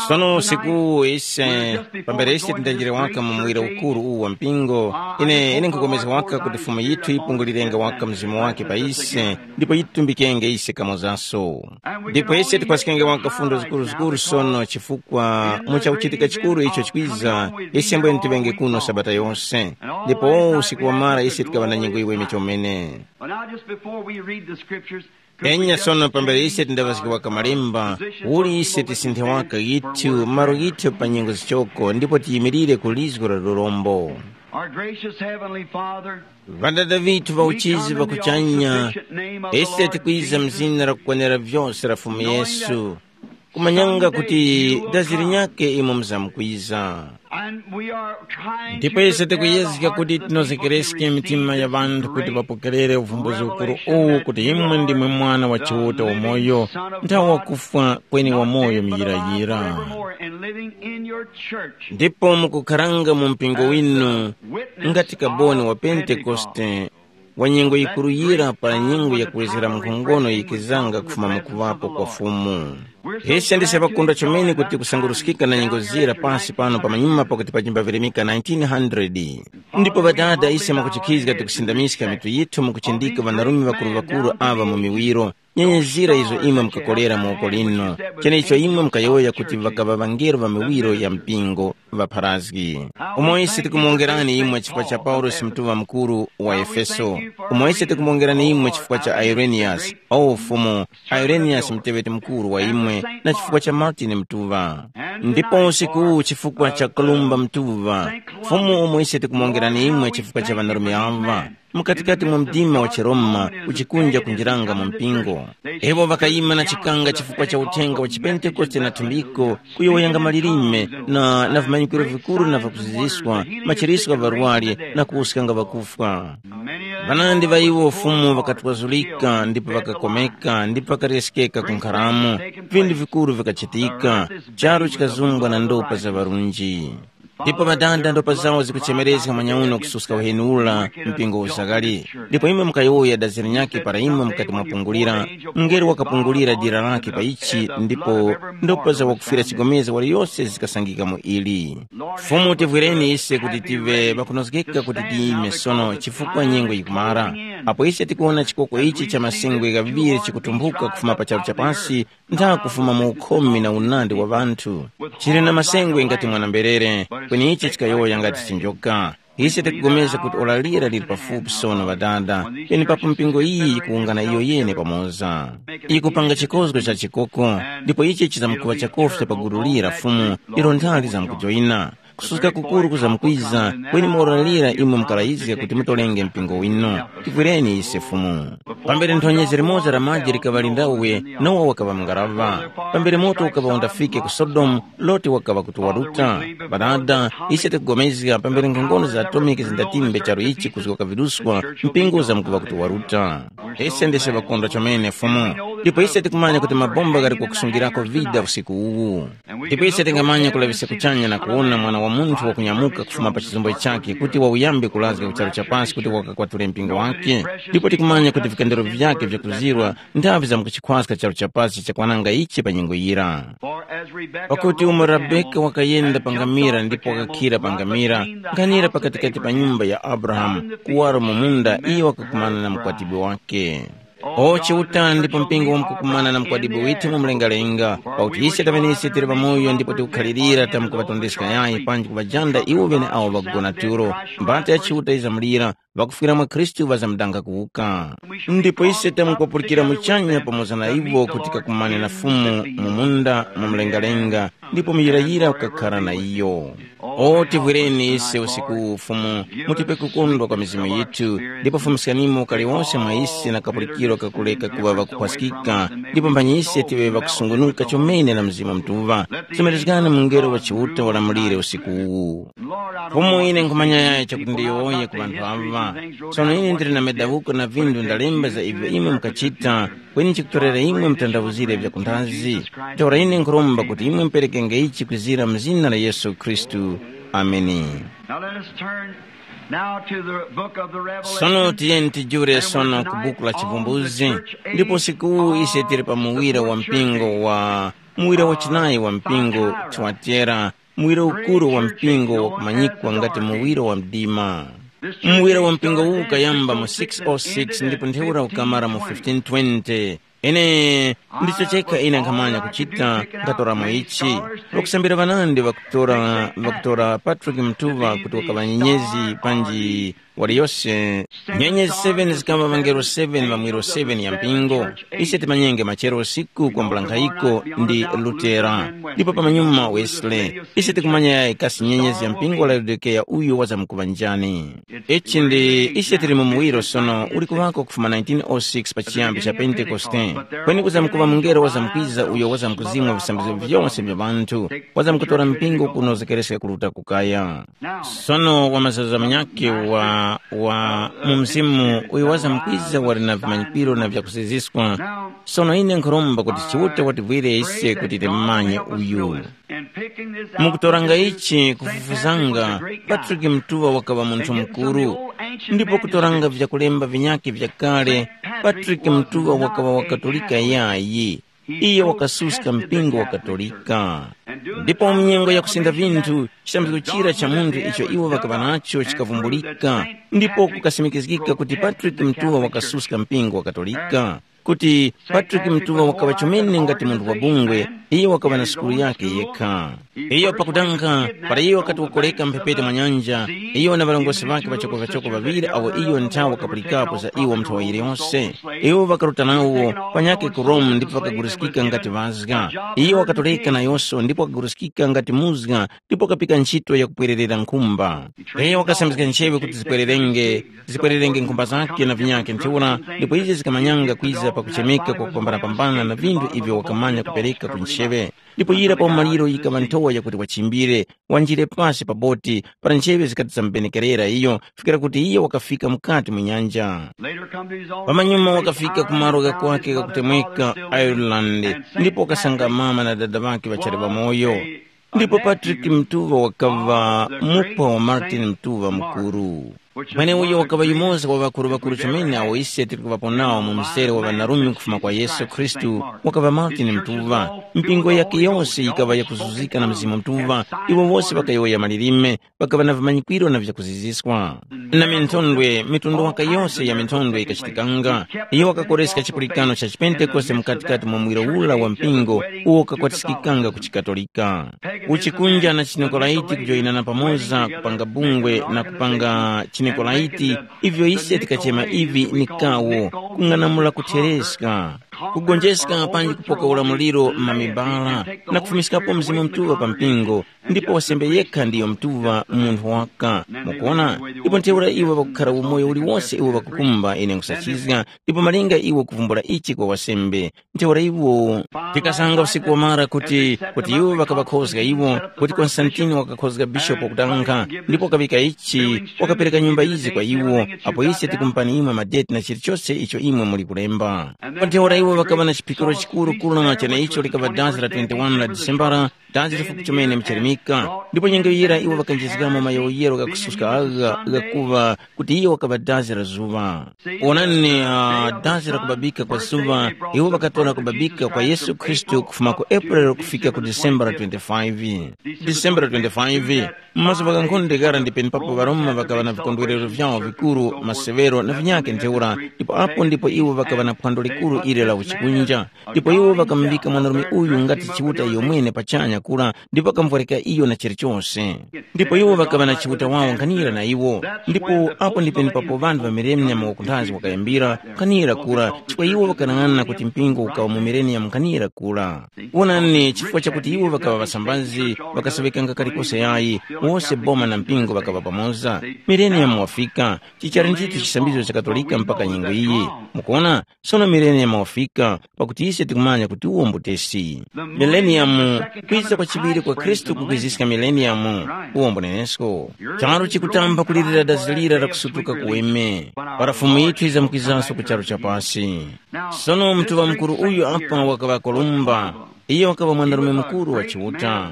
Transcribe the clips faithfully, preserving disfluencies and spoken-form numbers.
Sono usiku ise, pambere ise tindanjire waka mu muwiro ukuru uwu wa mpingo, ine ine nkhukomezga waka kuti Fumu yithu yipungulirenge waka mzimu wake pa ise, ndipo yitumbikenge ise kamozaso. Ndipo ise tikhwaskenge waka fundo zikuruzikuru sono, chifukwa mu chakuchitika chikuru icho chikwiza, ise mbwene tiŵenge kuno sabata yose. Ndipo usiku wamara ise tikaŵa na nyengo iweme chomene. Well, now, just before we read the scriptures, could we enya just sono pambere ise tindaŵazgiwaka malemba, uli ise tisinthe waka yithu maro yithu pa nyengo zichoko ndipo tiyimirire ku lizgo la lurombo. Our gracious Heavenly Father, ŵadada vithu va uchizi va kuchanya, ise tikwiza mzina la kukwanira vyose la Fumu Yesu, kumanyanga kuti dazi linyakhe imwe muzamkwiza. And we are trying ndipo to ise prepare the tikuyezga hearts kuti of the people tinozekereske to mitima receive ya this vanthu kuti great vapokerere uvumbuzi ukuru revelation uwu that kuti you imwe are ndimwe mwana wa the Chiuta living wamoyo, Son of nthawi God, wakufwa kweni not wamoyo dead, but alive miyirayira. Forevermore and living in your church. Ndipo mukukharanga mu mpingo winu ngati kaboni wa Pentekoste, wa nyengo yikuruyira pa nyengo yakuwezera nkhongono yikizanga kufuma mukuŵapo kwa Fumu. Ise ndise ŵakundwa chomene kuti kusanguruskika na nyengo zira pasi pano pamanyuma pakuti pachimbavirimika nineteen hundred. Ndipo Ŵadada, ise mwakuchikizga tikusindamiska mitu yithu mukuchindika ŵanarume ŵakuru-ŵakuru aŵa mu miwiro, nyenye zira izo imwe mukakolera mu woko linu, cheneicho imwe mukayowoya kuti ŵakaŵa ŵangelo ŵa miwiro ya mpingo ŵapharazgi. Umo ise tikumuwongerani imwe chifukwa cha Paulosi mutuŵa mukuru wa Efeso. Umo ise tikumuwongerani imwe chifukwa cha Ireniyasi, o Fumu, Ireniyasi muteŵeti mukuru wa imwe, na chifukwa cha Martini mutuŵa. Ndipo usiku uwu chifukwa cha Kolumba mutuŵa, Fumu umo ise tikumuwongerani imwe chifukwa cha ŵanarume aŵa, mukatikati mwa mdima wa chiRoma uchikunja kunjiranga mu mpingo. Iwo ŵakayima na chikanga chifukwa cha uthenga wa chipentekoste na thumbiko, kuyowoyanga malilime na, na vimanyikiro vikuru na vakuziziswa, machiriswa gha ŵarwari na kuwuskanga ŵakufwa. Ŵanandi ŵa iwo Fumu ŵakatwazulika ndipo ŵakakomeka ndipo ŵakaryeskeka ku nkharamo, vindu vikuru vikachitika, charu chikazumbwa na ndopa za ŵarunji. Ndipo ŵadada ndopa zawo zikuchemerezga manyauno kususka uheni ula mpingo usakali. Ndipo imwe mukayowoya dazi linyakhe para imwe mukati mwapungulira, mungelo wakapungulira dira lakhe pa ichi ndipo ndopa za wakufwira chigomezga waliyose zikasangika mu ili. Fumu tivwireni ise kuti tive ŵakunozgeka kuti tiyime sono chifukwa nyengo yikumara. Apo ise tikuwona chikoko ichi cha masengwe ghaŵiri chikutumphuka kufuma pa charu cha pasi, ntha kufuma mu ukhomi na unandi wa ŵanthu. Chili na masengwe ngati mwana-mberere, kweni ichi chikayowoya ngati chinjoka. Ise tikupulikana kuti ora lira lili pafupi sono ŵadada, penepapo mpingo iyi yikuwungana iyo yene pamoza. Yikupanga chikozgo cha chikoko, ndipo ichi chizamkuŵa chakofi cha pa gulu lira Fumu, ilo nthali zamkujoyina. Kususka kukuru kuzamkwiza, kweni mora lira imwe mukalayizga kuti mutolenge mpingo winu. Tivwireni ise Fumu. Pambere nthonyezi limoza la maji likaŵa lindawe, Nowa wakaŵa mungaraŵa. Pambere moto ukaŵa undafike ku Sodomu, Loti wakaŵa kuti waruta. Ŵadada, ise tikugomezga pambere nkhongono za atomiki zindatimbe charu ichi kuzgoka viruswa, mpingo uzamkuŵa kuti waruta. Ise ndise ŵakondwa chomene Fumu, ndipo ise tikumanya kuti mabomba ghali kwakusungirako vida usiku uwu. Ndipo ise tingamanya kulaŵiska kuchanya na kuwona Mwana wa Munthu wakunyamuka kufuma pa chizumbo chakhe kuti wauyambe kulazga ku charu cha pasi kuti wakakwatule mpingo wakhe. Ndipo tikumanya kuti vikandelo vyakhe vyakuzirwa ndavi zamkuchikhwaska charu cha pasi chakwananga ichi pa nyengo yira. Pakuti umo Rabeka wakayenda pa ngamira ndipo wakakhira pa ngamira, nkhanira pakatikati pa nyumba ya Abrahamu, kuwaro mu munda iyo wakakumana na mukwatibwi wakhe. O Chiuta, ndipo mpingo wamkukumana na mukwadibwe withu mu mlengalenga, pakuti ise taŵenise tili pamoyo ndipo tikukhalirira tamkuŵatondeska yayi panji kuŵajanda iwo ŵene awo ŵakugona tulo. Mbata ya Chiuta yizamulira, ŵakufwira mwa Khristu ŵazamdanga kuwuka. Ndipo ise tamkupulikira muchanya pamoza na iwo kuti kakumane na Fumu mu munda mu mlengalenga, ndipo muyirayira ukakhara na iyo. O tivwireni ise usiku uwu Fumu, mutipe kukondwa kwa mizimu yithu, ndipo fumuskanimo ukali wonse mwa ise na kapulikiro kakuleka kuŵa ŵakukhwaskika, ndipo mphanyi ise tive ŵakusungunuka chomene na Mzimu Mutuŵa. Semerezgani mungelo wa Chiuta walamulire usiku uwu. Fumu ine nkhumanya yayi chakuti ndiyowoye ku ŵanthu aŵa. Sono ine ndili na madawuko na vindu ndalemba za ivyo imwe mukachita, kweni nchikutorera imwe mutandawuzire vyakunthazi. Ntheura ine nkhuromba kuti imwe muperekenge ichi kwizira mu zina la Yesu Khristu. Ameni. Now let us turn now to the book of the Revelation. Sono tiyeni tijure sono ku buku la Chivumbuzi, ndipo usiku uwu ise tili pa muwira wa mpingo wa muwira wachinayi wa mpingo, Thuatera, muwira ukuru wa mpingo wakumanyikwa ngati muwira wa mdima. Muwira wa mpingo uwu ukayamba mu six oh six ndipo ntheura ukamara mu fifteen twenty. Ine ndicho chekha ine nkhamanya kuchita, ndatoramo ichi. Ŵakusambira ŵanandi ŵakutora, ŵakutora Patrick Mtuŵa kuti wakaŵa nyenyezi panji waliyose. Nyenyezi seven zikaŵa ŵangelo seven ŵamwiro seven ya mpingo. Ise timanyenge machero usiku kwambula nkhayiko ndi Lutera, ndipo pamanyuma Wesley. Ise tikumanya yayi kasi nyenyezi ya mpingo wa Laodikeya uyu wazamkuŵa njani. Ichi ndi ise tili mu muwiro sono uli kuŵako kufuma nineteen oh six pa chiyambi cha Pentekoste. Kweni kuzamkuŵa mungelo wazamkwiza uyo wazamkuzimwa visambizgo vyose vya ŵanthu, wazamkutora mpingo kuno zekereska kuruta kukaya. Sono wa mazaza manyakhe wa, wa mu mzimu uyo wazamkwiza wali na vimanyikiro na vyakuziziskwa. Sono ine nkhuromba kuti Chiuta wativwire ise kuti timumanye uyu. Mukutoranga ichi kufufuzanga, Patrick Mtuŵa wakaŵa munthu mukuru, ndipo kutoranga vyakulemba vinyakhe vyakale, Patrick Mtuŵa wakaŵa wa Katolika yayi. Iye wakasuska mpingo wa Katolika. Ndipo mu nyengo ya kusinda vinthu, chitambiko chira cha munthu icho iwo ŵakaŵa nacho chikavumbulika, ndipo kukasimikizgika kuti Patrick Mtuŵa wakasuska mpingo wa Katolika, kuti Patrick Mtuŵa wakaŵa chomene ngati munthu wa bungwe, iyo wakaŵa na sukulu yakhe yekha. Iyo pakutanga, para iyo wakati wakoleka mphepete mwa nyanja, iyo na ŵarongozgi ŵakhe ŵachoko-ŵachoko ŵaŵiri awo iyo nthawe wakapulikapo za iwo nthawa yiliyonse, iwo ŵakaruta nawo panyakhe ku Rome ndipo ŵakaguruskika ngati ŵazga. Iyo wakatoreka nayonso ndipo wakaguruskika ngati muzga ndipo wakapika ntchito yakupwererera nkhumba. Iyo wakasambizga ncheŵe kuti zipwererenge, zipwererenge nkhumba zakhe na vinyakhe ntheura, ndipo izi zikamanyanga kwiza pakuchemeka kwa kupambanapambana na vinthu ivyo wakamanya kupereka ku ncheŵe. Ndipo yira pa umaliro yikaŵa nthowa yakuti wachimbire, wanjire pasi pa boti, para ncheŵe zikati zamubenekerera iyo, kufikira kuti iyo wakafika mukati mu nyanja. Pamanyuma wakafika ku malo ghakwake ghakutemweka Ireland, ndipo wakasanga mama na dada ŵakhe ŵachali ŵamoyo. Ndipo Patrick Mtuŵa wakaŵa mupwa wa Martin Mtuŵa Mukuru. Mweneuyo wakaŵa yumoza wa ŵakuru-ŵakuru chomene awo ise tili kuŵapo nawo mu mzere wa ŵanarume kufuma kwa Yesu Khristu, wakaŵa Martin Mtuŵa. Mpingo yakhe yose yikaŵa yakuzuzika na Mzimu Mutuŵa, iwo wose ŵakayowoya malilime, ŵakaŵa na vimanyikwiro na vyakuziziswa. Na minthondwe, mitundu waka yose ya minthondwe yikachitikanga. Iyo wakakoreska chipulikano cha chipentekoste mukati-kati mwa muwiro ura wa mpingo uwo ukakwatiskikanga ku chiKatolika. Uchikunja na chiNikolaiti kujoyinana pamoza kupanga bungwe na kupanga chiNikolaiti, ivyo ise tikachema ivi ni kawo, kung'anamula kuthereska, kugonjeska panji kupoka ulamuliro m'mamibala, na kufumiskapo Mzimu Mutuŵa pa mpingo, ndipo wasembe yekha ndiyo Mutuŵa munthu waka. Mukuona? Ndipo ntheura iwo ŵakukhara umoyo uliwose iwo ŵakukumba ine nkusachizga, ndipo malinga iwo kuvumbula ichi kwa wasembe. Ntheura iwo tikasanga usiku wamara kuti, kuti iwo ŵakaŵakhozga iwo, kuti Konstantini wakakhozga bishopu wakutanga, ndipo wakaŵika ichi, wakapereka nyumba izi kwa iwo, apo ise tikumupani imwe madeti na chilichose icho imwe muli kulemba. Pa ntheura iwo ŵakaŵa na chiphikiro chikuru kura na cheneicho likaŵa dazi la twenty-one la Disembara, dazi lifupi chomene mchalimika, ndipo nyengo yira iwo ŵakanjizgamo mayowoyero ghakususka agha ghakuŵa kuti iyo wakaŵa dazi la zuŵa. Wonani, uh, dazi la kubabika kwa zuŵa, iwo ŵakatora kubabika kwa Yesu Khristu kufuma ku April kufika ku December twenty-five. December twenty-five, mu mazuŵa ghankhonde ghara ndi penepapo ŵaRoma ŵakaŵa na vikondwerero vyawo vikuru, masewero na vinyakhe ntheura, ndipo apo ndipo iwo ŵakaŵa na phwando likuru ili la uchikunja. Ndipo iwo ŵakamuvika mwanarume uyu ngati Chiuta iyomwene pachanya kura, ndipo ŵakamuvwarika iyo na chilichose. Ndipo iwo ŵakaŵa na Chiuta wawo nkhanira na iwo. Ndipo apo ndi penepapo ŵanthu ŵa mileniyamu wakunthazi wakayambira nkhanira kura, chifukwa iwo ŵakanang'ana kuti mpingo ukaŵa mu mileniyamu nkhanira kura. Wonani, chifukwa chakuti iwo ŵakaŵa ŵasambazi, ŵakaseŵekanga kalikose yayi, wose boma na mpingo ŵakaŵa pamoza. Mileniyamu wafika, chichali ndithu chisambizo cha Katolika mpaka nyengo iyi. Mukuona? Sono mileniyamu wafika, pakuti ise tikumanya kuti uwo mbutesi. Mileniyamu, kwiza kwa chiŵiri kwa Khristu kukwiziska mileniyamu, uwo mbunenesko. Charu chikutamba kulirira dazi lira la kusutuka kuweme, para Fumu yithu yizamkwizanso ku charu cha pasi. Sono Mutuŵa Mukuru uyu apa wakaŵa Kolumba, iyo wakaŵa mwanarume mukuru wa Chiuta.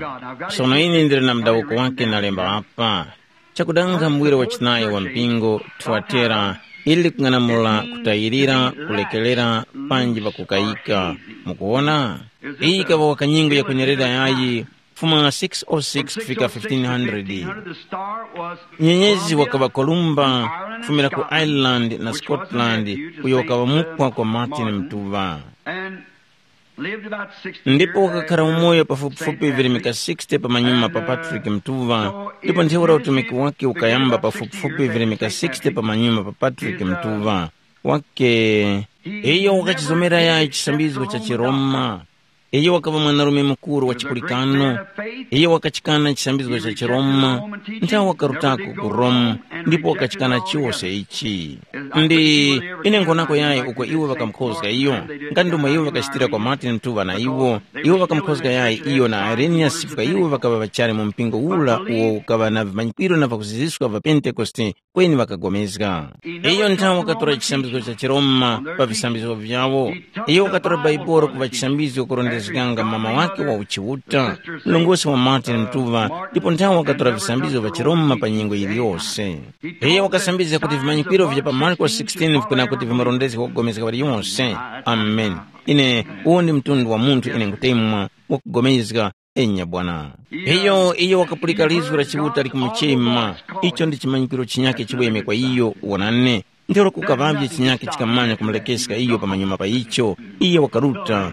Sono ine ndili na mudawuko wake nalemba apa. Chakudanga muwiro wachinayi wa mpingo, Thuatera, ili likung'anamula kutayirira, kulekerera, panji pakukayika. Mukuwona? Iyi ikaŵa wakanyengo yakwenerera yayi, kufuma six oh six kufika fifteen hundred. Nyenyezi wakaŵa Kolumba, kufumira ku Ireland na Scotland, uyo wakaŵa mupwa kwa Martin Mtuŵa. Ndipo wakakhala umoyo pafupifupi virimika sixty pamanyuma pa Patrick Mtuŵa, ndipo ntheura utumiki wake ukayamba pafupifupi virimika sixty pamanyuma pa Patrick Mtuŵa. Wake, iyo wakachizomera yayi chisambizgo cha chiRoma. Iyo wakaŵa mwanarume mukuru wa chipulikano. Iyo wakachikana chisambizgo cha chiRoma, nthawe wakarutako ku Rome, ndipo wakachikana chose ichi. Ndi ine nkhonako yayi uko iwo ŵakamukhozga iyo, nga ndomwe iwo ŵakachitira kwa Martin Mtuŵa na iwo. Iwo ŵakamukhozga yayi iyo na Irenaeus chifukwa iwo ŵakaŵa ŵachali mu mpingo ura uwo ukaŵa na vimanyikwiro na vakuziziswa va Pentekoste, kweni ŵakagomezga. Iyo nthawe wakatora chisambizgo cha chiRoma pa visambizgo vyawo. Iyo wakatora Baibolo kuŵa chisambizgo kurondezganga mama wake wa uchiuta, mlongosi wa Martin Mtuŵa, ndipo nthawe wakatora visambizgo vya chiRoma pa nyengo yiliyose. Iyo wakasambizga kuti vimanyikwiro vya pa Marko sixteen vikuna kuti vimarondezge kugomezga waliyonse. Amen. Ine, uwo ndi mtundu wa munthu ine nkutemwa wakugomezga, enya bwana. Iyo, iyo wakapulika lizgu la Chiuta likumuchema. Icho ndi chimanyikiro chinyake chiweme kwa iyo, wonani. Ntheura kukaŵavye chinyake chikamanya kumulekeska iyo pamanyuma pa icho, iyo wakaruta.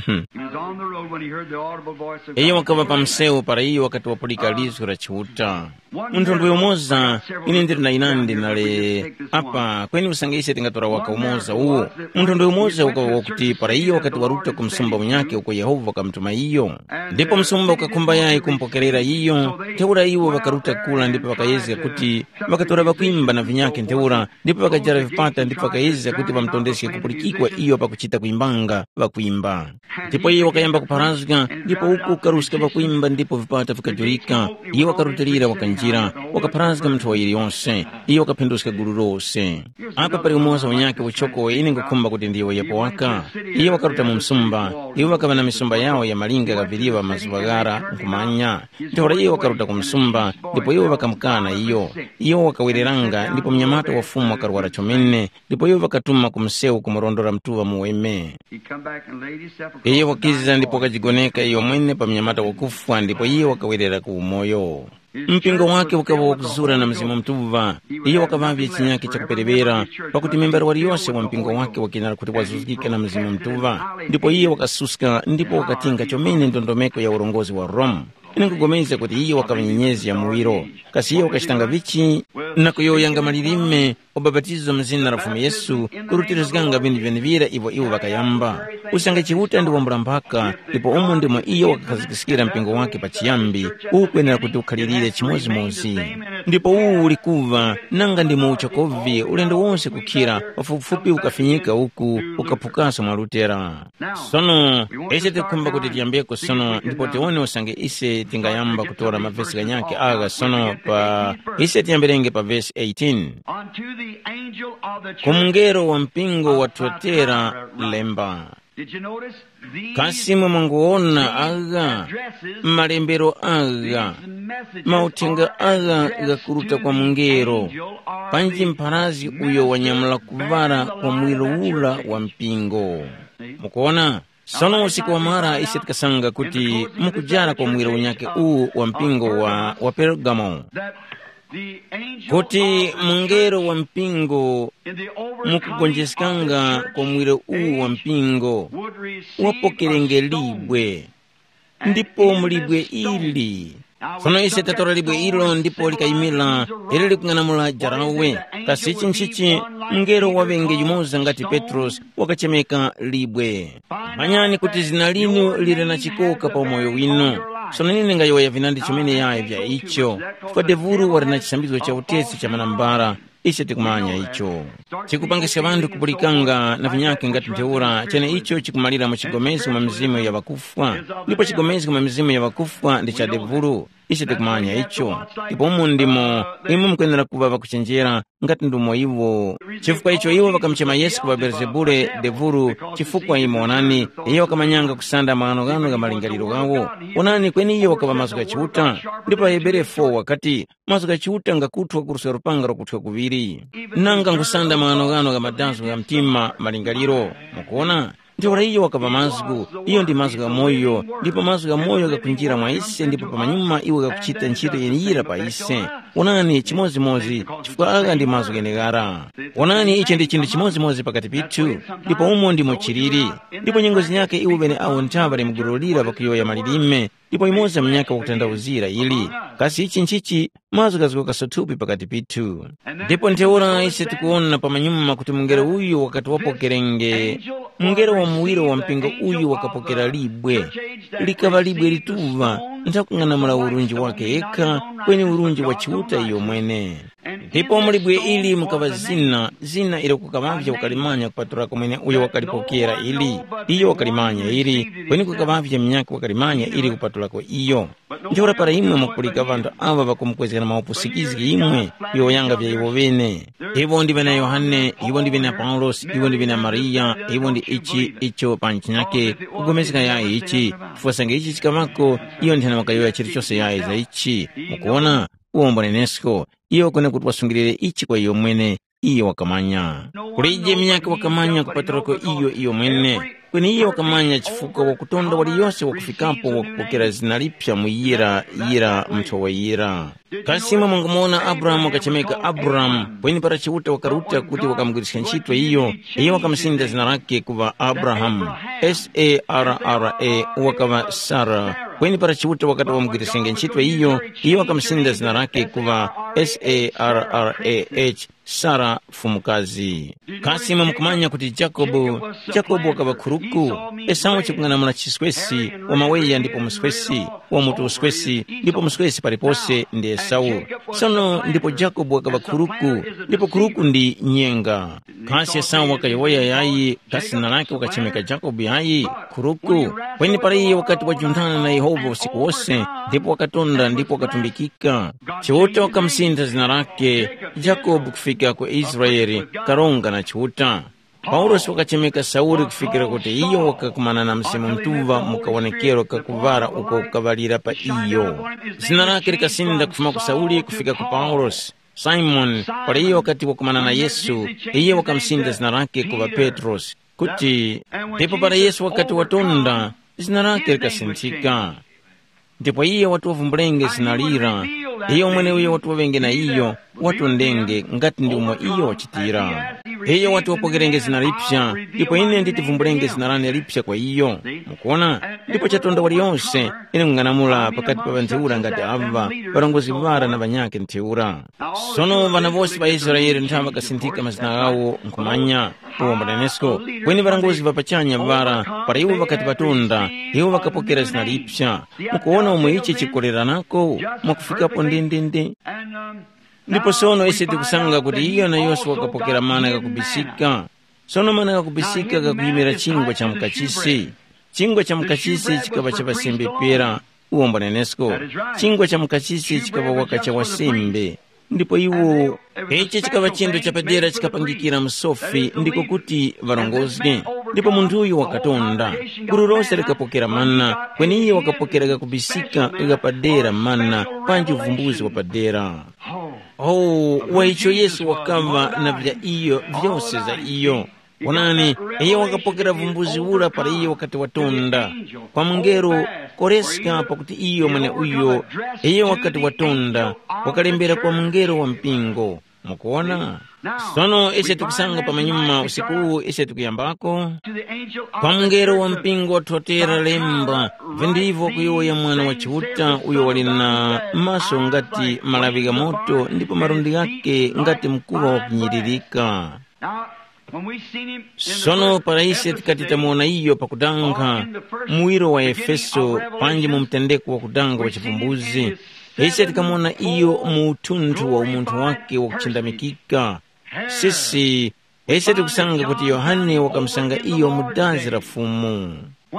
He was on the road when he heard the audible voice of Iyo God. Wakaŵa pa msewu para iyo wakati wapulika lizgu la Chiuta. Munthu ndwe umoza, ine ndili na inandi nali apa, kweni usange ise tingatora waka umoza uwo. Munthu ndwe umoza wakaŵa wakuti para iyo wakati waruta ku msumba unyakhe uko Yehova wakamutuma iyo. Ndipo msumba ukakhumba yayi kumpokerera iyo, ntheura iwo ŵakaruta kura ndipo ŵakayezga kuti ŵakatora ŵakwimba na vinyakhe ntheura, ndipo ŵakajara vipata ndipo ŵakayezga kuti ŵamutondeske kupulikikwa iyo pakuchita kwimbanga ŵakwimba. Ndipo iye wakayamba kupharazga, ndipo uku kukaruska ŵakwimba ndipo vipata vikajurika. Iye wakarutilira wakanjira, wakapharazga mu nthowa yiliyonse, iye wakaphinduska gulu lose. Apa pali umoza unyakhe uchoko ine ngukhumba kuti ndiyowoyepo waka. Iye wakaruta mu msumba, iwo ŵakaŵa na misumba yawo ya malinga ghaŵiriwa mazuŵa ghara nkhumanya. Ntheura iye wakaruta ku msumba, ndipo iwo ŵakamukana iyo. Iyo wakawereranga ndipo mnyamata wa Fumu wakarwara chomene, ndipo iwo ŵakatuma ku msewu kumurondora mtuŵa muweme. He come back and laid himself across Iye the wakiza dying ndipo boy. Wakajigoneka iyo mwene pa mnyamata wakufwa ndipo iye wakawerera ku umoyo. Mpingo wake ukaŵa wakuzura na Mzimu Mutuŵa. Iye wakaŵavye chinyakhe chakuperewera, pakuti membere waliyose wa mpingo wake wakenera kuti wazuzgike na Mzimu Mutuŵa. Ndipo iye wakasuska ndipo wakatinga chomene ndondomeko ya urongozi wa Roma. Ine nkupulikana kuti iye wakaŵa nyenyezi ya muwiro. Kasi iye wakachitanga vichi? Na kuyowoyanga malilime, ubapatizo mu zina la Fumu Yesu, kurutirizganga vinthu vyenevira ivyo iwo ŵakayamba. Usange Chiuta ndi wambula mphaka, ndipo umo ndimo iyo wakakhazgiskira mpingo wake pachiyambi, ukwenera kuti ukhalirire chimodzimodzi. Ndipo uwu uli kuva, nanga ndimo uchakovi ulendo wonse kukhira, pafupifupi ukafinyika uku, ukaphukaso mwa Lutera. Sono, ise tikukhumba kuti tiyambeko sono ndipo tiwone usange ise tingayamba kutora mavesi ghanyakhe agha sono pa, ise tiyambirenge pa vesi eighteen. Unto the angel of the Ku church mungelo wa mpingo wa of Tuatera Thyatira write. Lemba. Did you notice? These Kasi mwe mwanguwona agha, malembero agha, these messages mauthenga are agha addressed ghakuruta to kwa the mungelo, angel or panji the mpharazi uyo wanyamula messenger kuŵala bearing the kwa light mwiro of that ura church wa age. Mpingo. Mukuona? Sono usiku wamara ise tikasanga kuti mukujara kwa mwiro unyakhe uwu wa mpingo wa, wa Pergamo, kuti mungelo wa mpingo mukugonjeskanga kwa mwiro uwu wa mpingo wapokerenge libwe, ndipo mu libwe ili. Sono ise tatora libwe ilo ndipo likayimira, ili likung'anamula jarawe. Kasi ichi nchichi? Mngelo waŵenge yumoza ngati Petrosi wakachemeka libwe. Manyani kuti zina linu lili na chikoka pa umoyo winu. Sono ine ndingayowoya vinandi chomene yayi vya icho, chifukwa devulu wali na chisambizgo cha utesi cha manambala. Ise tikumanya icho. Chikupangiska ŵanthu kupulikanga na vinyakhe ngati ntheura, chene icho chikumalira mu chigomezgo mwa mizimu ya ŵakufwa, ndipo chigomezgo mwa mizimu ya ŵakufwa ndi cha devulu. Ise tikumanya icho. Ndipo umu ndimo imwe mukwenera kuŵa ŵakuchenjera ngati ndumo iwo. Chifukwa icho iwo ŵakamuchema Yesu kuŵa Belezebule, devulu, chifukwa imwe wonani, iyo wakamanyanga kusanda maghanoghano gha malingaliro ghawo. Wonani, kweni iyo wakaŵa mazgu gha Chiuta. Ndipo Ahebere four wakati, mazgu gha Chiuta ngakuthwa kuruska lupanga lwakuthwa kuŵiri. Nanga nkhusanda maghanoghano gha madazgo gha mtima malingaliro. Mukuona? Ntheura iyo wakaŵa mazgu, iyo ndi mazgu gha moyo, ndipo mazgu gha moyo ghakunjira mwa ise ndipo pamanyuma iwo ghakuchita ntchito yeneyira pa ise. Wonani chimodzimodzi, chifukwa agha ndi mazgu gheneghara. Wonani ichi ndi chinthu chimodzimodzi pakati pithu, ndipo umo ndimo chiliri. Ndipo nyengo zinyakhe iwo ŵeneawo nthaŵa limgululira pakuyowoya malilime, ndipo imodzi ya munyaka wakutanthauzira ili. Kasi ichi nchichi? Mazgu ghazgoka sothupi pakati pithu. Ndipo ntheura ise tikuwona pamanyuma kuti mungelo uyu wakati wapokerenge, mungelo wa muwiro wa mpingo uyu wakapokera libwe. Likaŵa libwe lituŵa, nthakung'anamula urunji wakhe yekha, kweni urunji wa Chiuta iyo mwene. Ndipo mu libwe ili mukaŵa zina, zina ilo kukaŵavye wakalimanya kupatulako mwene uyo wakalipokera ili. Iyo wakalimanya ili, kweni kukaŵavye munyakhe wakalimanya ili kupatulako iyo. Ntheura para imwe mwakulika ŵanthu aŵa ŵakumukwezgera maupusikizgi imwe kuyowoyanga vya iwo ŵene. Iwo ndi ŵana Yohane, iwo ndi ŵana Paulosi, iwo ndi ŵana Mariya, iwo ndi ichi, icho pa nchinake, kugomezga yayi ichi, chifukwa sange ichi chikaŵako, iyo nthena wakayowoya chilichose yayi za ichi. Mukuwona? Uwombo nenesko, iyo kwenekuti wasungilire ichi kwa iyo mwene, iyo wakamanya. Kulije munyakhe wakamanya kupatulako iyo iyo mwene. Kweni iyo wakamanya chifukwa wakutonda waliyose wakufikapo wakupokera zina lipya mu yira yira mnthowa yira. Kasi imwe mwangamuwona Abrahamu wakachemeka Abrahamu, kweni para Chiuta wakaruta kuti wakamugwiriska ntchito iyo, iyo wakamusinda zina lake kuŵa Abrahamu. S A R R A wakaŵa Sara, kweni para Chiuta wakati wamugwirisenge ntchito iyo, iyo wakamusinda zina lake kuŵa S A R R A H, Sara mfumukazi. Kasi imwe mukumanya kuti Jakobo, Jakobo wakaŵa khuruku? Esau chikung'anamula chiswesi, wa maweya ndipo muswesi, wa mutu uswesi, ndipo muswesi palipose ndi Esau. Sono ndipo Jakobo wakaŵa khuruku, ndipo khuruku ndi nyenga. Kasi Esau wakayowoya yayi, kasi zina lake wakachemeka Jakobo yayi? Khuruku. Kweni para iye wakati wajunthana na Yehova usiku wose, ndipo wakatonda ndipo wakatumbikika. Chiuta wakamusintha zina lake Jakobo kufika ku Israele, karonga na Chiuta. Paulosi wakachemeka Sauli kufikira kuti iyo wakakumana na Mzimu Mutuŵa mu kawonekero kakuŵala uko kukaŵalira pa iyo. Zina lake likasinda kufuma ku Sauli kufika ku Paulosi. Simoni, para iyo wakati wakumana na Yesu, iye wakamusinda zina lake kuŵa Petrosi, kuti ndipo para Yesu wakati watonda, zina lake likasinthika. Ndipo iye wati wavumbulenge zina lira, iyo mweneuyo wati waŵenge na iyo, watondenge ngati ndi umo iyo wachitira. Iyo wati wapokerenge zina lipsa, ndipo ine nditivumbulenge zina lane lipsa kwa iyo. Mukuona? Ndipo chatonda waliyonse, ine nkung'anamula pakati pa ŵantheura ngati ava, ŵarongozgi ŵara na ŵanyakhe ntheura. Sono ŵana wose ŵa Israele nthawe ŵakasinthika mazina ghawo nkhumanya, uwo mbanenesko, kweni ŵarongozgi ŵa pachanya ŵara, para iwo ŵakati ŵatonda, iwo ŵakapokera zina lipsa. Mukuwona umo ichi chikoleranako? Mwakufikapo ndendende. Ndipo sono ise tikusanga kuti iyo na Yosefe wakapokera mana ghakubisika. Sono mana ghakubisika ghakuyimira chingwa cha mukachisi. Chingwa cha mukachisi chikaŵa cha ŵasembe pera, uwo mbanenesko. Chingwa cha mukachisi chikaŵa waka cha wasembe. Ndipo iwo, ichi chikaŵa chinthu chapadera chikapangikira msofi ndiko kuti ŵarongozge. Ndipo munthuyu wakatonda. Gulu lose likapokera mana, kweni iye wakapokera ghakubisika ghapadera mana, panji uvumbuzi wapadera. Oh, wa icho Yesu wakaŵa na vya iyo vyose za iyo. Wonani, iye wakapokera vumbuzi ura para iye wakati watonda. Kwa mungelo, koreska pakuti iyo mweneuyo, iye wakati watonda, wakalembera kwa mungelo wa mpingo. Mukuwona? Sono ise tikusanga pamanyuma usiku uwu ise tikuyambako. Kwa mungelo wa mpingo wathotera lemba, vindivyo kuyowoya mwana wa Chiuta uyo wali na maso ngati malaŵi gha moto ndipo malundi ghake ngati mkuŵa wakunyiririka. Sono para ise tikati tamuwona iyo pakudanga, muwiro wa Efeso panji mu mtendeko wakudanga wa chivumbuzi, ise tikamuwona iyo mu uthunthu wa umunthu wake wakuchindamikika. Sisi, ise tikusanga kuti Yohane wakamusanga iyo mu dazi la Fumu.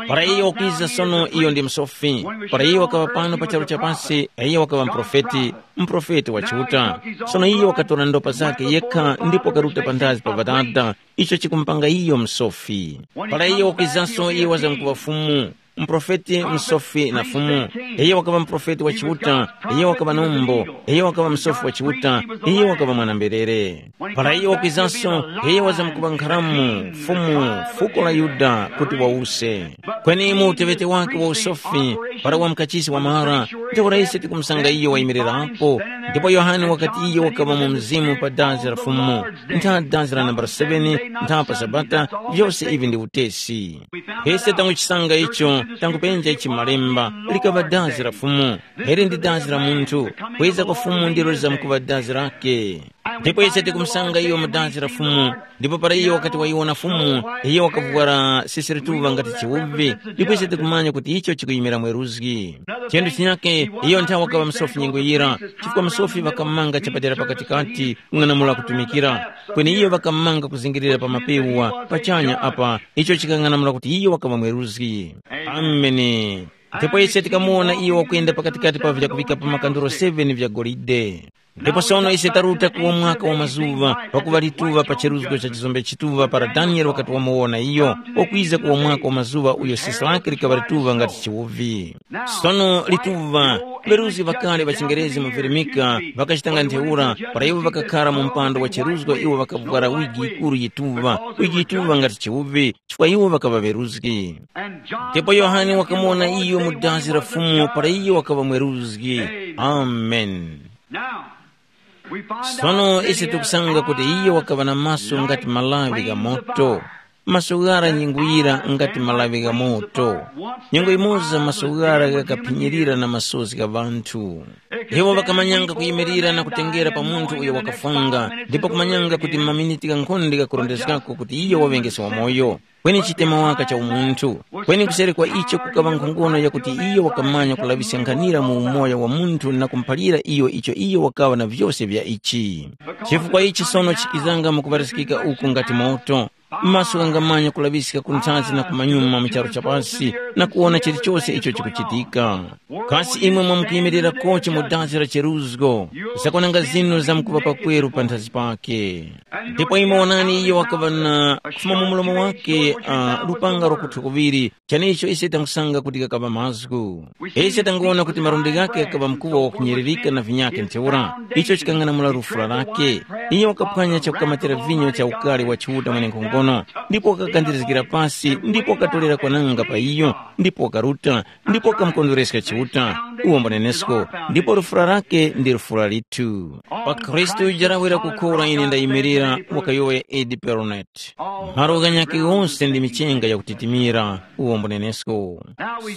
Para iyo wakwiza sono, iyo ndi msofi. Para iyo wakaŵa pano pa charu cha pasi, iyo wakaŵa muprofeti, muprofeti wa Chiuta. Sono iyo wakatora ndopa zakhe yekha ndipo wakaruta panthazi pa Ŵadada, icho chikumupanga iyo msofi. Para iyo wakwizanso, iyo wazamkuŵa Fumu, muprofeti, msofi na Fumu. Iyo wakaŵa muprofeti wa Chiuta, iyo wakaŵa nombo, iyo wakaŵa msofi wa Chiuta, iyo wakaŵa mwana-mberere. Para iyo wakwizanso, iyo wazamkuŵa nkharamu, Fumu, fuko la Yuda, kuti wawuse. Kweni mu uteŵete wake wa usofi, para wa mukachisi wamara, ntheura ise tikumusanga iyo wayimirirapo, ndipo Yohane wakati iyo wakaŵa mu mzimu pa dazi la Fumu, ntha dazi la nambala seven, ntha pa Sabata, vyose ivi ndi utesi. Ise tanguchisanga icho, tangupenja ichi malemba, likaŵa dazi la Fumu, ili ndi dazi la munthu, kwiza kwa Fumu ndilo lizamkuŵa dazi lake. Ndipo ise tikumusanga iyo mu dazi la Fumu, ndipo para iyo wakati wayiwona Fumu, iyo wakavwara sisirituŵa ngati chiwuvi, ndipo ise tikumanya kuti icho chikuyimira mweruzgi. Chinthu chinyake, iyo nthawi wakaŵa msofi nyengo yira, chifukwa msofi ŵakamanga chapadera pakatikati kung'anamula kutumikira, kweni iyo ŵakamanga kuzingirira pa mapewa pachanya apa, icho chikang'anamula kuti iyo wakaŵa mweruzgi. Ameni. Ndipo ise tikamuwona iyo wakwenda pakatikati pa vyakuŵika pa makanduro seven vya golide. Ndipo sono ise taruta kuwo mwaka wa mazuŵa, pakuŵa lituŵa pa cheruzgo cha chizombe chituŵa para Daniele wakati wamuwona iyo, wakwiza kuwo mwaka wa mazuŵa uyo sisi lake likaŵa lituŵa ngati chiwuvi. Sono lituŵa, ŵeruzgi ŵakale ŵa chingerezi mu Filimika ŵakachitanga ntheura, para iwo ŵakakhara mu mpando wa cheruzgo iwo ŵakavwara wigi yikuru yituŵa, wigi yituŵa ngati chiwuvi, chifukwa iwo ŵakaŵa ŵeruzgi. Ndipo Yohane wakamuwona iyo mu dazi la Fumu para iyo wakaŵa mweruzgi. Amen. Now, we find Sono out that ise he had tikusanga kuti eyes iye wakaŵa na maso ngati malawi gha moto, maso ghara nyingwira ngati malawi gha moto. Nyengo imoza maso ghara ghakaphinyirira na masozi gha ŵanthu. Iwo ŵakamanyanga kuyimirira na kutengera pa munthu uyo wakafunga, ndipo kumanyanga kuti maminiti ghankhonde ghakurondezgako kuti iyo waŵengese wamoyo. Kweni chitema waka cha umunthu, kweni kuseri kwa icho kukaŵa nkhongono yakuti iyo wakamanya kulaŵiska nkhanira mu umoyo wa munthu na kumuphalira iyo icho iyo wakaŵa na vyose vya ichi. Chifukwa ichi sono chikizanga mukuŵariskika uku ngati moto, maso ghangamanya kulaŵiska ku nthanzi na kumanyuma mu charu cha pasi na kuwona chilichose icho chikuchitika. Kasi imwe mwamkuyimirira kochi mu dazi la cheruzgo, zakwananga zinu zamkuŵa pakweru panthazi pake. Ndipo imwe wonani iyo wakaŵa na kufuma mu mlomo wake uh, lupanga lwakuthwa kuŵiri, chanecho ise tangusanga kuti kakaŵa mazgu. Ise tanguwona kuti malundi ghake ghakaŵa mkuwa wakuphinyirika na vinyake ntheura, icho chikang'anamula lufula lake. Iye wakaphwanya chakukamatira vinyo cha ukari wa Chiuta mwenenkhongono, ndipo wakakandirizgira pasi ndipo wakatorera kwananga pa iyo, ndipo wakaruta, ndipo wakamukondwereska Chiuta, uwo mbunenesko, ndipo lufula lake ndi lufula lithu. Pa Khristu uja lawira kukhora ine ndayimirira, wakayowoya Edi Peronet. Malo ghanyakhe ghonse ndi michenga yakutitimira, uwo mbunenesko.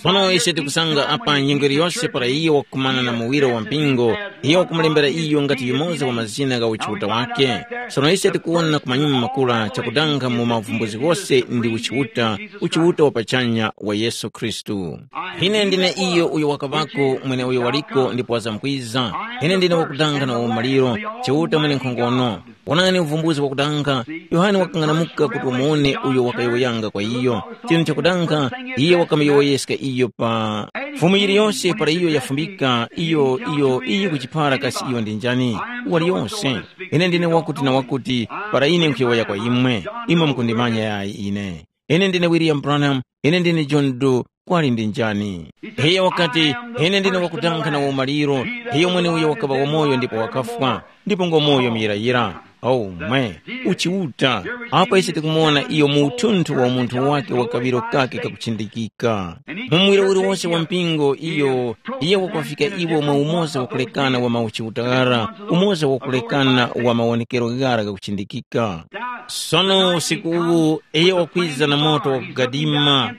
Sono ise tikusanga apa nyengo iliyonse para iye wakukumana na muwiro wa mpingo, iye wakumulembera iyo ngati yumoza wa mazina gha uchiuta wake. Sono ise tikuwona ku manyuma makula chakudanga mu mavumbuzi ghose ndi uchiuta, uchiuta wa pachanya wa Yesu Khristu. Ine ndine iyo uyo wakaŵako, mweneuyo waliko ndipo wazamkwiza. Ine ndine wakudanga na umaliro, Chiuta mwenenkhongono. Wonani uvumbuzi wakudanga, Yohane wakang'anamuka kuti wamuwone uyo wakayowoyanga kwa iyo. Chinthu chakudanga, iye wakamuyowoyeska iyo pa Fumu yiliyonse para iyo yafumbika, iyo, iyo, iyo kuchipara kasi iyo ndi njani. Waliyonse. Ine ndine wakuti na wakuti, para ine nkhuyowoya kwa imwe, imwe mukundimanya yayi ine. Ine ndine William Branham, ine ndine John Doe, kwali ndi njani? Iyo wakati, ine ndine wakudanga na umaliro, iyo mweneuyo wakaŵa wamoyo ndipo wakafwa, ndipo ngomoyo muyirayira. Oh, mwe, uchiuta, apa ise tikumuwona iyo mu uthunthu wa umunthu wake wa kaŵiro kake kakuchindikika. Mu muwiro uliwonse wa mpingo iyo, iyo wakuŵafika iwo mwa umoza wakulekana wa mauchiuta ghara, umoza wakulekana wa mawonekero ghara ghakuchindikika. Sono usiku uwu, iyo wakwiza na moto wakugadima,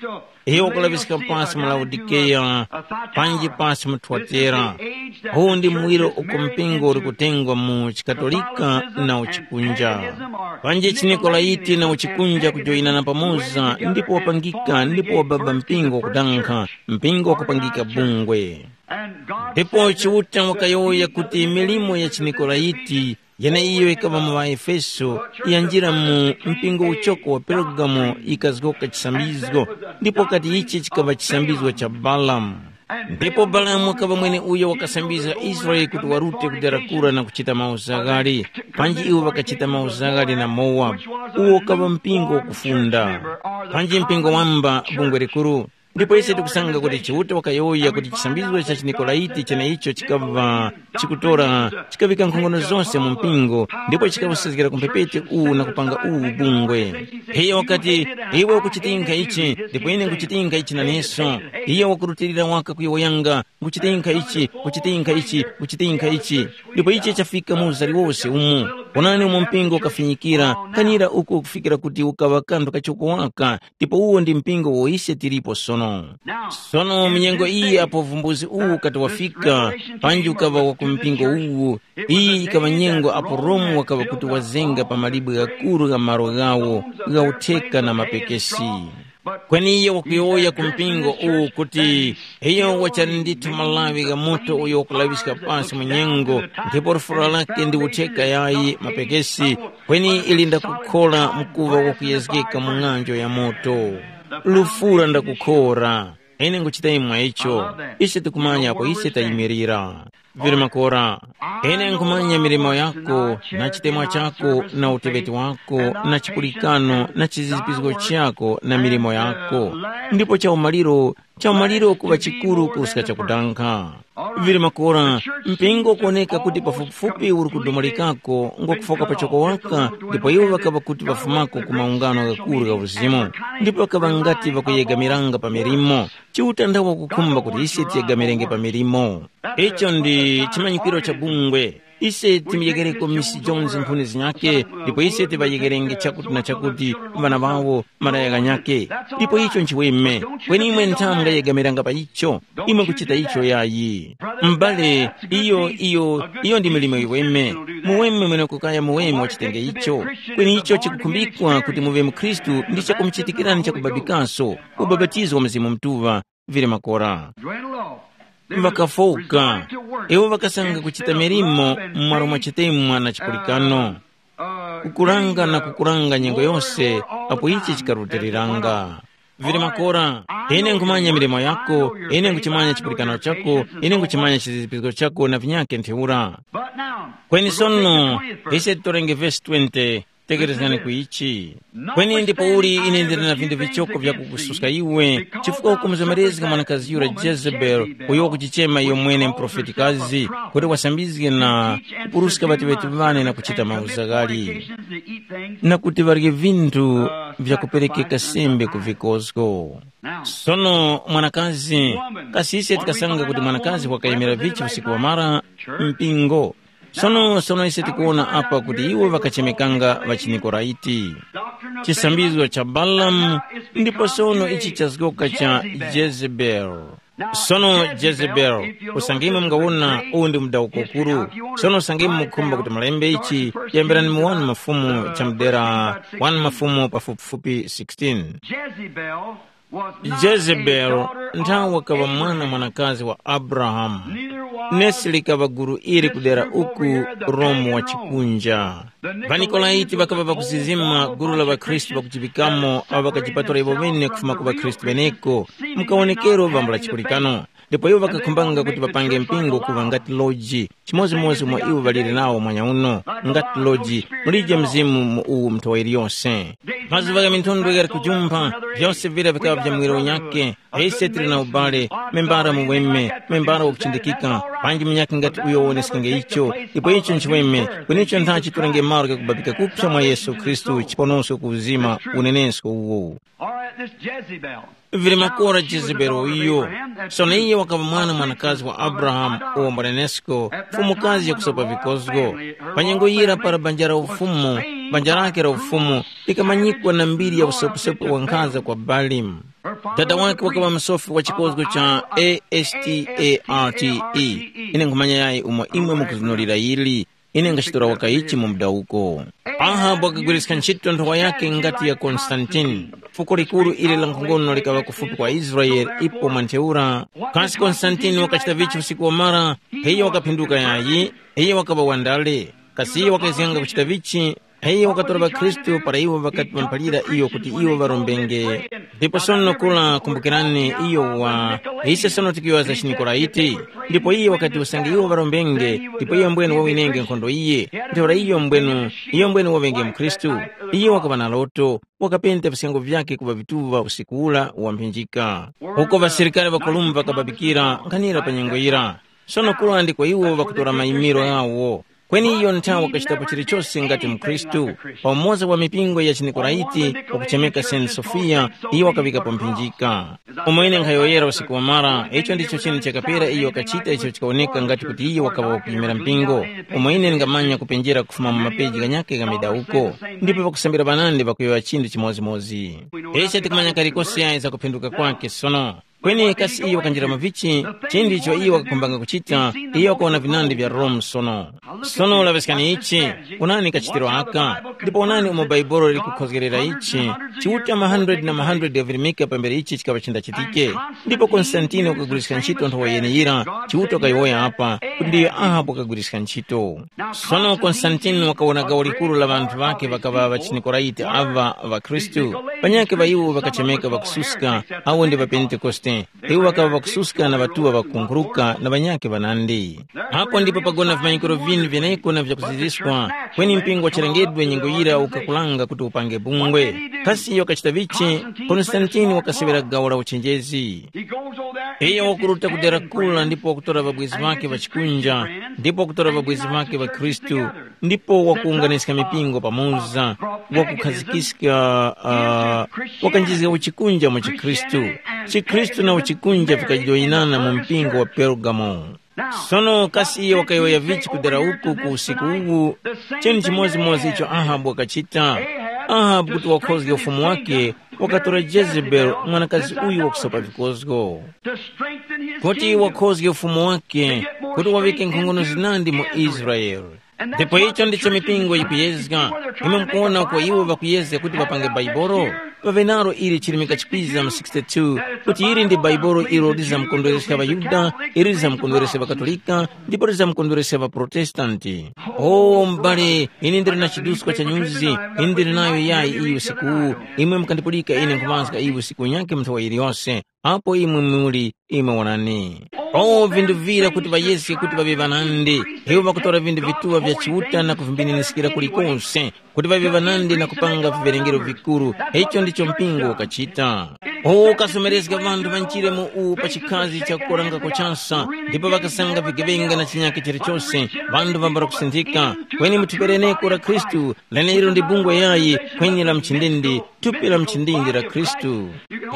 iyo wakulaŵiska pasi mu Laodikeya, panji pasi mu Thuatera. Uwu ndi muwiro uko mpingo uli kutengwa mu chikatolika na uchikunja. Panji chinikolaiti na uchikunja kujoyinana pamoza ndipo wapangika ndipo wababa mpingo wakudankha, mpingo wakupangika bungwe. Ndipo Chiuta wakayowoya kuti milimo ya chiNikolayiti yeneiyo yikaŵa mu ŵaEfeso yanjira mu mpingo uchoko wa Pergamo yikazgoka chisambizgo, ndipo kati ichi chikaŵa chisambizgo cha Balamu. Ndipo Balamu wakaŵa mweneuyo wakasambizga Israele kuti warute ku dera kura na kuchita mauzaghali, panji iwo ŵakachita mauzaghali na Mowabu, uwo ukaŵa mpingo wakufunda, panji mpingo wamba bungwe likuru. Ndipo ise tikusanga kuti Chiuta wakayowoya kuti chisambizgo cha chiNikolaiti cheneicho chikaŵa chikutora chikaŵika nkhongono zose mu mpingo, ndipo chikawusezgera ku mphepete uwu na kupanga uwu bungwe. Iyo wakati, iwe ukuchitinkha ichi, ndipo ine nkuchitinkha ichi naneso. Iyo wakurutilira waka kuyowoyanga, nkuchitinkha ichi, kuchitinkha ichi, kuchitinkha ichi. Ndipo ichi chafika mu uza liwose umu. Onani umo mpingo ukafinyikira, kanira uko kufikira kuti ukaŵa kanthu kachoko waka, ndipo uwo ndi mpingo wo ise tilipo sono. Sono mu nyengo iyi apo uvumbuzi uwu ukati wafika, panji ukaŵa wa ku mpingo uwu, iyi yikaŵa nyengo apo Romu wakaŵa kuti wazenga pa malibwe ghakuru gha malo ghawo gha utheka na mapekesi. Kweni iyo wakuyowoya ku mpingo uwu kuti, iyo wachali ndithu malawi gha moto uyo wakulaŵiska pasi mu nyengo, ndipo lufura lake ndi utheka yayi mapekesi, kweni ili ndakukhora mkuŵa wakuyezgeka mu ng'anjo ya moto. Lufura ndakukhora. Ine nguchita imwe icho. Ise tikumanya apo ise tayimirira. Vili makora. Ine nkhumanya milimo yako, na chitemwa chako, na uteŵeti wako, na chipulikano, na chizizipizgo chako, na milimo yako. Ndipo chaumaliro, chaumaliro kuŵa chikuru kuruska chakudankha. Vili makora, mpingo kuoneka kuti pafupifupi uri kudomolikako, ngo kufoka pachoko waka, ndipo iwo ŵakaŵa kuti ŵafumako ku maungano ghakuru gha uzimu, ndipo ŵakaŵa ngati ŵakuyegamiranga pa milimo. Chiuta ndawo wakukhumba kuti ise tiyegamirenge pa milimo. Icho ndi chimanyikiro cha bungwe. Ise timuyeghereko Miss Jones nkhuni zinyakhe, ndipo ise tiŵayegherenge chakuti na chakuti ŵana ŵawo malaya ghanyakhe. Ndipo icho nchiweme. Kweni imwe nthamu ngayegamiranga pa icho. Imwe kuchita icho yayi. M'bale, iyo iyo iyo ndi milimo yiweme. Muweme mwene kukaya muweme wachitenge icho. Kweni icho chikukhumbikwa kuti muŵe mukhristu ndi chakumuchitikirani chakubabikaso, ubapatizo wa Mzimu Mutuŵa, vili makora. Ŵakafooka. Iwo ŵakasanga kuchita milimo m'mwaro mwa chitemwa na chipulikano, kukulanga na kukulanga nyengo yose apo ichi chikarutiliranga. Vili makora, ine nkhumanya milimo yako, ine nkuchimanya chipulikano chako, ine nkuchimanya chizizipizgo chako na vinyakhe ntheura. Kweni sono, ise titorenge vesi twenty. Tekerezgani ku ichi. Kweni ndi pauli ine ndili na vindu vichoko vyakukususka iwe, chifukwa ukumuzomerezga mwanakazi yura Jezebeli, uyo wakuchichema iyo mwene muprofetikazi, kuti wasambizge na kupuruska ŵateŵeti ŵane na kuchita mauzaghali, na kuti ŵarye vinthu vyakuperekeka sembe ku vikozgo. Sono mwanakazi, kasi ise tikasanga kuti mwanakazi wakayimira vichi usiku wamara mpingo? Sono sono ise tikuwona apa kuti iwo ŵakachemekanga ŵachiNikoraiti. Chisambizgo cha Balamu, ndipo sono ichi chazgoka cha Jezebeli. Sono Jezebeli, usange imwe mungawona uwu ndi mudawuko ukuru. Sono usange imwe mukhumba kuti mulembe ichi, yambirani mu wani Mafumu cha mudera, wani Mafumu pafupifupi sixteen. Jezebeli nthawe wakaŵa mwana mwanakazi wa Abrahamu, nesi likaŵa guru ili kudera uku Romu wa chikunja. Ŵanikolaiti ŵakaŵa ŵakuzizima gulu la ŵakhristu ŵakujiŵikamo awo ŵakajipatula iwo ŵene kufuma ku ŵakhristu ŵeneko, mukawonekero vambula chipulikano. Ndipo iwo ŵakakhumbanga kuti ŵapange mpingo kuŵa ngati loji, chimodzimodzi mwa iwo ŵaliri nawo mwanyauno, ngati loji, mulije Mzimu mu uwu munthowa yiliyose. Mazuŵa gha minthondwe ghali kujumpha, vyose vira vikaŵa vya muwiro unyakhe. Ise tili na ubale, membara muweme, membara wakuchindikika, panji munyakhe ngati uyo wowonesekenge icho, ndipo icho nchiweme, kweni icho ntha chitorenge malo ghakubabika kuphya mwa Yesu Khristu chiponosko ku uzima unenesko uwo. All right, this Jezebel. Vili makora Jezebeli uyo. Sono iye wakaŵa mwana mwanakazi wa Abrahamu uwo mwanenesko, mfumukazi yakusopa vikozgo. Pa nyengo yira para banja la ufumu, banja lake la ufumu likamanyikwa na mbiri ya usoposopo wa nkhanza kwa Balimu. Dada wake wakaŵa msofi wa chikozgo cha A S T A R T E. Ine nkhumanya yayi umo imwe mukuzunulira yili. Ine ngachitora waka ichi mu mudawuko. Ahabu wakagwiriska ntchito nthowa yakhe ngati ya Konstantini. Fuko likuru ili la nkhongono likaŵa kufupi kwa Israele ipo mwa ntheura. Kasi Konstantini wakachita vichi usiku wamara? Iyo wakaphinduka yayi? Iyo wakaŵa wandale? Kasi iyo wakazganga kuchita vichi? Iyo wakatora ŵakhristu para iwo ŵakati ŵamphalira iyo kuti iwo ŵarombenge. Ndipo sono kula kumbukirani iyo wa ise sono tikuyowoya za chiNikolaiti. Ndipo iye wakati usange iwo ŵarombenge, ndipo iyo mbwene wawinenge nkhondo iye, ntheura iyo mbwenu iyo mbwene waŵenge mkhristu. Iye wakaŵa na loto, wakapenta visyango vyakhe kuŵa vituŵa usiku ula wamphinjika, uko ŵasilikari ŵa Kolumba ŵakababikira nkhanira pa nyengo yira. Sono kula ndiko iwo ŵakutora mayimiro ghawo. Kweni iyo nthawe wakachitapo chilichose ngati mkhristu. Pamoza wa mipingo ya chiNikoraiti wakuchemeka Saint Sofiya, iyo wakaŵikapo mphinjika. Umo ine nkhayowoyera usiku wamara, icho ndicho chinthu chakapera iyo wakachita icho chikawoneka ngati kuti iyo wakaŵa wakuyimira mpingo. Umo ine ndingamanya kupenjera kufuma mu mapeji ghanyakhe gha midawuko, ndipo pakusambira ŵanandi ŵakuyowoya chinthu chimodzimodzi. Ise tikumanya kalikose yayi za kuphinduka kwakhe sono. Kweni kasi iyo wakanjira mu vichi? Chinthu icho iyo wakakhumbanga kuchita, iyo wakawona vinandi vya Rome sono. Sono laŵiskani ichi, onani kachitiro aka, ndipo onani umo Bhaibuli likukhozgerera ichi. Chiuta ma hundred na ma hundred ghavirimika pambere ichi chikaŵa chindachitike. Ndipo Konstantini wakaguliska ntchito nthowa yeneyira, Chiuta wakayowoya apa kuti ndiyo Ahabu wakagwiriska ntchito. Sono Konstantini wakawona gawo likuru la ŵanthu ŵakhe ŵakaŵa ŵachiNikoraiti aŵa ŵakhristu, panyakhe ŵa iwo ŵakachemeka ŵakususka, awo ndi ŵaPentekoste. Iwo ŵakaŵa ŵakususka na ŵatuŵa ŵakukunkhuluka na ŵanyakhe ŵanandi. Apo ndipo pagona vimanyikiro vinu vyeneko na vyakuziziskwa, kweni mpingo wachilengedwe nyengo yira ukakulanga kuti upange bungwe. Kasi iyo wakachita vichi? Konstantini wakaseŵera gawo la uchenjezi. Iyo wakuruta ku dera kula ndipo wakutora ŵabwezi ŵakhe ŵa chikunja, ndipo wakutora ŵabwezi ŵakhe ŵa Khristu, ndipo wakuwunganiska mipingo pamoza, wakukhazikiska uh, wakanjizga uchikunja mu chikhristu. Chikhristu na uchikunja vikajoyinana mu mpingo wa Pergamo. Sono kasi iyo wakayowoya vichi kudera uku ku usiku uwu? Chinthu chimodzimodzi icho Ahabu wakachita. Ahabu kuti wakhozge ufumu wake, wakatora Jezebeli mwanakazi uyu wakusopa vikozgo kuti wakhozge ufumu wake, kuti waŵike nkhongono zinandi mu Israele. Ndipo icho ndicho mipingo yikuyezga. Imwe mukuwona uko iwo ŵakuyezga kuti ŵapange Baibolo? Ŵaŵe nalo ili chirimika chikwiza mu sixty-two, kuti ili ndi Baibolo ilo lizamkondwereska ŵaYuda, ili lizamkondwereska ŵaKatolika, ndipo lizamkondwereska ŵaProtestanti. O m'bale, ine ndili na chiduskwa cha nyuzi, ine ndili nayo yayi iyi usiku uwu. Imwe mukandipulika ine nkhuŵazga iyi usiku unyakhe mu nthawi yiliyose. Apo imwe muli, imwe wonani. O vindu vira kuti ŵayeske kuti ŵaŵe ŵanandi, iwo ŵakutora vindu vituŵa vya Chiuta na kuvimbininiskira kulikose, kuti ŵaŵe ŵanandi na kupanga viŵerengero vikuru. Icho ndicho mpingo ukachita. Uwo ukasomerezga ŵanthu ŵanjire mu uwu pa chikhazi cha kukoranga kochasa, ndipo ŵakasanga vigeŵenga na chinyakhe chilichose, ŵanthu ŵambala kusinthika. Kweni mu thupi leneko la Khristu, lenelo ndi bungwe yayi, kweni la mchindindi, thupi la mchindindi la Khristu.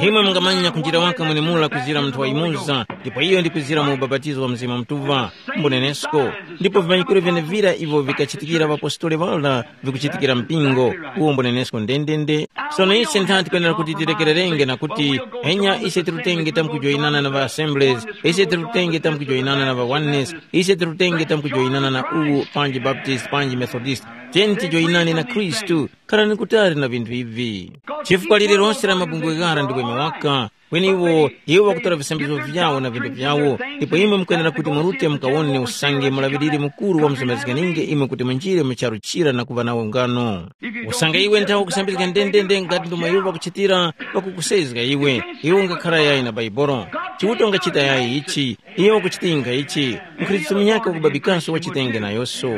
Imwe mungamanya kunjira waka mwenemura kuzira munthu wayimuza, ndipo iyo ndi kuzira mu ubapatizo wa Mzimu Mutuŵa, mbunenesko. Ndipo vimanyikiro vyenevira ivyo vikachitikira ŵapostoli ŵara vikuchitikira mpingo, uwo mbunenesko ndendende. Sono ise nthani tikwenera kuti tirekererenge na kuti, enya ise tirutenge tamkujoyinana na ŵa Assemblies, ise tirutenge tamkujoyinana na ŵa Oneness, ise tirutenge tamkujoyinana na uwu panji Baptist panji Methodist. Tiyeni tijoyinane na Khristu. Khalani kutali na vinthu ivi. Chifukwa lililonse la mabungwe ghara ndi weme waka, kweni iwo iwo ŵakutora visambizgo vyawo na vintu vyawo, ndipo imwe mukwenera kuti murute mukawone usange mulaŵiriri mukuru wamuzamazganinge imwe kuti munjire mu charu chira na kuŵa nawo ngano. Usange iwe nthawe ukusambizga ndendende ngati ndomwe iwo ŵakuchitira, ŵakukusezga iwe, iwe ungakhara yayi na Baibolo. Chiuta ungachita yayi ichi, iyo wakuchitinga ichi, mkhristu munyakhe wakubabikanso wachitenge nayoso.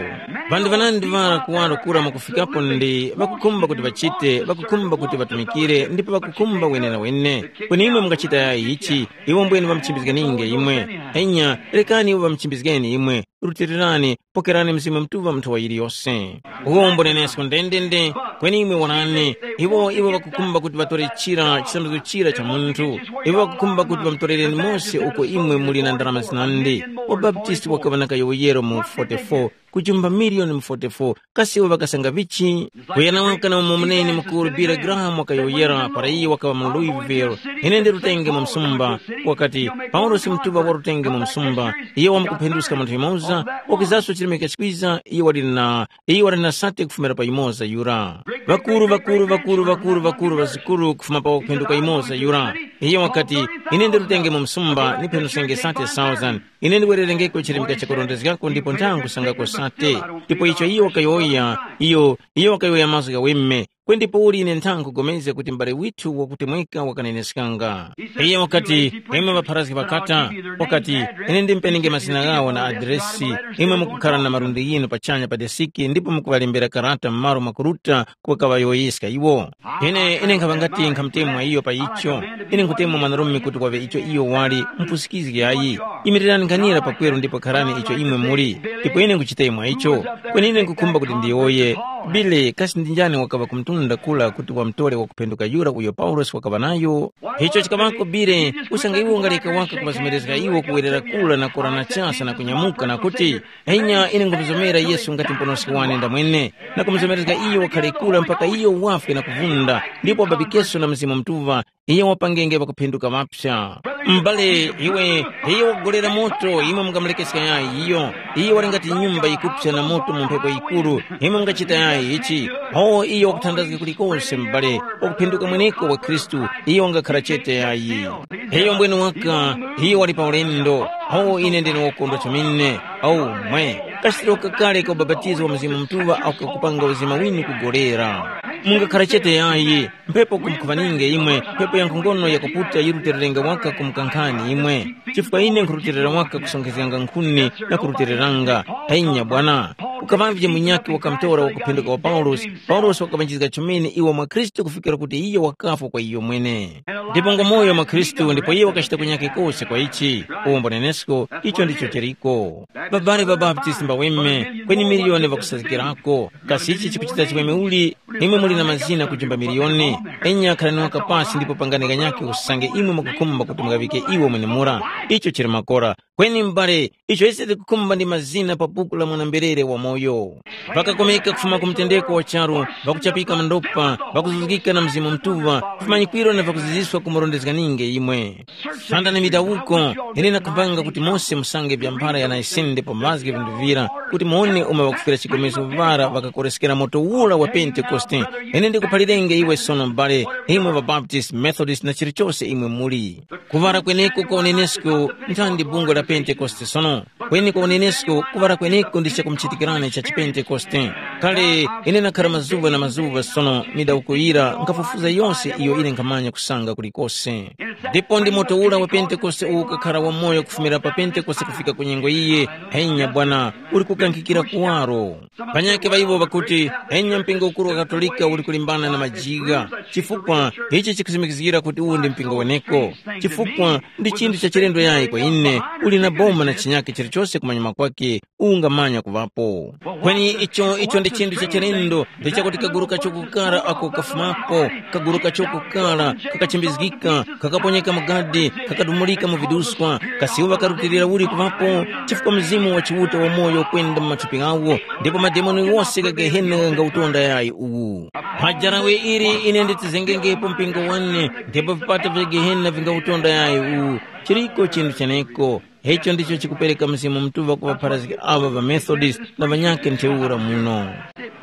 Ŵanthu ŵanandi ŵara kuwaro kura mwakufikapo ndi ŵakukhumba kuti ŵachite, ŵakukhumba kuti ŵatumikire ndipo ŵakukhumba wenenawene. Kweni imwe mungachita yayi ichi, iwo mbwene ŵamuchimbizganinge imwe. Enya, rekani iwo ŵamuchimbizgeni imwe. Rutilirani, pokerani Mzimu Mutuŵa mu nthowa yiliyose. Uwo mbunenesko ndendende, kweni imwe wonani, iwo iwo ŵakukhumba kuti ŵatore chira chisanduko chira cha munthu. Iwo ŵakukhumba kuti ŵamutorereni Mose uko imwe muli na ndarama zinandi. Wabaptisti wakaŵa na kayowoyero mu forty-four, kujumba miliyoni mu forty-four, kasi iwo ŵakasanga vichi? Kuyana waka na umo muneni mukuru Billy Graham wakayowoyera para iye wakaŵa mu Louisville, ine ndi rutenge mu msumba, wakati, Paulosi Mutuŵa wa rutenge mu msumba, iye wamkuphenduska munthu yumoza. Wakwizaso chilemeka chikwiza, iye wali na, iye wali na sate kufumira pa yumoza yura. Vakuru, vakuru, vakuru, vakuru, vakuru, ŵazikuru kufuma pa wakuphenduka yumoza yura. Iye wakati, ine ndirutenge mu msumba, niphe nusenge sate thousand. Ine ndiwererengeko chilemeka chakurondezgako ndipo nthangu sangako sate. Ndipo icho iyo wakayowoya, iyo, iyo wakayowoya mazgu ghaweme. Kweni ndipouli ine nthangu kugomezga kuti m'bale withu wakutemweka wakaneneskanga. Iye wakati, imwe ŵapharazgi ŵakata, wakati, ine ndimpenenge mazina ghawo na adiresi, imwe mukukhara na malundi ghinu pachanya pa desiki ndipo mukuŵalembera karata m'malo mwakuruta kukaŵayowoyeska iwo. Ine, ine nkhaŵa ngati nkhamutemwa iyo pa icho. Ine nkhutemwa mwanarume kuti waŵe icho iyo wali, mupusikizgi ayi. Imirirani nkhanira pakweru ndipo kharani icho imwe muli, ndipo ine nkhuchitemwa icho. Kweni ine nkhukhumba kuti ndiyowoye, Bile, kasi ndi njani wakaŵa ku mtunda kula kuti wamutore wakuphenduka yura uyo Paulosi wakaŵa nayo? Icho chikaŵako Bile, usange iwe ungaleka waka kuŵazomerezga iwo kuwerera kula na kora na chasa na kunyamuka na kuti, enya ine nkhumuzomera Yesu ngati Muponoski wane ndamwene, na kumuzomerezga iyo wakhale kula mpaka iyo wafwe na kuvunda, ndipo wababikeso na Mzimu Mutuŵa, iyo wapangenge ŵakuphenduka ŵapsa. M'bale, iwe, iyo wakugolera moto, imwe mungamulekeska yayi iyo. Iyo wali ngati nyumba yikupsa na moto mu mphepo yikuru, imwe mungachita yayi ichi? Ho iyo wakuthandazga kulikose, m'bale, wakuphenduka mweneko wa Khristu, iyo wangakhara chete yayi. Iyo mbwene waka, iyo wali pa ulendo. Ho ine ndine wokondwa chomene. Au mwe, kachitiro kakale ka ubapatizo wa Mzimu Mutuŵa ako kakupanga uzima winu kugolera. Mungakhara chete yayi, mphepo kumukhuŵaninge imwe, mphepo ya nkhongono yakuputa yirutererenga waka kumukankhani imwe. Chifukwa ine nkhuruterera waka kusonkhezganga nkhuni na kurutereranga. Enya bwana, kukaŵavye munyakhe wakamutora wakuphenduka wa Paulosi, Paulosi wakaŵanjizga chomene iwo mwa Khristu kufikira kuti iyo wakafwa kwa iyo mwene. Ndipo ngwamoyo mwa Khristu ndipo iyo wakachita kunyakhe kose kwa ichi. Uwombo nenesko, icho ndicho chiriko. Babale ba Baptist mbaweme, kweni miliyoni ŵakusazgikirako. Kasi ichi chikuchita chimwemwe uli? Imwe muli na mazina kujimba miliyoni. Enya khalani waka pasi ndipo pangani kanyakhe usange imwe mukukhumba kuti mungaŵike iwo mwenemura. Icho chili makora. Kweni m'bale, icho ise tikukhumba ndi mazina pa buku la mwana-mberere wamoyo. Ŵakakomeka kufuma ku mtendeko wa charu, ŵakuchapika mandopa, ŵakuzuzgika na Mzimu Mutuŵa, vimanyikwiro na ŵakuziziswa kumurondezganinge imwe. Sanda ni midawuko, ine ndakhumbanga kuti mose musange vya mphara ya Naisende pamazge vinthu vira, kuti muwone umo ŵakufwira chikomezo ŵara ŵakakoreskera moto ura wa Pentekoste. Ine ndikuphalirenge iwe sono m'bale, imwe ŵaBaptist, Methodist na chilichose imwe muli. Kuŵala kweneko kwa unenesko nthandi bungwe la Pentekoste sono. Kweni kwa unenesko kuŵala kweneko ndi chakumuchitikirani cha chipentekoste. Kale ine nakhara mazuŵa na mazuŵa sono midawuko yira nkhafufuza yose iyo ine nkhamanya kusanga kulikose. Ndipo ndi moto ura wa Pentekoste uwo ukakhara wamoyo kufumira pa Pentekoste kufika ku nyengo iye, henya bwana, uli kukankhikira kuwaro. Panyakhe ŵa iwo ŵakuti, henya mpingo ukuru wa Katolika uli kulimbana na majiga, chifukwa ichi chikusimikizgira kuti uwu ndi mpingo weneko. Chifukwa ndi chinthu cha chilendo yayi kwa ine, uli na boma na chinyakhe chilichose kumanyuma kwake, ungamanya kuŵapo. Kweni icho icho ndi chinthu cha chilendo, ndi chakuti kaguru kachokukara ako kafumapo, kaguru kachokukara kakachimbizgika, kakaponyeka mu gadi, kakadumulika mu viduswa, kasi iwo ŵakarutilira uli kuŵapo? Chifukwa Mzimu wa Chiuta wamoyo ukwenda mu mathupi ghawo, ndipo mademoni wose gha Gehena ghangautonda yayi uwu. Pa jarawe ili ine nditizengengepo mpingo wane, ndipo vipata vya Gehena vingautonda yayi uwu. Chiriko chinthu cheneko. Icho ndicho chikupereka Mzimu Mutuŵa ku ŵapharazgi aŵa ŵa Methodist na ŵanyakhe ntheura muno.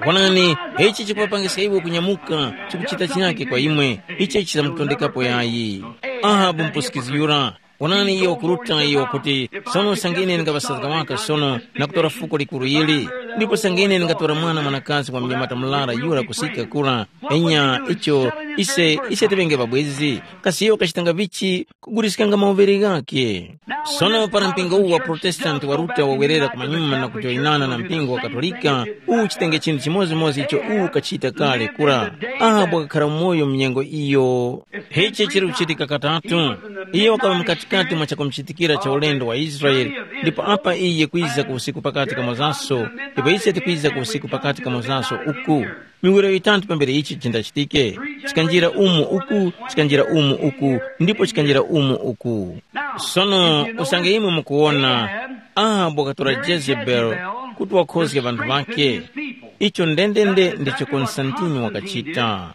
Wonani, ichi chikuŵapangiska iwo kunyamuka, chikuchita chinyakhe kwa imwe, ichi chisamutondekapo yayi. Ahabu mupusikizgi yura, wonani iyo wakuruta iyo wakuti, sono usange ine ndingaŵasazga waka sono na kutora fuko likuru ili, ndipo usange ine ndingatora mwana mwanakazi wa mnyamata murara yura kusika kura, enya icho, ise, ise tiŵenge ŵabwezi, kasi iyo wakachitanga vichi kuguliskanga mauvere ghakhe. Sono para mpingo uwu wa Protestanti waruta wawerera kumanyuma na kujoyinana na mpingo wa Katolika, uwu chitenge chinthu chimodzimodzi icho uwu ukachita kale kura. Ahabu wakakhara umoyo mu nyengo iyo. Ichi chili kuchitika katatu. Iyo wakaŵa mkatikati mwa chakumuchitikira cha ulendo wa Israele, ndipo apa iye kwiza ku usiku pakati kamozaso, ndipo ise tikwiza ku usiku pakati kamozaso uku. Miwiro yitatu pambere ichi chindachitike, chikanjira umu uku, chikanjira umu uku, ndipo chikanjira umu uku. Sono usange imwe mukuwona, Ahabu wakatora Jezebeli kuti wakhozge ŵanthu ŵakhe. Icho ndendende ndicho Konstantini wakachita.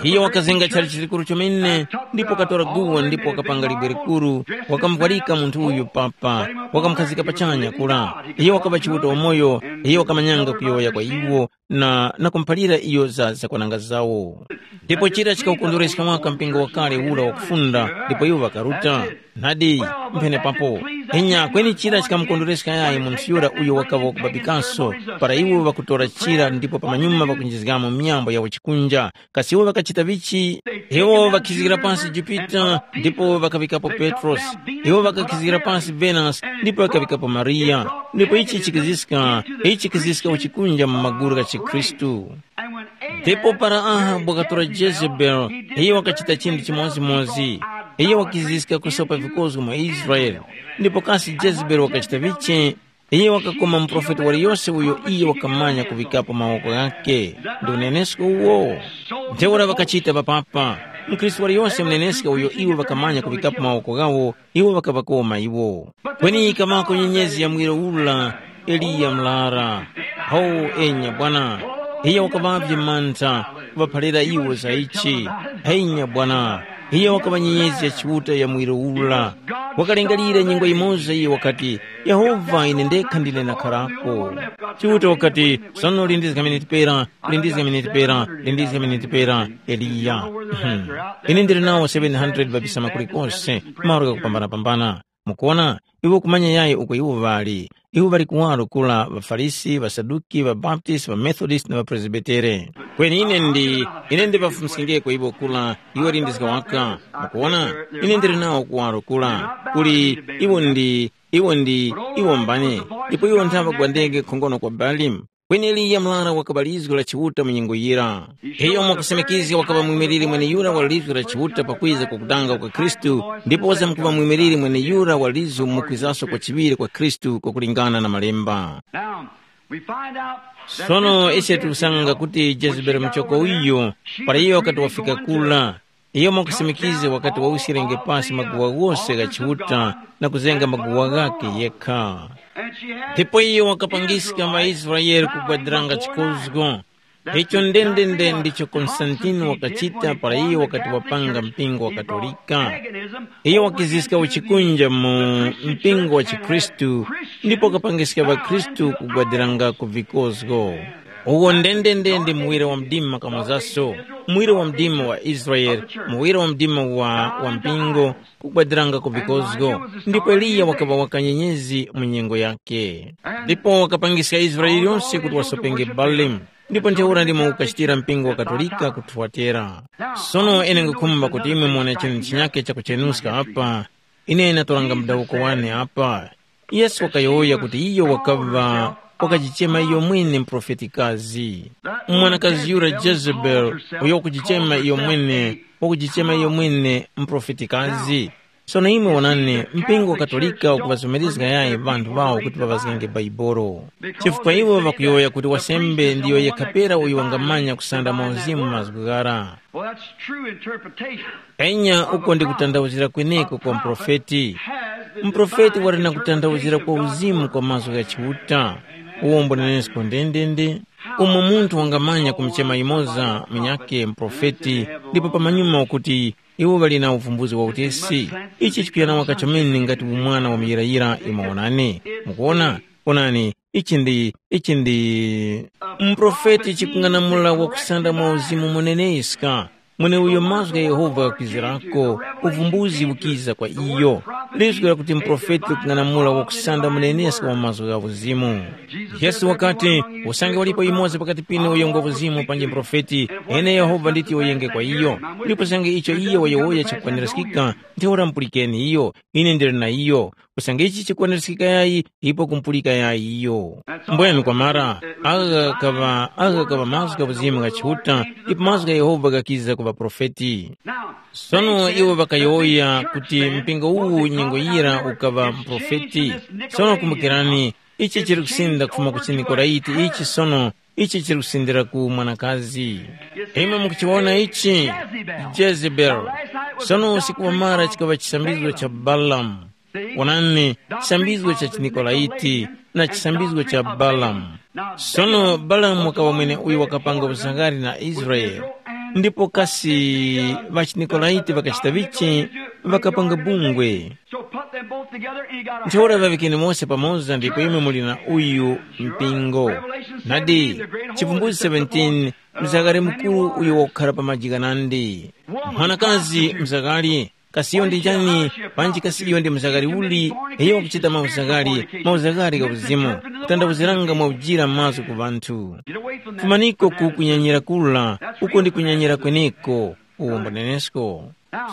Iye wakazenga chalichi chikuru chomene, ndipo wakatora guwa ndipo wakapanga libwe likuru, wakamuvwarika munthu uyu papa, wakamukhazika pachanya kura. Iye wakaŵa Chiuta wamoyo, iye wakamanyanga kuyowoya kwa iwo, na, na kumuphalira iyo za zakwananga zawo. Ndipo chira chikawukondwereska waka mpingo wakale ura wakufunda, ndipo iwo ŵakaruta. Nadi, mphenepapo. Inya kweni chira chikamukondwereska yayi munthu yura uyo wakaŵa wakubabikanso, para iwo ŵakutora chira ndipo pamanyuma ŵakunjizgamo myambo ya uchikunja. Kasi iwo ŵakachita vichi? Iwo ŵakhizgira pansi Jupita, ndipo ŵakaŵikapo Petrosi. Iwo ŵakakhizgira pansi Venasi, ndipo ŵakaŵikapo Mariya. Ndipo ichi chikiziska, ichi chikiziska uchikunja mu magulu gha chikhristu. Ndipo para Ahabu wakatora Jezebeli, iyo wakachita chinthu chimodzimodzi. Iyo wakiziska kusopa vikozgo mu Israele. Ndipo kasi Jezebeli wakachita vichi? Iyo wakakoma muprofeti waliyose uyo iyo wakamanya kuŵikapo mawoko ghakhe. Ndi unenesko uwo. Ntheura ŵakachita papapa. Mkhristu waliyose muneneska uyo iwo ŵakamanya kuŵikapo mawoko ghawo, iwo ŵakaŵakoma iwo. Kweni yikamako nyenyezi ya mwiro ura, Eliya mlara. Ho, enya bwana, iyo wakaŵavye mantha kuŵaphalira iwo za ichi. Henya bwana, iyo wakaŵa nyenyezi ya Chiuta ya mwiro ura. Wakalingalira nyengo yimoza iyo wakati, Yehova, ine ndekha ndine nakharako. Chiuta wakati, sono lindizga miniti pera, lindizga miniti pera, lindizga miniti pera, Eliya. Hmm. Ine ndili nawo seven hundred babisama kulikonse, malo ghakupambanapambana. Mukuona, iwe kumanya yayi uko iwo ŵali. Iwo ŵali kuwaro kula ŵaFarisi, ŵaSaduki, ŵaBaptisti, ŵaMethodist na ŵaPresbitere. Kweni ine ndi, ine ndiŵafumiskengeko iwo kula, iwo lindizga waka. Mukuona, ine ndili nawo kuwaro kula. Kuli, iwo ndi, iwo ndi, iwo mbani, ndipo iwo nthaŵa gwandenge khongono kwa Balimu. Kweni Eliya murara wakaŵa lizgu la Chiuta mu nyengo yira. Iyo mwakusimikizga wakaŵa mwimiliri mweneyura wa lizgu la Chiuta pakwiza kukutanga kwa Khristu, ndipo wazamkuŵa mwimiliri mweneyura wa lizgu mukwizaso kwa chiŵiri kwa Khristu kwakulingana na Malemba. Now, we find out that Sono this ise Jezebel tikusanga kuti Jezebeli muchoko uyu, para iyo wakati wafika kula, iyo mwakusimikiza wakati wawuskirenge pasi maguwa ghose gha Chiuta na kuzenga maguwa ghakhe yekha. Ndipo iyo wakapangiska ŵaIsraele kugwadiranga chikozgo. Icho ndendende ndicho Konstantini wakachita para iyo wakati wapanga mpingo wa Katolika. Iyo wakiziska uchikunja mu mpingo wa chikhristu ndipo wakapangiska ŵakhristu kugwadiranga ku vikozgo. Uwo ndendende ndi muwiro wa mdima kamozaso, muwiro wa mdima wa Israele, muwiro wa mdima wa, wa mpingo, kugwadiranga ku vikozgo. Ndipo Eliya wakaŵa wakanyenyezi mu nyengo yakhe. Ndipo wakapangiska Israele yonse kuti wasopenge Balimu. Ndipo ntheura ndimo ukachitira mpingo wa Katolika ku Thuatera. Sono ine ngukhumba kuti imwe muwone chinthu chinyakhe chakuchenuska apa. Ine natoranga mudawuko wane apa. Yesu wakayowoya kuti iyo wakaŵa, wakajichema iyo mwene muprofetikazi. Mwanakazi yura Jezebeli, uyo wakujichema iyo mwene, wakujichema iyo mwene muprofetikazi. Sono imwe wonani, mpingo wa Katolika ukuŵazomerezga yayi ŵanthu ŵawo kuti ŵaŵazgenge Baibolo. Chifukwa iwo ŵakuyowoya kuti wasembe ndiyo yekha pera uyo wangamanya kusanda mwa uzimu mazgu ghara. Well, that's true interpretation. Enya uko ndi kutanthauzira kweneko kwa muprofeti. Muprofeti wali na kutanthauzira kwa uzimu kwa mazgu gha Chiuta. Uwo mbunenesko ndendende. Umo munthu wangamanya kumuchema yumoza munyakhe muprofeti, ndipo pamanyuma wakuti, iwo ŵali na uvumbuzi wa utesi. Ichi chikuyana waka chomene ngati umwana wa muyirayira imwe wonani. Mukuona? Onani, ichi ndi, ichi ndi muprofeti chikung'anamula wakusanda mwa uzimu muneneska. Mweneuyo mazgu gha Yehova ghakwizirako, uvumbuzi ukiza kwa iyo. Lizgu lakuti muprofeti likung'anamula wakusanda muneneska wa mazgu gha uzimu. Yesu wakati, usange walipo yumoza pakati pinu uyo ngwa uzimu panji muprofeti, ine Yehova nditi uyenge kwa iyo. Ndipo usange icho iyo wayowoya chikukwanirizgika, ntheura mupulikeni iyo, ine ndili na iyo. Usange ichi chikukwanirizgika yayi, ipo kumpulika yayi iyo. Mbwenu kwamara, agha ghaŵa, agha ghaŵa mazgu gha uzimu gha Chiuta, ndipo mazgu gha Yehova ghakiza ku ŵaprofeti. Sono iwo ŵakayowoya kuti mpingo uwu nyengo yira ukaŵa muprofeti. Sono kumbukirani, ichi chiri kusinda kufuma ku chiNikolaiti ichi sono, ichi chiri kusindira ku mwanakazi. Imwe mukuchiwona ichi? Jezebeli. Sono usiku wamara chikaŵa chisambizgo cha Balamu. Wonani, chisambizgo cha chiNikolaiti na chisambizgo cha Balamu. Sono Balamu wakaŵa mwene uyo wakapanga uzangari na Israele, ndipo kasi ŵachiNikolaiti ŵakachita vichi? Ŵakapanga bungwe. So put them both together and you got a Ntheura ŵaŵikeni mose pamoza ndipo imwe muli na uyu mpingo. Nadi, Chivumbuzi seventeen, mzakare mukuru uyo wakukhara pa maji ghanandi. Mwanakazi mzakari, kasi iyo ndi njani? Panji kasi iyo ndi mzakari uli? Iyo wakuchita mauzakari, mauzakari gha uzimu, kutandawuziranga mwa ujira mazgu ku ŵanthu. Fumaniko ku kunyanyira kula, uko ndi kunyanyira kweneko, uwombo nenesko.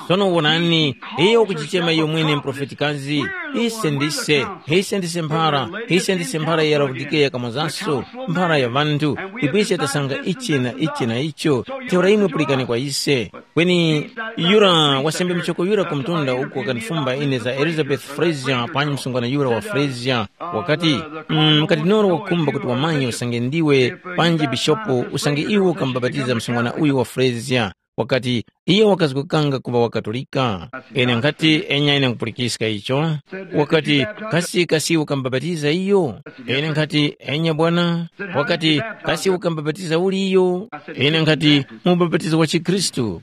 Sono wonani, iyo wakuchichema iyo mwene mprofetikazi, ise ndise, ise ndise mphara, ise ndise mphara ya Laodikeya kamozaso, mphara ya ŵanthu, ndipo ise tasanga ichi na ichi na icho. Ntheura imwe pulikani kwa ise. Kweni yura wasembe michoko yura ku mtunda uku wakandifumba ine za Elizabeth Fraser panyi msungwana yura wa Fraser, wakati, mm, kadinolo wakhumba kuti wamanye usange ndiwe panji bishopu usange iwe ukamubapatiza msungwana uyu wa Fraser. Wakati, iyo wakazgokanga kuŵa wa Katolika. Ine nkhati, enya ine nkhupulikiska icho. Wakati, kasi kasi ukamubapatiza iyo? Ine nkhati, enya bwana. Wakati, kasi ukamubapatiza uli iyo? Ine nkhati, mu ubapatizo wa chikhristu.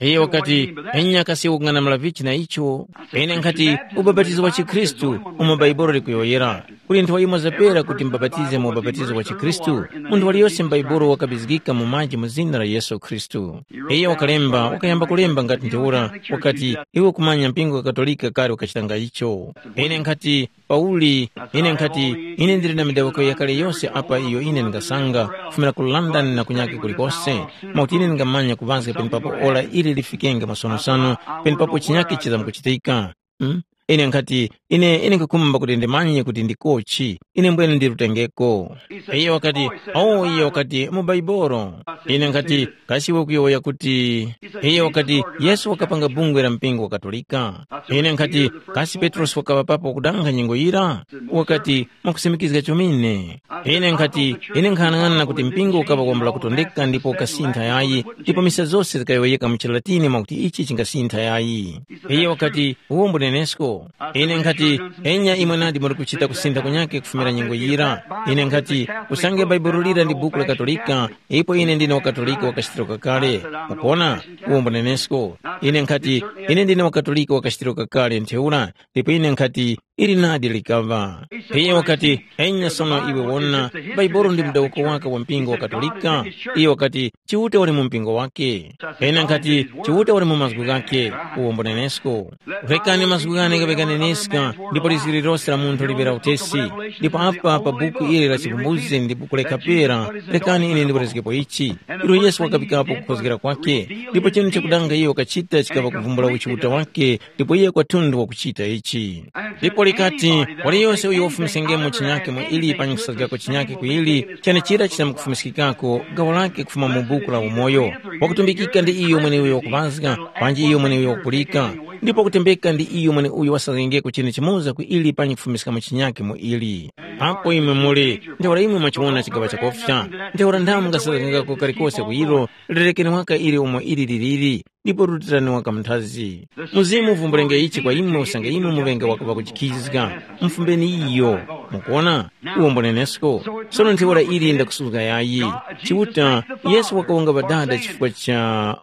Iyo wakati, enya kasi ukung'anamula vichi na icho? Ine nkhati, ubapatizo wa chikhristu umo Baibolo likuyowoyera. Kuli nthowa yimoza pera kuti mubapatize mu ubapatizo wa chikhristu. Munthu waliyose m'Baibulo wakabizgika mu maji mu zina la Yesu Khristu. Iyo wakalemba, wakayamba kulemba ngati ntheura, wakati, iwe kumanya mpingo wa Katolika kale ukachitanga icho. Ine nkhati, Pauli, ine nkhati, ine ndili na midawiko yakale yose apa iyo ine ndingasanga, kufumira ku London na kunyake kulikose, mwakuti ine ndingamanya kuŵazga penepapo ora ili lifikenge masonosono, penepapo chinyake chizamkuchitika. Hmm? Ine nkhati, ine, ine nkhakhumba kuti ndimanye kuti ndikochi, ine mbwene ndilutengeko. Iye wakati, oh, iye wakati, mu Baibolo. Ine nkhati, kasi iwe kuyowoya kuti, iye wakati, Yesu wakapanga bungwe la mpingo wa Katolika. Ine nkhati, kasi Petrosi wakaŵa papo kudanga nyengo yira? Wakati, mwakusimikizga chomene. Ine nkhati, ine nkhanang'ana kuti mpingo ukaŵa wambula kutondeka ndipo ukasintha yayi, ndipo misa zose zikayowoyeka mu chiLatini mwakuti ichi chingasintha yayi. Iye wakati, uwo mbunenesko. Ine nkhati, enya imwe nadi muri kuchita kusintha kunyake kufumira nyengo yira. Ine nkhati, usange Baibulo lira ndi buku la Katolika, ipo ine ndine wa Katolika wa kachitiro kakale. Mukuona? Uwo mbunenesko. Ine nkhati, ine ndine wa Katolika wa kachitiro kakale ntheura, ndipo ine nkhati, ili nadi likaŵa. Iye wakati, enya sono iwe wona, Baibulo ndi mudawuko wake wa mpingo wa Katolika. Iye wakati, Chiuta wali mu mpingo wake. Ine nkhati, Chiuta wali mu mazgu ghake, uwo mbunenesko. Rekani mazgu ghane ghaŵe ghaneneska, ndipo lizgu lililose la munthu liŵe la utesi. Ndipo apa pa buku ili la Chivumbuzgi ndi buku lekha pera, rekani ine ndiwerezgepo ichi. Ilo Yesu wakafikapo kukhozgera kwake, ndipo chinu chakudanga iyo wakachita chikaŵa kuvumbula uchiuta wake, ndipo iye kwathunthu wakuchita ichi. Ndipo likati, waliyose uyo wafumiskengemo chinyake mu ili panyi kusazgako chinyake ku ili, chenechira chisamkufumiskikako gawo lake kufuma mu buku la umoyo. Wakutumbikika ndi iyo mweneuyo wakuŵazga, panji iyo mweneuyo wakupulika, ndipo kutembeka ndi iyo mweneuyo wasazgengeko chinu chimoza ku ili panyi kufumiskamo chinyake mu ili. Apo imwe muli, ntheura imwe mwachiwona chigaŵa chakofya, ntheura ndamo mungasazgengako kalikose ku ilo, lerekeni waka ili umo ili liliri, ndipo rutirani waka mnthazi. Mzimu uvumbulenge ichi kwa imwe usange imwe muŵenge waka ŵakujikhizga, mufumbeni iyo. Mukuona? Uwo mbunenesko. Sono ntheura ili ndakusuzga yayi. Chiuta, Yesu wakawonga Ŵadada chifukwa cha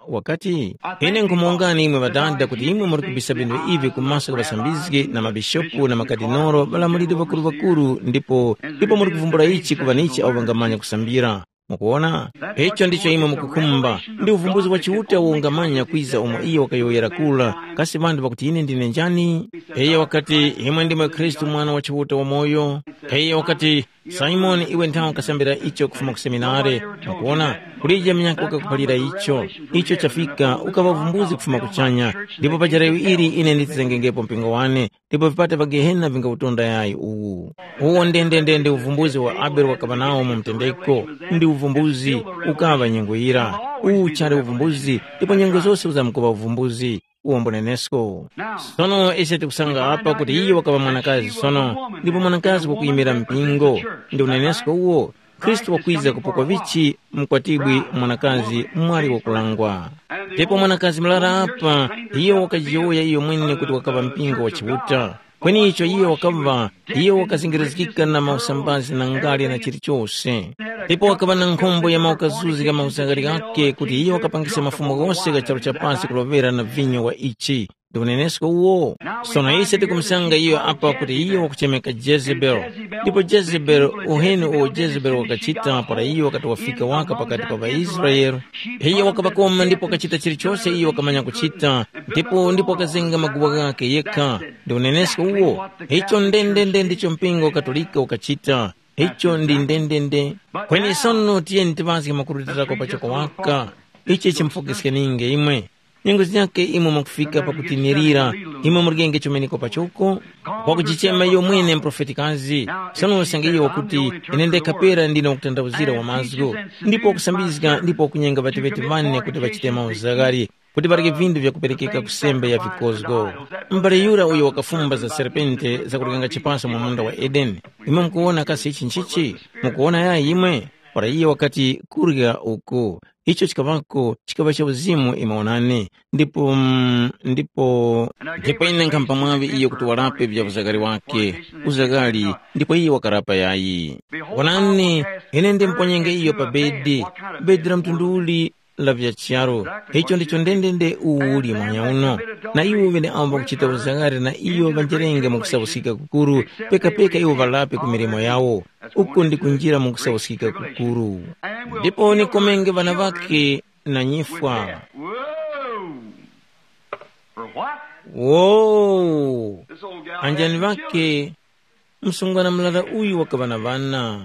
wakati, ine nkhumuwongani imwe Ŵadada kuti imwe muri kubisa vindu ivi ku maso gha ŵasambizgi na mabishopu na makadinolo, ŵalamuliri ŵakuru-ŵakuru, ndipo ndipo muri kuvumbula ichi kuŵa na ichi awo ŵangamanya kusambira. Mukuwona? Icho ndicho imwe mukukhumba. Ndi uvumbuzi wa Chiuta uwo ungamanya kwiza umo iyo wakayowoyera kura. Kasi ŵanthu ŵakuti ine ndine njani? Iyo wakati, imwe ndimwe Khristu Mwana wa Chiuta wamoyo. Iyo wakati, Simoni, iwe nthawe ukasambira icho kufuma ku seminare. Mukuwona? Kulije munyakhe wakakuphalira icho. Icho chafika, ukaŵa uvumbuzi kufuma kuchanya. Ndipo pa jarayo ili ine nditizengengepo mpingo wane. Ndipo vipata vya Gehena vingawutonda yayi uwu. Uwo ndendendende uvumbuzi wa Abele wakaŵa nawo mu mtendeko, ndi uvumbuzi ukaŵa nyengo yira. Uwu chali uvumbuzi, ndipo nyengo zose uzamkuŵa uvumbuzi. Uwo mbunenesko. Sono ise tikusanga apa kuti iyo wakaŵa mwanakazi sono, ndipo mwanakazi wakuyimira mpingo. Ndi unenesko uwo, Khristu wakwiza kupokwa vichi mkwatibwi mwanakazi mwali wakulangwa. Ndipo mwanakazi murara apa, iyo wakajiyowoya iyo mwene kuti wakaŵa mpingo wa Chiuta. Kweni icho iyo wakaŵa, iyo wakazingirizgika na mausambazi na ngale na chilichose. Ndipo wakaŵa na nkhombo ya maukazuzi gha mauzagari ghakhe kuti iyo wakapangisa mafumu ghose gha charu cha pasi kulovera na vinyo wa ichi. Ndi unenesko uwo. Sono ise tikumusanga iyo apa kuti iyo wakuchemeka Jezebeli. Ndipo Jezebeli, uheni uwo Jezebeli wakachita para iyo wakati wafika waka pakati pa ŵaIsraele, iyo wakaŵakoma ndipo wakachita chilichose iyo wakamanya kuchita, ndipo ndipo wakazenga maguwa ghakhe yekha. Ndi unenesko uwo. Icho ndendende ndicho mpingo wa Katolika ukachita. Icho ndi ndendende. Kweni sono tiyeni tiŵazge makurutira kwa pachoko waka. Ichi chimufokeskeninge imwe. Nyengo zinyakhe imwe mwakufika pakutinirira, imwe muligenge chumeneko pachoko, wakujichema iyo mwene mprofetikazi. Sono usange iyo wakuti, ine ndekha pera ndine wakutanthauzira wa mazgu, ndipo wakusambizga ndipo wakunyenga ŵateŵeti ŵane kuti ŵachite mauzagari, kuti ŵareke vindu vyakuperekeka ku sembe ya vikozgo. M'bale yura uyo wakafumba za serpente zakurekanga chipaso mu munda wa Edeni, imwe mukuwona kasi ichi nchichi? Mukuwona yayi imwe? Para iye wakati, kurya uku. Icho chikaŵako chikaŵa cha uzimu imwe wonani, ndipo mm, ndipo ndipo ine nkhamupa mwaŵi iyo kuti warape vya uzakari wake, uzakari, ndipo iye wakarapa yayi. Wonani, ine ndimponyenge iyo pa bedi. Bedi la mtundu uli? La vya charu. Icho ndicho ndendende uwu uli mwanya uno. Na iwo ŵeneawo ŵakuchita uzakari na iyo ŵanjerenge mu kusauskika kukuru, pekapeka iwo ŵalape ku milimo yawo. Uko ndi kunjira mu kusauskika kukuru. Ndipo nikomenge ŵana ŵakhe na nyifwa. Whoa! For what? Wo! This old gal Anjani had two ŵake, msungwana mlala uyu wakaŵa na ŵana.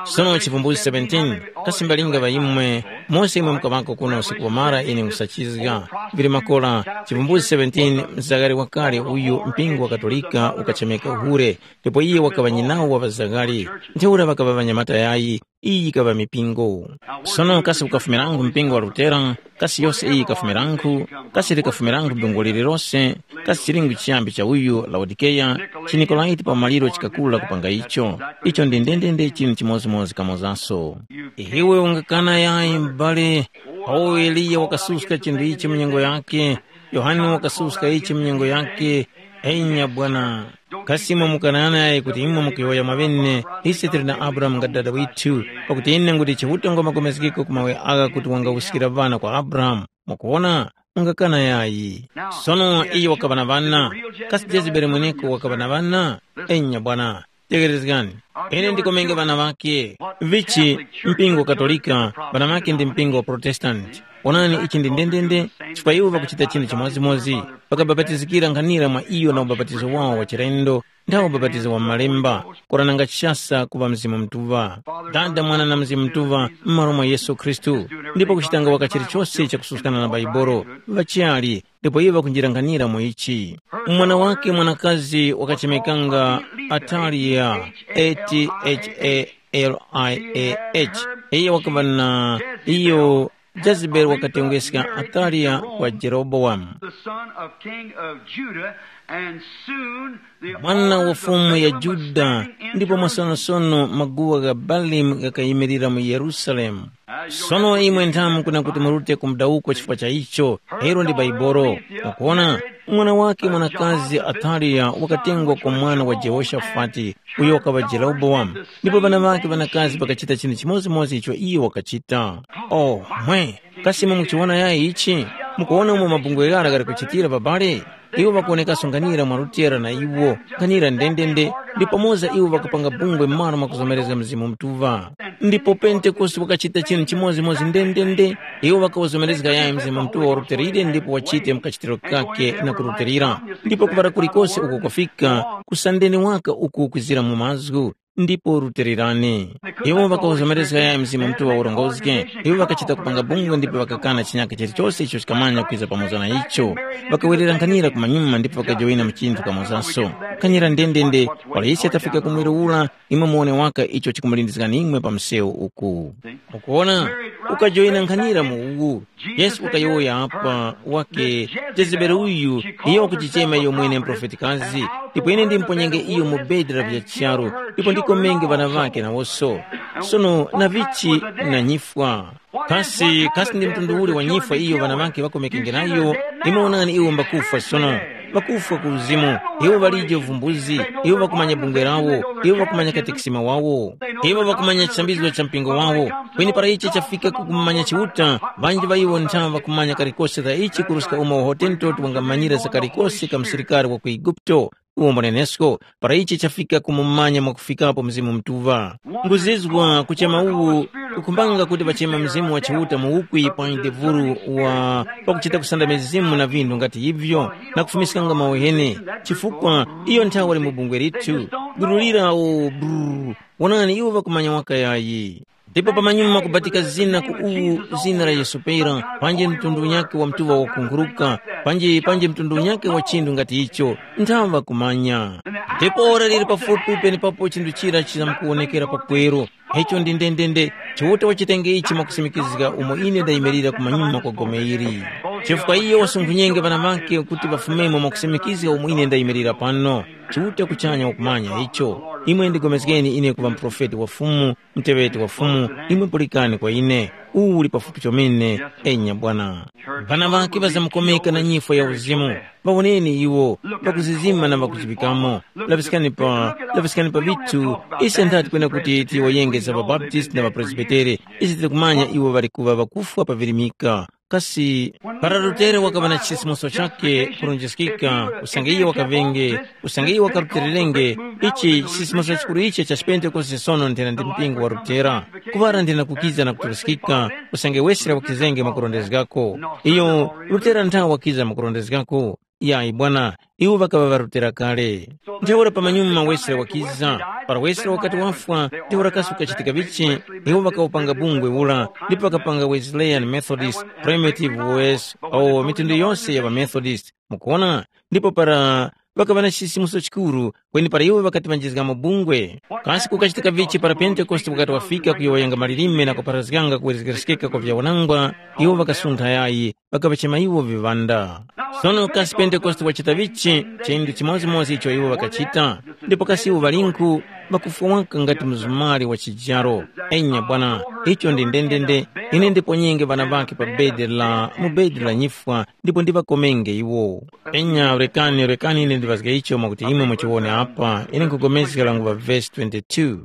Sono Chivumbulutso seventeen, kasi mbalinga ŵa imwe, mose imwe mukaŵako kuno usiku wamara ine nkhusachizga. Vili makora, Chivumbulutso seventeen, mzakari wakale uyu mpingo wa Katolika ukachemeka hure, ndipo iye wakaŵa nyinawo wa ŵazakari. Ntheura ŵakaŵa ŵanyamata yayi, iyi yikaŵa mipingo. Sono kasi ukafumirangu mpingo wa Lutera, kasi yose iyi yikafumirangu, kasi likafumirangu bingo lililose, kasi chilingu chiyambi cha uyu Laodikeya, chiNikolaiti pa maliro chikakula kupanga icho. Icho ndi ndendende chinthu chimodzimodzi kamozaso. Iwe ungakana yayi m'bale, awo Eliya wakasuska chinthu ichi mu nyengo yake, Yohane wakasuska ichi mu nyengo yake, enya bwana. Kasi imwe mukananayi kuti imwe mukuyowoya mwaŵene, ise tili na Abrahamu nga dada withu, pakuti ine nguti Chiuta ngwa magomezgeko ku mawe agha kuti wangawuskira ŵana kwa Abrahamu. Mukuwona? Mungakana yayi. Sono iye wakaŵa na ŵana. Kasi Jezebeli mweneko wakaŵa na ŵana? Enya bwana. Tegherezgani. Ine ndikomenge ŵana ŵakhe. Vichi, mpingo wa Katolika, ŵana ŵakhe ndi mpingo wa Protestanti. Onani ichi ndi ndendende, chifukwa iwo ŵakuchita chinthu chimodzimodzi, ŵakabapatizikira nkhanira mwa iyo na ubapatizo wawo wa chilendo, nthawe ubapatizo wa m'Malemba, kora nanga chishasa kuŵa Mzimu Mutuŵa. Dada, Mwana na Mzimu Mutuŵa, m'malo mwa Yesu Khristu, ndipo kuchitanga waka chilichose chakususkana na Baibolo, ŵachali, ndipo iwo ŵakunjira nkhanira mu ichi. Mwana wake mwanakazi wakachemekanga Ataliya, A T H A L I A H. Iye wakaŵa na iyo Jezebeli wakatengeska Ataliya kwa Jerobowamu, the son of king of Judah, and soon the mwana wa altars of fumu ya Balaam was Juda, standing in ndipo Jerusalem. Masonosono maguwa gha Balimu ghakayimirira mu Yerusalemu. Sono imwe nthamu kuna kuti murute ku mudawuko chifukwa cha icho, ero ndi Baibolo. Mukuona, mwana wake mwanakazi Ataliya wakatengwa kwa mwana wa Jehoshafati, uyo wakaŵa Jerobowamu, ndipo ŵana ŵake ŵanakazi ŵakachita chinthu chimodzimodzi icho iyo wakachita. Oh, mwe, kasi imwe mukuchiwona yayi ichi? Mukuwona umo mabungwe ghara ghali kuchitira babale? Iwo ŵakuwonekaso nkhanira mwa Lutera na iwo, nkhanira ndendende, ndipo pamoza iwo ŵakapanga bungwe m'malo mwa kuzomerezga Mzimu Mutuŵa. Ndipo Pentekoste wakachita chinthu chimodzimodzi ndendende, iwo ŵakawuzomerezga yayi Mzimu Mutuŵa wa Luterire ndipo wachite mu kachitiro kakhe na kurutilira. Ndipo kuŵala kulikose uko kwafika, kusandeni waka uku kwizira mu mazgu, ndipo rutilirani. Iwo ŵakawuzomerezga yayi Mzimu Mutuŵa urongozge, iwo ŵakachita kupanga bungwe ndipo ŵakakana chinyaka chilichose icho chikamanya kwiza pamoza na icho. Ŵakawerera nkhanira kumanyuma ndipo ŵakajoyina mu chinthu kamozaso. Nkhanira ndendende, wala ise tafika ku mwiro ura, imwe muwone waka icho chikumulindizgani imwe pa msewu uku. Mukuwona, ukajoyina nkhanira mu uwu. Yesu wakayowoya apa wake, Jezebeli uyu, iyo wakuchichema iyo mwene mprofetikazi, ndipo ine ndimponyenge iyo mu bedi la vya charu, ndipo ndikomenge ŵana ŵakhe nawoso. Sono na vichi na nyifwa. Kasi, kasi ndi mtundu uli wa nyifwa iyo ŵana ŵakhe ŵakomekenge nayo? Imwe wonani iwo mbakufwa sono. ŵakufwa ku uzimu, iwo ŵalije uvumbuzi, iwo ŵakumanya bungwe lawo, iwo ŵakumanya katekisima wawo, iwo ŵakumanya chisambizo cha mpingo wawo. Kweni para ichi chafika ku kumanya Chiuta, ŵanji ŵa iwo nthawe ŵakumanya kalikose ka ichi kuruska umo Hotentotu wangamanyira za kalikose ka msilikari wa ku Eguputo, uwo mwanenesko, para ichi chafika kumumanya mwakufikapo Mzimu Mutuŵa. Nguzizwa kuchema uwu kukhumbanga kuti ŵachema Mzimu wa Chiuta mu ukwi pa mdevuru wa pakuchita kusanda mizimu na vinthu ngati ivyo, na kufumiskanga mawehene, chifukwa iyo nthawe wali mu bungwe lithu. Guru lira o brrr, wonani iwo ŵakumanya waka yayi. Ndipo pamanyuma kubatika zina ku uwu zina la Yesu pera, panji mtundu unyakhe wa mtuŵa wakunkhuruka, panji panji mtundu unyakhe wa chinthu ngati icho, nthawe ŵakumanya. Ndipo ora liri pafupi penepapo chinthu chira chizamkuwonekera pakweru. Icho ndi ndendende, Chiuta wachitenge ichi mwakusimikizga umo ine ndayimirira kumanyuma kwa gome ili. Chifukwa iyo wasunkhunyenge ŵana ŵakhe kuti ŵafumemo mwakusimikizga umo ine ndayimirira pano. Chiuta kuchanya wakumanya icho. Imwe ndigomezgeni ine kuŵa muprofeti wa Fumu, muteŵeti wa Fumu, imwe pulikani kwa ine. Uwu uli pafupi chomene, enya bwana. Ŵana ŵakhe ŵazamukomeka na nyifwa ya uzimu. Ŵawoneni iwo, ŵakuzizima na ŵakuchiŵikamo. Laŵiskani pa, laŵiskani pa vithu, ise nthati kwena kuti tiyowoyenge za ŵabaptisti na ŵapresbitere, ise tili kumanya iwo ŵali kuŵa ŵakufwa pavirimika. Kasi para Lutere wakaŵa na chisimuso chakhe kurunjiskika, usange iyo wakaŵenge, usange iyo wakarutererenge, ichi chisimuso chikuru ichi cha chipentekoste sono nthena ndi mpingo wa Lutera. Kuŵara nthena kukiza na kuturuskika, usange Wesere wakizenge mwakurondezgako. Iyo Lutera nthawe wakiza mwakurondezgako. Yayi bwana, iwo ŵakaŵa ŵarutira kale. Ntheura pamanyuma Wesere wakiza. Para Wesere wakati wafwa, ntheura kasi kukachitika vichi, iwo ŵakawupanga bungwe ura, ndipo ŵakapanga Wesleyan Methodist, Primitive Wes, o mitundu yose ya ŵaMethodist. Mukuwona? Ndipo para ŵakaŵa na chisimuso chikuru, kweni para iwo ŵakati ŵanjizgamo bungwe. Kasi kukachitika vichi para Pentekoste wakati wafika kuyowoyanga malilime na kupharazganga kuwerezgeskeka kwa vyawanangwa, iwo ŵakasuntha yayi, ŵakaŵachema iwo viŵanda. Sono kasi Pentekoste wachita vichi? Chindu chimodzimodzi icho iwo ŵakachita. Ndipo kasi iwo ŵalinkhu ŵakufwa waka ngati mzumari wa chijaro? Enya bwana, icho ndi ndendende. Ine ndiponyenge ŵana ŵakhe pa bedi la mu bedi la nyifwa ndipo ndiŵakomenge iwo. Enya rekani rekani ine ndiŵazge icho mwakuti imwe muchiwone apa, ine nkhupulikana languŵa vesi twenty-two.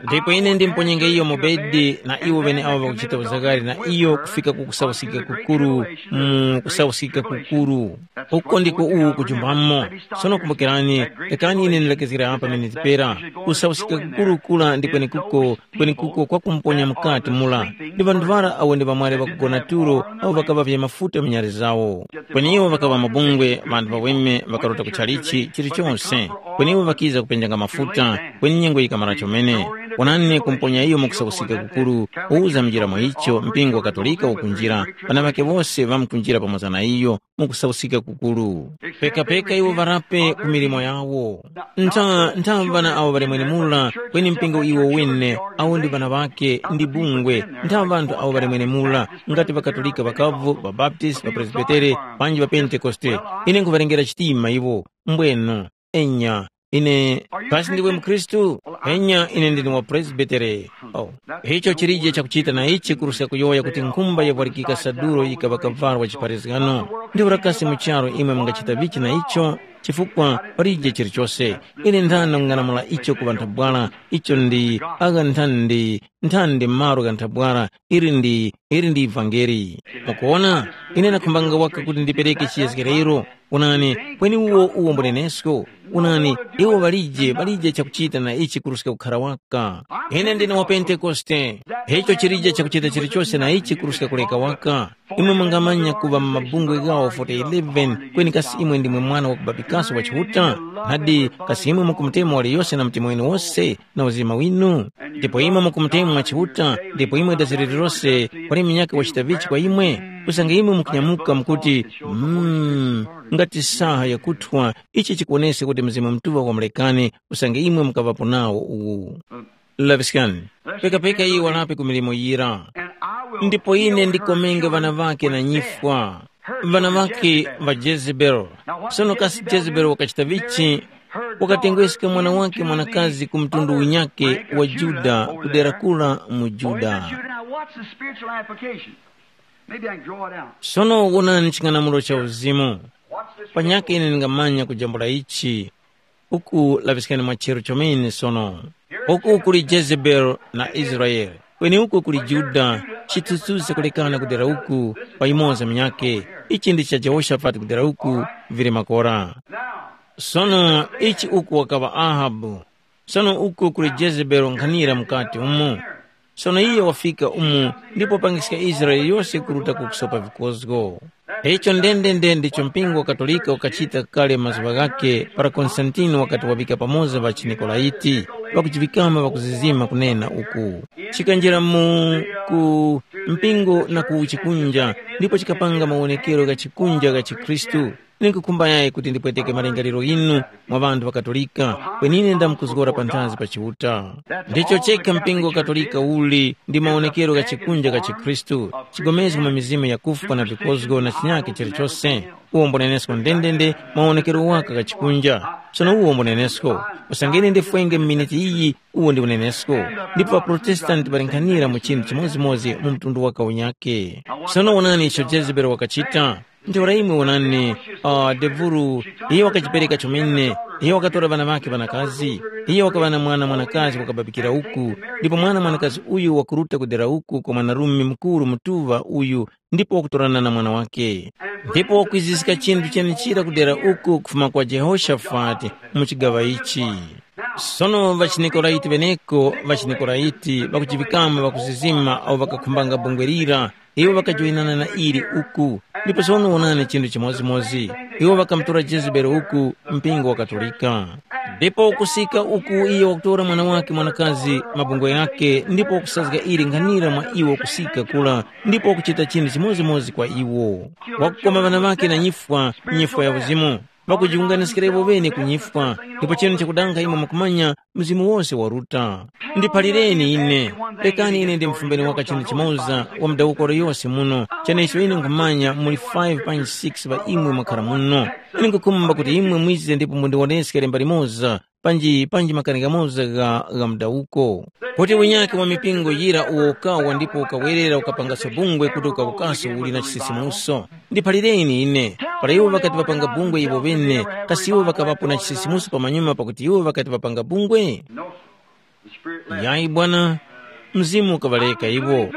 Ndipo ine ndimponyenge iyo mu bedi na iwo ŵeneawo ŵakuchita uzakali na iyo kufika ku kusauskika kukuru, mu kusauskika kukuru. Uko ndiko uwu kujumbamo. Sono kumbukirani, rekani ine ndilekezgere apa miniti pera. Kusauskika kukuru kura ndi kwenekuko, kwenekuko kwakumponya mukati mura. Ndi ŵanthu ŵara awo ndi ŵamwali ŵakugona tulo awo ŵakaŵavya mafuta mu nyali zawo. Kweni iwo ŵakaŵa mabungwe, ŵanthu ŵaweme ŵakaruta ku chalichi chilichonse. Kweni iwo ŵakiza kupenjanga mafuta, kweni nyengo yikamara chomene. Onani kumponya iyo mu kusauskika kukuru, uwuza mnjira mwa icho mpingo wa Katolika ukunjira, ŵana ŵake wose ŵamkunjira pamoza na iyo mu kusauskika kukuru. Pekapeka iwo ŵarape ku milimo yawo. Ntha, ntha ŵana awo ŵali mwenemura, kweni mpingo iwo wene, awo ndi ŵana ŵake, ndi bungwe, ntha ŵanthu awo ŵali mwenemura, ngati ŵaKatolika ŵakavu, ŵaBaptisti, ŵaPresbitere, panji ŵaPentekoste. Ine nkhuŵalengera chitima iwo, mbwenu, enya, ine, kasi ndiwe mukhristu? Enya, ine ndine wa Presbitere. Oh. Icho chilije chakuchita na ichi kuruska kuyowoya kuti nkhumba yavwarikika saduro yikaŵa kavalo wa chipharazgano. Ndiwo rakasi mu charu imwe mungachita vichi na icho, chifukwa palije chilichose. Ine nthana kung'anamula icho kuŵa nthabwala, icho ndi agha nthandi, nthandi malo gha nthabwala, ili ndi, ili ndi ivangeli. Mukuona, ine nakhumbanga waka kuti ndipereke chiyezgerero. Onani, kweni uwo uwo mbunenesko. Onani, iwo ŵalije, ŵalije chakuchita na ichi kuruska kukhara waka. Ine ndine wa Pentekoste. Icho chilije chakuchita chilichose na ichi kuruska kuleka waka. Imwe mungamanya kuŵa mu mabungwe ghawo forty eleven, kweni kasi imwe ndimwe mwana wa kubabikaso wa Chiuta? Nadi, kasi imwe mukumutemwa waliyose na mtima winu wose na uzima winu? Ndipo imwe mukumutemwa Chiuta, ndipo imwe daziri lilose, kwali munyakhe wachita vichi kwa imwe? Usange imwe mukunyamuka mukuti, mm, ngati saha yakuthwa, ichi chikuwoneska kuti Mzimu Mutuŵa wamulekani, usange imwe mukaŵapo nawo uwu. Laŵiskani, pekapeka iye walape ku milimo yira. Ndipo ine ndikomenge ŵana ŵakhe na nyifwa, ŵana ŵakhe ŵa Jezebeli. Sono kasi Jezebeli wakachita vichi? Wakatengweska mwana wake mwanakazi ku mtundu unyakhe wa Juda, ku dera kura mu Juda. Now watch the spiritual application. Maybe I can draw it out. Sono wonani ching'anamulo cha uzimu. Panyakhe ine ndingamanya kujambula ichi. Uku laŵiskani mwa chero chomene sono. Uku kuli Jezebeli na Israele, kweni uku kuli Yuda, chithunzithunzi chakulekana kudera uku pa yumoza munyakhe. Ichi ndi cha Jehoshafati kudera uku, vili makora. Sono ichi uku wakaŵa Ahabu. Sono uku kuli Jezebeli nkhanira mukati umo. Sono iyo wafika umu ndipo wapangiska Israele yose kuruta ku kusopa vikozgo. Icho ndendende ndicho mpingo wa Katolika ukachita kale mazuŵa ghakhe para Konstantini wakati waŵika pamoza ŵa chiNikolaiti, ŵakuchiŵikama ŵakuzizima kunena uku. Chikanjira mu ku mpingo na ku chikunja, ndipo chikapanga mawonekero gha chikunja gha chikhristu. Ninkukhumba yayi kuti ndipweteke malingaliro ghinu mwa ŵanthu ŵa Katolika, kweni ine ndamkuzgora panthazi pa Chiuta. Ndicho chekha mpingo wa Katolika uli ndi mawonekero gha chikunja gha chikhristu, chigomezgo mwa mizimu yakufwa na vikozgo na chinyakhe chilichose. Uwo mbunenesko ndendende mawonekero waka gha chikunja. Sono uwo mbunenesko, usange ine ndifwenge mu miniti iyi, uwo ndi unenesko. Ndipo ŵaProtestanti ŵalinkhanira mu chinthu chimodzimodzi mu mtundu waka unyakhe. Sono wonani icho Jezebeli wakachita. Ntheura imwe wonani, uh, devuru, iyo wakajipereka chomene, iyo wakatora ŵana ŵakhe ŵanakazi, iyo wakaŵa na mwana mwanakazi wakababikira uku, ndipo mwana mwanakazi uyu wakuruta kudera uku kwa mwanarume mukuru mutuŵa uyu, ndipo wakutorana na mwana wake. Ndipo wakwiziska chinthu chenechira kudera uku kufuma kwa Jehoshafati mu chigaŵa ichi. Sono ŵachiNikolaiti ŵeneko, ŵachiNikolaiti ŵakujiŵikamo ŵakuzizima awo ŵakakhumbanga bungwe lira, iwo ŵakajoyinana na ili uku. Ndipo sono wonani chinthu chimodzimodzi, iwo ŵakamutora Jezebeli uku mpingo wa Katolika. Ndipo kusika uku iyo wakutora mwana wake mwanakazi mabungwe ghakhe ndipo wakusazga ili nkhanira mwa iwo kusika kura ndipo wakuchita chinthu chimodzimodzi kwa iwo. Wakukoma ŵana ŵakhe na nyifwa, nyifwa ya uzimu. Ŵakujiwunganiskira iwo ŵene ku nyifwa, ndipo chinu chakudanga imwe mukumanya mzimu wose waruta. Ndiphalireni ine, rekani ine ndimufumbeni waka chinthu chimoza wa mudawukoro yose muno, chenecho ine nkhumanya muli five panji six ŵa imwe mwakhara muno. Ine nkhukhumba kuti imwe mwize ndipo mundiwoneske lemba limoza, panji panji makani ghamoza gha, gha mudawuko. Kuti unyake wa mipingo yira uwo ukawa ndipo ukawerera ukapangaso bungwe kuti ukawukaso uli na chisisimuso. Ndiphalireni ine, para iwo ŵakati ŵapanga bungwe iwo ŵene, kasi iwo ŵakaŵapo na chisisimuso pamanyuma pakuti iwo ŵakati ŵapanga bungwe? Yayi bwana, mzimu ukaŵareka iwo.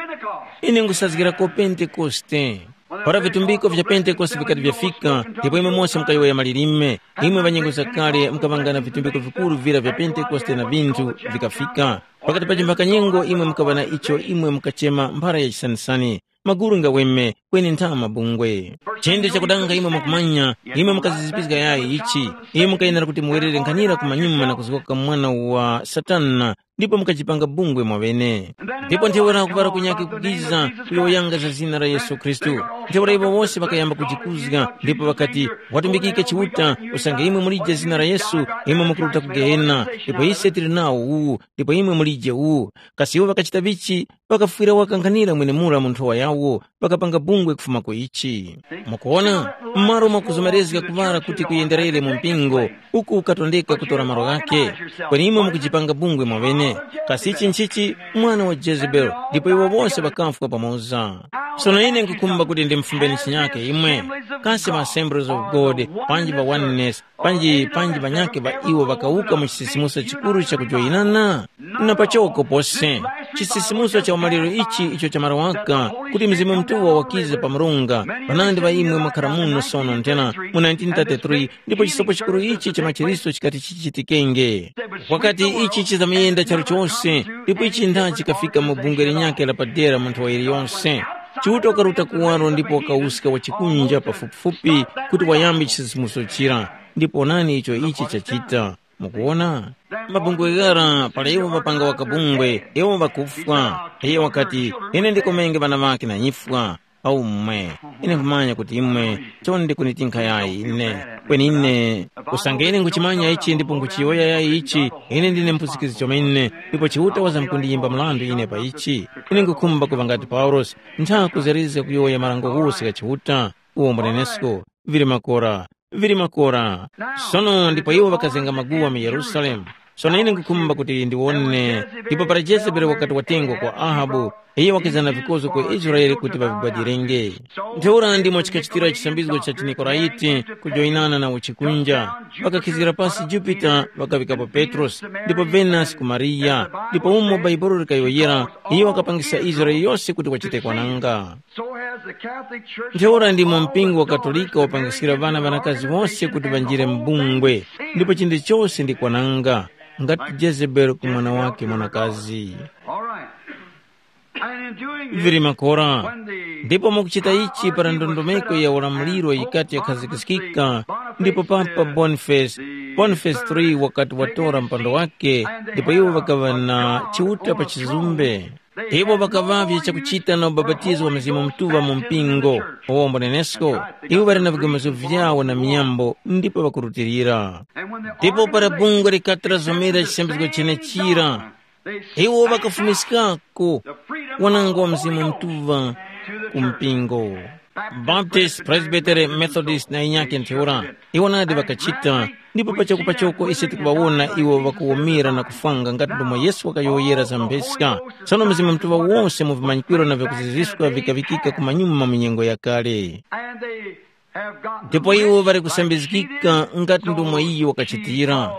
Ine nkhusazgirako Pentekoste. Para vitumbiko vya Pentekoste vikati vyafika, ndipo imwe mose mukayowoya malilime, imwe ŵanyengo zakale mukaŵangana vitumbiko vikuru vira vya Pentekoste na vinthu vikafika. Pakati pa chimphaka nyengo imwe mukaŵa na icho imwe mukachema mphara ya chisanisani. Maguru ngaweme, kweni ntha mabungwe. Chinde chakudanga imwe mukumanya, imwe mukazizipizga yayi ichi, imwe mukayenera kuti muwerere nkhanira kumanyuma na kuzgoka mwana wa Satana, ndipo mukachipanga bungwe mwaŵene. Ndipo ntheura kuŵala kunyakhe kukiza kuyowoyanga za zina la Yesu Khristu. Ntheura iwo wose ŵakayamba kujikuzga, ndipo ŵakati, watumbikike Chiuta, usange imwe mulije zina la Yesu, imwe mukuruta ku Gehena, ndipo ise tili nawo uwu, ndipo imwe mulije uwu. Kasi iwo ŵakachita vichi? Ŵakafwira waka nkhanira mwenemura mu nthowa yawo, ŵakapanga bungwe kufuma ku ichi. Mukuwona, m'malo mwa kuzomerezga kuŵala kuti kuyenderere mu mpingo, uku ukatondeka kutora malo ghakhe, kweni imwe mukujipanga bungwe mwaŵene. Kasi ichi nchichi? Mwana wa Jezebeli, ndipo iwo wose ŵakafwa pamoza. Sono ine nkhukhumba kuti ndimufumbeni chinyake imwe. Kasi ma Assemblies of God, panji pa Oneness, panji panji ŵanyakhe ŵa iwo ŵakawuka mu chisisimuso chikuru cha kujoyinana? Na pachoko pose. Chisisimuso cha umaliro ichi icho chamara waka, kuti Mzimu Mutuŵa wakize pa murunga, panandi ŵa imwe mwakhara muno sono nthena mu nineteen thirty-three, ndipo chisopo chikuru ichi cha machiriso chikati chichitikenge. Wakati ichi chizamuyenda charu chose, ndipo ichi ntha chikafika mu bungwe linyakhe la padera mu nthowa yiliyonse. Chiuta wakaruta kuwaro ndipo wakawuska wa chikunja pafupifupi kuti wayambe chisisimuso chira. Ndipo onani icho ichi chachita. Mukuwona? Mabungwe ghara para iwo ŵapanga wakabungwe, iwo ŵakufwa. Iye wakati, ine ndikomenge ŵana ŵakhe na nyifwa. Aumwe, ine nkhumanya kuti imwe chonde kunitinkha yayi ine. Kweni ine, usange ine nguchimanya ichi ndipo nguchiyowoya yayi ichi, ine ndine mpuzikizi chomene, ndipo Chiuta wazamkundiyimba mrandu ine pa ichi. Ine ngukhumba kuŵa ngati Paulosi, ntha kuzerezga kuyowoya marango ghose gha Chiuta, uwo mbunenesko, vili makora, vili makora. Sono ndipo iwo ŵakazenga maguwa mu Yerusalemu. Sono ine nkhukhumba kuti ndiwone, ndipo para Jezebeli wakati watengwa kwa Ahabu, iye wakiza na vikozgo ku Israele kuti ŵavigwadilenge. Ntheura ndimo chikachitira chisambizgo cha chiNikoraiti kujoyinana na uchikunja. Ŵakakhizgira pasi Jupita, ŵakaŵikapo Petrosi, ndipo Venasi ku Mariya, ndipo umo Bhaibuli likayowoyera, iye wakapangisa Israele yose kuti wachite kwananga. So has the Catholic Church Ntheura ndimo mpingo wa Katolika wapangiskira ŵana ŵanakazi wose kuti ŵanjire m'bungwe, ndipo chinde chose ndi kwananga, ngati Jezebeli ku mwana wake mwanakazi. All right. And in doing this, vili makora. When the ndipo mukuchita ichi para ndondomeko ya ulamuliro yikati yakhazikiskika, ndipo papa Boniface, Boniface three wakati watora mpando wake, ndipo iwo ŵakaŵa na chiuta pa chizumbe. Iwo ŵakaŵavye chakuchita na ubapatizo wa Mzimu Mutuŵa mu mpingo, uwo mbunenesko, iwo ŵali na vigomezo vyawo na miyambo ndipo ŵakurutilira. Ndipo para bungwe likati lazomera chisambizgo chenechira, iwo ŵakafumiskako wanango wa Mzimu Mutuŵa ku mpingo. Baptist, Presbytery, Methodist na inyake ntheura, iwo nadi ŵakachita, ndipo pachoko pachoko ise tikuŵawona iwo ŵakuwomera na kufwanga ngati ndomwe Yesu wakayowoyera za mpheska. Tsono Mzimu Mutuŵa wose mu vimanyikiro na vyakuziziska vikaŵikika kumanyuma mu nyengo yakale. And they have gotten ndipo iwo ŵali kusambizgika ngati ndomwe iyo wakachitira.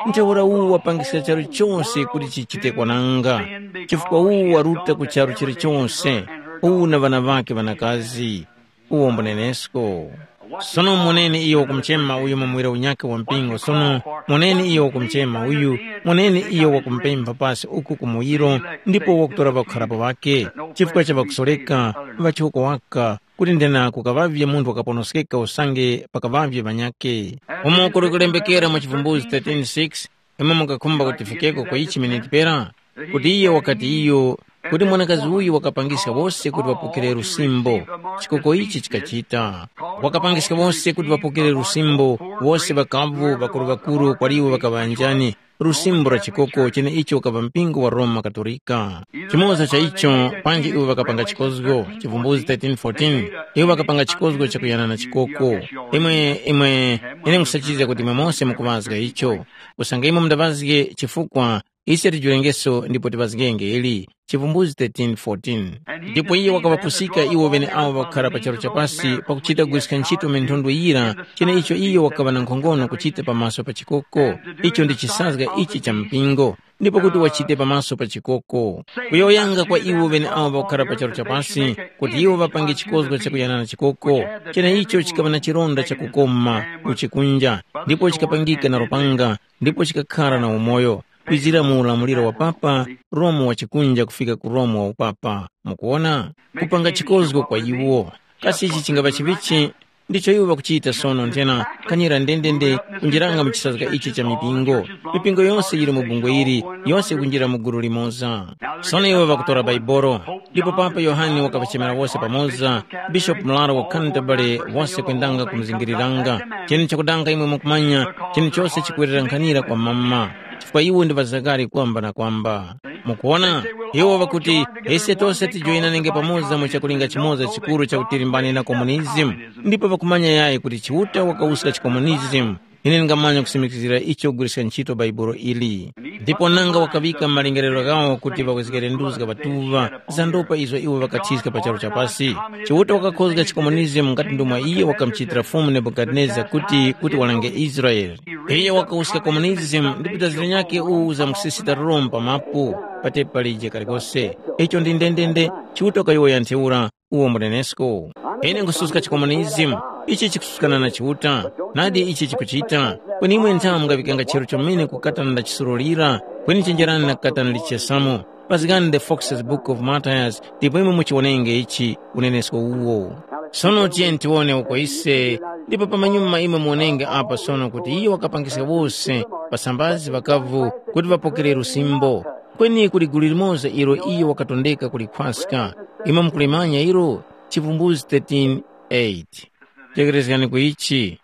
Ntheura uwu wapangiska charu chose kuti chichite kwananga, chifukwa uwu waruta ku charu chilichose, uwu na ŵana ŵakhe ŵanakazi. Uwo mbunenesko. Sono moneni iyo wakumuchema uyu mu muwiro unyakhe wa mpingo. Sono moneni iyo wakumuchema uyu, moneni iyo wakumupempha pasi uku ku muwiro, ndipo wakutora ŵakukharapo ŵakhe, chifukwa cha ŵakusoreka, ŵachoko waka, kuti ndena kukaŵavye munthu wakaponoskeka usange pakaŵavye ŵanyakhe. Umo kuli kulembekera mu Chivumbuzi thirteen six, imwe mukakhumba kuti tifikeko kwa ichi miniti pera, kuti iye wakati iyo, kuti mwanakazi uyu wakapangiska wose kuti ŵapokere lusimbo. Chikoko ichi chikachita. Wakapangiska wose kuti ŵapokere lusimbo, wose ŵakavu, ŵakuru-ŵakuru, kwaliwo ŵakaŵanjani, lusimbo la chikoko cheneicho wakaŵa mpingo wa Roma Katolika. Chimoza cha icho, panji iwo ŵakapanga chikozgo, Chivumbuzi thirteen fourteen, iwo ŵakapanga chikozgo chakuyana na chikoko. Imwe, imwe, ine nkhusachizga kuti imwe mose mukuŵazga icho. Usange imwe mundaŵazge chifukwa, ise tijulengeso ndipo tiŵazgenge ili. Chivumbuzi thirteen fourteen. Ndipo iye wakaŵapusika iwo ŵeneawo ŵakukhara pa charu chapasi pakuchita kugwiska ntchito minthondwe yira, cheneicho iye wakaŵa na nkhongono kuchita pamaso pa chikoko. Icho ndi chisazga ichi cha mpingo, ndipo kuti wachite pamaso pa chikoko. Kuyowoyanga kwa iwo ŵeneawo ŵakukhara pa charu chapasi, kuti iwo ŵapange chikozgo chakuyana na chikoko, cheneicho chikaŵa na chironda chakukoma mu chikunja, ndipo chikapangika na lupanga, ndipo chikakhara na umoyo, kwizira mu ulamuliro wa papa, Romu wa chikunja kufika ku Romu wa upapa. Mukuwona? Kupanga chikozgo kwa iwo. Kasi ichi chingapa chivichi? Ndicho iwo ŵakuchita sono nthena, kanyira ndendende kunjiranga mu chisazga ichi cha mipingo. Mipingo yose yili mu bungwe ili, yose ikunjira mu gulu limoza. Sono iwo ŵakutora Baibolo, ndipo Papa Yohane wakapachemera wose pamoza, Bishopu Mularo wa Canterbury wose kwendanga kumuzingiriranga. Cheni chakudanga imwe mukumanya, cheni chose chikuwerera nkhanira kwa mama, chifukwa iwo ndi ŵazakari kwamba na kwamba. Mukuona, iwo ŵakuti, ise tose tijoyinanenge pamoza mu chakulinga chimoza chikuru chakutilimbani na komunizimu, ndipo ŵakumanya yayi kuti Chiuta wakawuska chikomunizimu. Ine ndingamanya kusimikizira icho kugwiriska ntchito Bhaibuli ili. Ndipo nanga wakaŵika m'malingaliro ghawo kuti ŵawezgere nduzga ŵatuŵa za ndopa izo iwo ŵakathiska pa charu chapasi. Chiuta wakakhozga chikomunizimu ngati ndomwe iye wakamuchitira Fumu Nebukadineza kuti kuti walange Israele. Iye wakawuska komunizimu ndipo tazira nyakhe uwu za mkusisita Roma pa mapu, patepa lije kalikose. Icho ndi ndendende, Chiuta wakayowoya ntheura, uwo mbunenesko. Ine nkhususka chikomunizimu, ichi chikususkana na Chiuta, nadi ichi chikuchita, kweni imwe nthamu mungaŵikanga chero chomene kukatana ndachisurulira, kweni chenjerani na kukatana lichesamo. Pazgani the Fox's Book of Martyrs, ndipo imwe muchiwonenge ichi, unenesko uwo. Sono tiyeni tiwone uko ise, ndipo pamanyuma imwe muwonenge apa sono kuti iyo wakapangiska wose, pasambazi ŵakavu, kuti ŵapokere lusimbo. Kweni kuli gulu limoza ilo iyo wakatondeka kulikhwaska. Imwe mukulimanya ilo? Chivumbulutso thirteen eight. Tekerezgani ku ichi.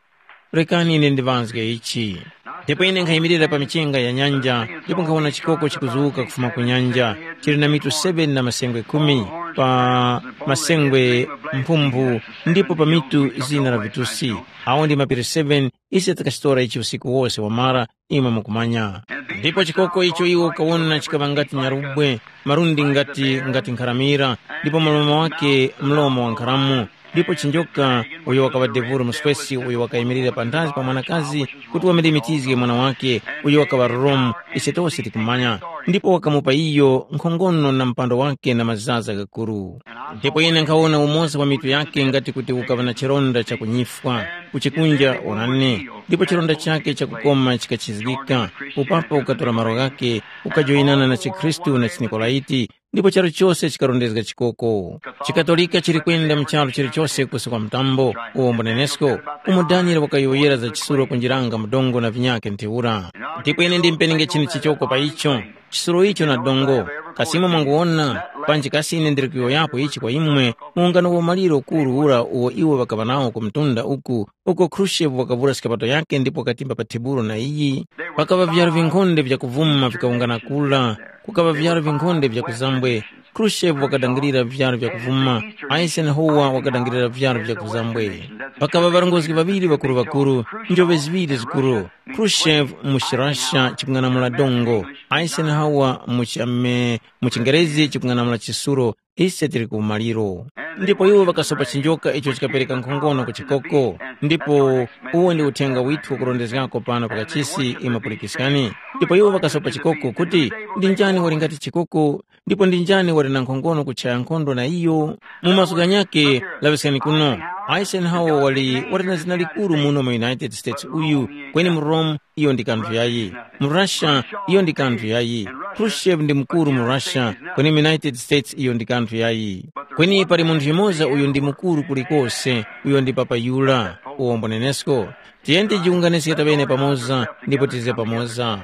Rekani ine ndiŵazge ichi. Ndipo ine nkhayimirira pa michenga ya nyanja, ndipo nkhawona chikoko chikuzuka kufuma ku nyanja, chili na mitu seven na masengwe khumi, pa masengwe mphumphu, ndipo pa mitu zina la vitusi. Awo ndi mapiri seven Ise takachitora ichi usiku wose wamara, imwe mukumanya. Ndipo chikoko icho iwo ukawona chikaŵa ngati nyarubwe, malundi ngati ngati nkharamira, ndipo mlomo wake mlomo wa nkharamu. Ndipo chinjoka, uyo wakaŵa devuro muswesi uyo wakayimirira panthazi pa mwanakazi, kuti wamlimitizge mwana wake, uyo wakaŵa Romu, ise tose tikumanya. Ndipo wakamupa iyo nkhongono na mpando wake na mazaza ghakuru. Ndipo ine nkhawona umoza wa mitu yake ngati kuti ukaŵa na chironda chakunyifwa, kuchikunja onani, ndipo chironda chake chakukoma chikachizgika, upapo ukatora malo ghake, ukajoyinana na chikhristu na chinikolaiti, ndipo charu chose chikarondezga chikoko. Chikatolika chili kwenda mu charu chilichose kusi kwa mtambo, uwo mbunenesko, umo Daniele wakayowoyera za chisulo kunjiranga mudongo na vinyake ntheura. Ndipo ine ndimpenenge chinu chichoko pa icho, chisulo icho na dongo. Kasimo mwanguwona, panji kasi ine ndili kuyowoyapo ichi kwa imwe, muungano wa maliro ukuru ura uwo iwo ŵakaŵa nawo ku mtunda uku, uko Khrushchev wakavura skapato yake ndipo wakatimba pa tebulo na iyi, pakaŵa vyaro vinkhonde vyakuvuma vikawungana kula, kukaŵa vyaro vinkhonde vya kuzambwe. Khrushchev wakadangirira vyaro vyakuvuma, Eisenhower wakadangirira vyaro vya kuzambwe. Pakaŵa ŵarongozgi ŵaŵiri ŵakuru-ŵakuru, njove ziŵiri zikuru, Khrushchev mu Russia chikung'anamula dongo, Eisenhower mu chame mu chingerezi chikung'anamula chisulo, ise tili ku maliro. Ndipo iwo ŵakasopa chinjoka icho chikapereka nkhongono ku chikoko, ndipo uwo ndi uthenga withu wakurondezgako pano pakachisi imwe pulikiskani. Ndipo iwo ŵakasopa chikoko kuti, ndi njani wali ngati chikoko, ndipo ndi njani wali na nkhongono kuchaya nkhondo na iyo? Mu maso ghanyakhe, laŵiskani kuno, Eisenhower wali wali na zina likuru muno mu United States uyu, kweni mu Rome iyo ndi kanthu yayi. Mu Russia iyo ndi kanthu yayi. Khrushchev ndi mukuru mu Russia, kweni mu United States iyo ndi kanthu yayi. Kweni pali munthu yumoza uyo ndi mukuru kulikose, uyo ndi Papa Yura, uwombo nenesko. Tiyeni tijiwunganiske taŵene pamoza ndipo tize pamoza.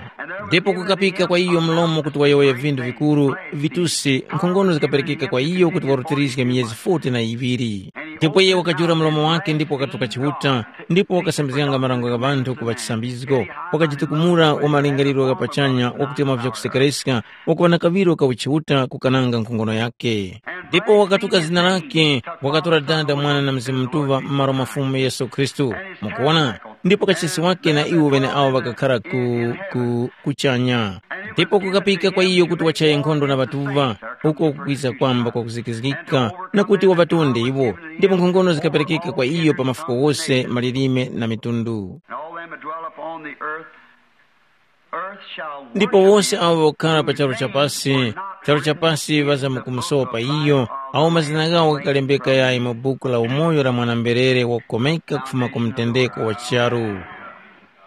Ndipo kukapika kwa iyo mlomo kuti wayowoye vinthu vikuru, vitusi, nkhongono zikaperekeka kwa iyo kuti warutirizge miyezi forty na iŵiri. Ndipo iye wakajula mlomo wake ndipo wakatuka Chiuta, ndipo wakasambizganga marango gha ŵanthu ku ŵachisambizgo, wakajitukumula wa malingaliro gha pachanya wakuti mwa vyakusekereska, wakuŵa na kaŵiro ka uchiuta kukananga nkhongono yakhe. Ndipo wakatuka zina lake, wakatora Dada, Mwana na Mzimu Mutuŵa m'malo mwa Fumu Yesu Khristu. Mukuwona? Ndipo kachisi wake na iwo ŵeneawo ŵakakhara ku, ku, kuchanya. Ndipo kukapika kwa iyo kuti wachaye nkhondo na ŵatuŵa, uko kukwiza kwamba kwakuzikizgika, na kuti waŵatonde iwo, ndipo nkhongono zikaperekeka kwa iyo pa mafuko wose, malilime na mitundu. And all them that dwell upon the earth, earth shall ndipo worship wose him abo wokhala pa charu cha pasi, charu cha pasi ŵazamkumusopa iyo, awo mazina ghawo ghakalembeka yayi mu buku la umoyo la mwana-mberere wakukomeka kufuma ku mtendeko wa charu.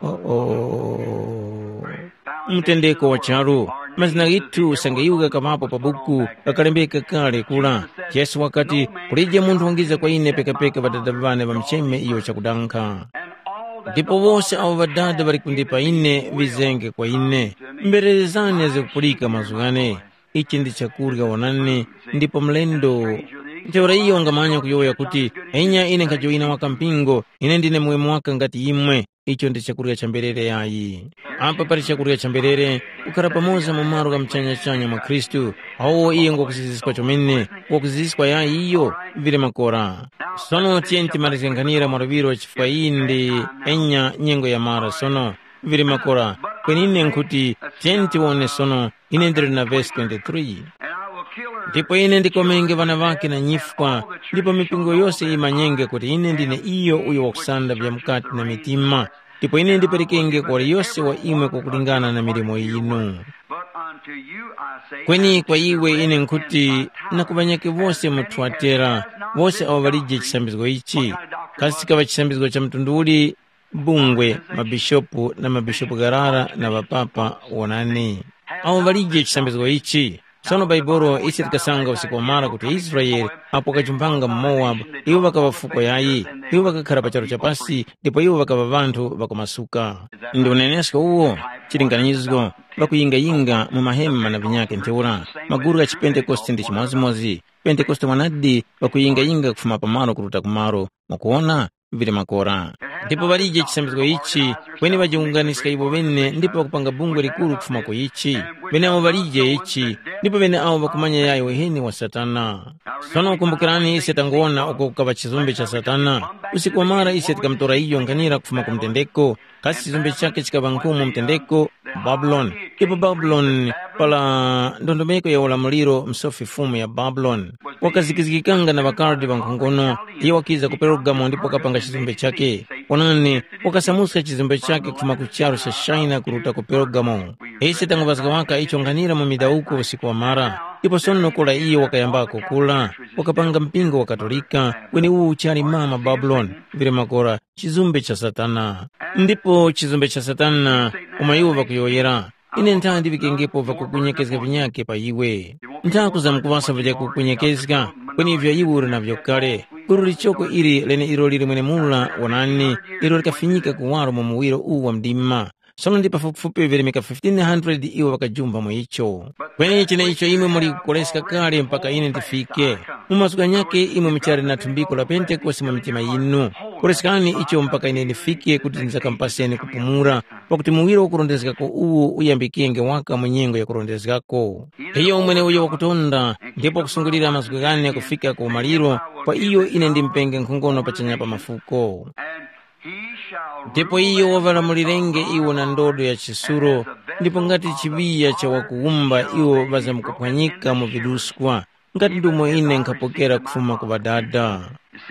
Oh, oh. Mtendeko wa charu, mazina ghithu usange iwo ghakaŵapo pa buku ghakalembeka kale kula. Yesu wakati, kulije munthu wangiza kwa ine pekapeka ŵadada ŵane ŵamcheme iyo chakudankha. Ndipo wose awo ŵadada ŵali kundipa ine, ŵizenge kwa ine. Mbererezani azikupulika mazgu ghane. Ichi ndi chakurya wonani, ndipo mlendo. Ntheura iyo wangamanya kuyowoya kuti, enya ine nkhajoyina waka mpingo, ine ndine muweme waka ngati imwe. Icho ndi chakurya cha mberere yayi. Apa pali chakurya cha mberere, kukhara pamoza mu malo gha muchanyachanya mwa Khristu, awo iye ngwakuziziskwa chomene, ngwakuziziskwa yayi iyo, vili makora. Sono tiyeni timalizge nkhanira mwa luŵiro chifukwa iyi ndi enya nyengo ya mara sono, vili makora. Kweni ine nkhuti, tiyeni tiwone sono, ine ndili na vesi twenty-three. Ndipo ine ndikomenge ŵana ŵake na nyifwa, ndipo mipingo yose yimanyenge kuti ine ndine iyo uyo wakusanda vyamukati na mitima, ndipo ine ndiperekenge kwa waliyose wa imwe kwakulingana na milimo yinu. But unto you I say, kweni kwa iwe ine nkhuti, na ku ŵanyakhe wose mu Thuatera, wose awo ŵalije chisambizgo ichi, kasi chikaŵa chisambizgo cha mtundu uli? Bungwe, mabishopu na mabishopu gharara na ŵapapa wonani. Awo ŵalije chisambizgo ichi. Sono Baibolo ise tikasanga usiku wamara kuti Israele apo wakajumpanga mu Mowabu, iwo ŵakaŵa fuko yayi, iwo ŵakakhara pa charu cha pasi ndipo iwo ŵakaŵa ŵanthu ŵakumasuka. Ndi unenesko uwo, chilinganizgo, ŵakuyingayinga mu mahema na vinyake ntheura, maguru gha chipentekoste ndi chimodzimodzi. Pentekoste mwanadi ŵakuyingayinga kufuma pamalo kuruta kumalo, mukuwona, vili makora. Ndipo ŵalije chisambizgo ichi, kweni ŵajiwunganiska iwo ŵene ndipo ŵakupanga bungwe likuru kufuma ku ichi. Ŵeneawo ŵalije ichi, ndipo ŵeneawo ŵakumanya yayo uheni wa Satana. Sono kumbukirani ise tanguwona uko kukaŵa chizumbe cha Satana. Usiku wamara ise tikamutora iyo nkhanira kufuma ku mtendeko, kasi chizumbe chakhe chikaŵa nkhu mu mtendeko, Babuloni. Ipo Babuloni, pala ndondomeko ya ulamuliro msofi fumu ya Babuloni, wakazikizgikanga na ŵakaldi ŵankhongono, iyo wakiza ku Perugamo ndipo wakapanga chizumbe chakhe. Onani, wakasamuska chizumbe chakhe kufuma ku charu cha China kuruta ku Perugamo. Ise tanguŵazga waka icho nkhanira mu midawuko usiku wamara, ndipo sono kula iyo wakayambako kula, wakapanga mpingo wa Katolika, kweni uwu uchali mama Babuloni, vili makora, chizumbe cha Satana. Ndipo chizumbe cha Satana, umo iwo ŵakuyowoyera, ine ntha ndiŵikengepo vakukunyekezga vinyake pa iwe. Ntha kuzamkuŵasa vyakukunyekezga, kweni ivyo iwe uli navyo kale. Gulu lichoko ili leneilo lili mwenemura wonani, ilo likafinyika kuwaro mu muwiro uwu wa mdima. Sono ndi pafupifupi virimika fifteen hundred iwo ŵakajumba mu icho. Kweni cheneicho imwe muli kukoleska kale mpaka ine ndifike. Mu mazgu ghanyakhe imwe muchali na thumbiko la Pentekoste mu mitima yinu. Koleskani icho mpaka ine ndifike kuti ndizakampaseni kupumula, pakuti muwiro ukurondezgako uwu uyambikenge waka mu nyengo yakurondezgako. Iyo mweneuyo wakutonda ndipo wakusungulira mazgu ghane kufika ku umaliro, kwa iyo ine ndimupenge nkhongono pachanya pa mafuko. Ndipo iyo waŵalamulirenge iwo na ndodo ya chisuro, ndipo ngati chiŵiya cha wakuwumba iwo ŵazamkuphwanyika mu viduskwa, ngati ndumo ine nkhapokera kufuma ku Ŵadada.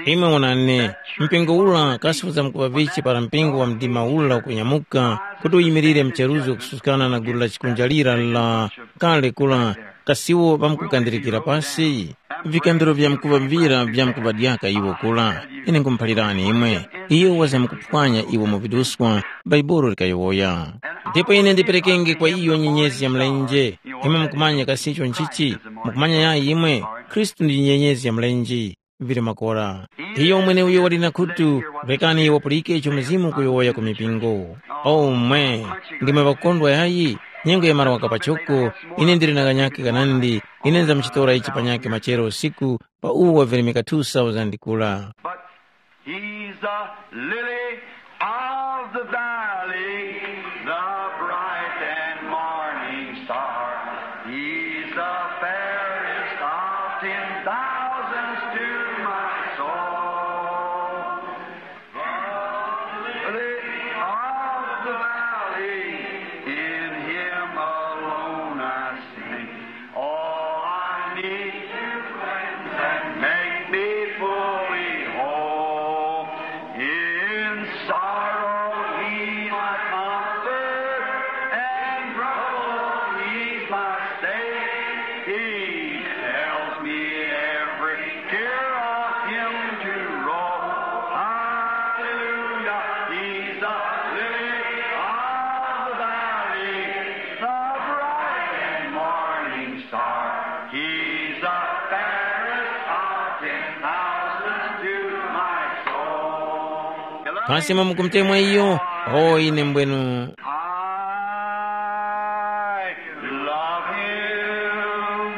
Imwe wonani, mpingo ura kasi uzamkuŵa vichi para mpingo wa mdima ura ukunyamuka kuti uyimirire mcheruzo kususkana na gulu la chikunjalira la kale kura, kasiwo ŵamkukandirikira pasi? Vikambiro vyamkuŵa vira vyamkuŵadyaka iwo kura. Ine nkhumuphalirani imwe, iyo wazamkuphwanya iwo mu viduskwa, Bhaibuli likayowoya. Ndipo ine ndiperekenge kwa iyo nyenyezi ya mlenje. Imwe mukumanya kasi icho nchichi? Mukumanya yayi imwe? Khristu ndi nyenyezi ya mlenje. Vili makora. Iyo mweneuyo wali na khutu, rekani wapulike icho Mzimu ukuyowoya ku mipingo. O mwe, ndimwe ŵakukondwa yayi? Nyengo yamara waka pachoko, ine ndili na kanyakhe kanandi, ine ndamchitora ichi panyakhe machero usiku, pa uwo wavirimika two thousand kula. But he's the lily of the valley, the bright and morning star. He's the fairest of ten thousands to my soul. The lily of the valley, in him alone I sing. All I need to cleanse and make me fully whole. In sorrow he's my comfort, and trouble he's my stay. He tells me every care of him to roll. Hallelujah, he's the lily of the valley, the bright and morning star. He's the fairest of ten thousands to my soul. Kasi imwe mukumutemwa iyo? O ine mbwenu. I love him.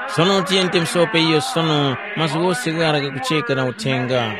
Sono tiyeni timusope iyo sono, mazgu ghose ghara ghakucheka na uthenga.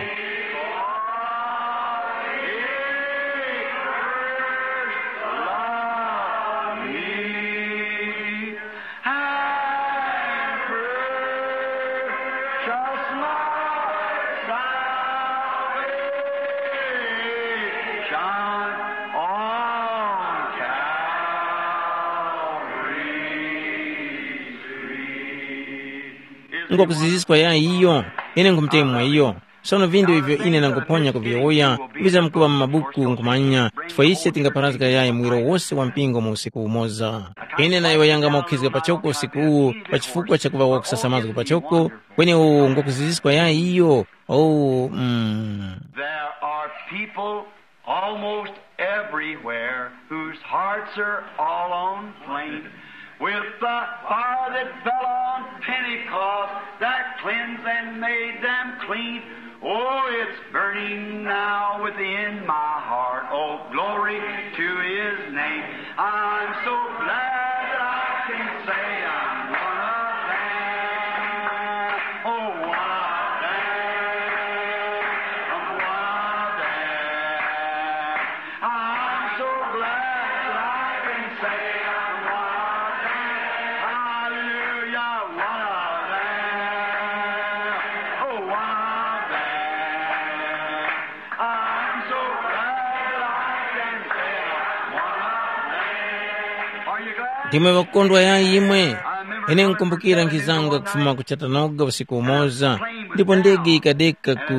Ngwakuziziskwa yayi iyo? Ine nkhumutemwa iyo. Sono vindu ivyo ine ndanguphonya kuviyowoya vizamkuŵa mu mabuku nkhumanya, chifukwa ise tingapharazga yayi muwiro wose wa mpingo mu usiku umoza. Ine nayowoyanga mwakukhizga pachoko usiku uwu pa chifukwa chakuŵa wakusasa mazgu pachoko, kweni uwu ngwakuziziskwa yayi iyo? Oh, mm. There are people almost everywhere whose hearts are all on flame. With the fire that fell on Pentecost that cleansed and made them clean. Oh, it's burning now within my heart. Oh, glory to his name. I'm so glad that I can say I'm one of them. Oh, one of them. Ndimwe ŵakukondwa yayi imwe. Ine nkumbukira nkhizanga kufuma ku Chattanooga usiku umoza, ndipo ndege yikadeka ku,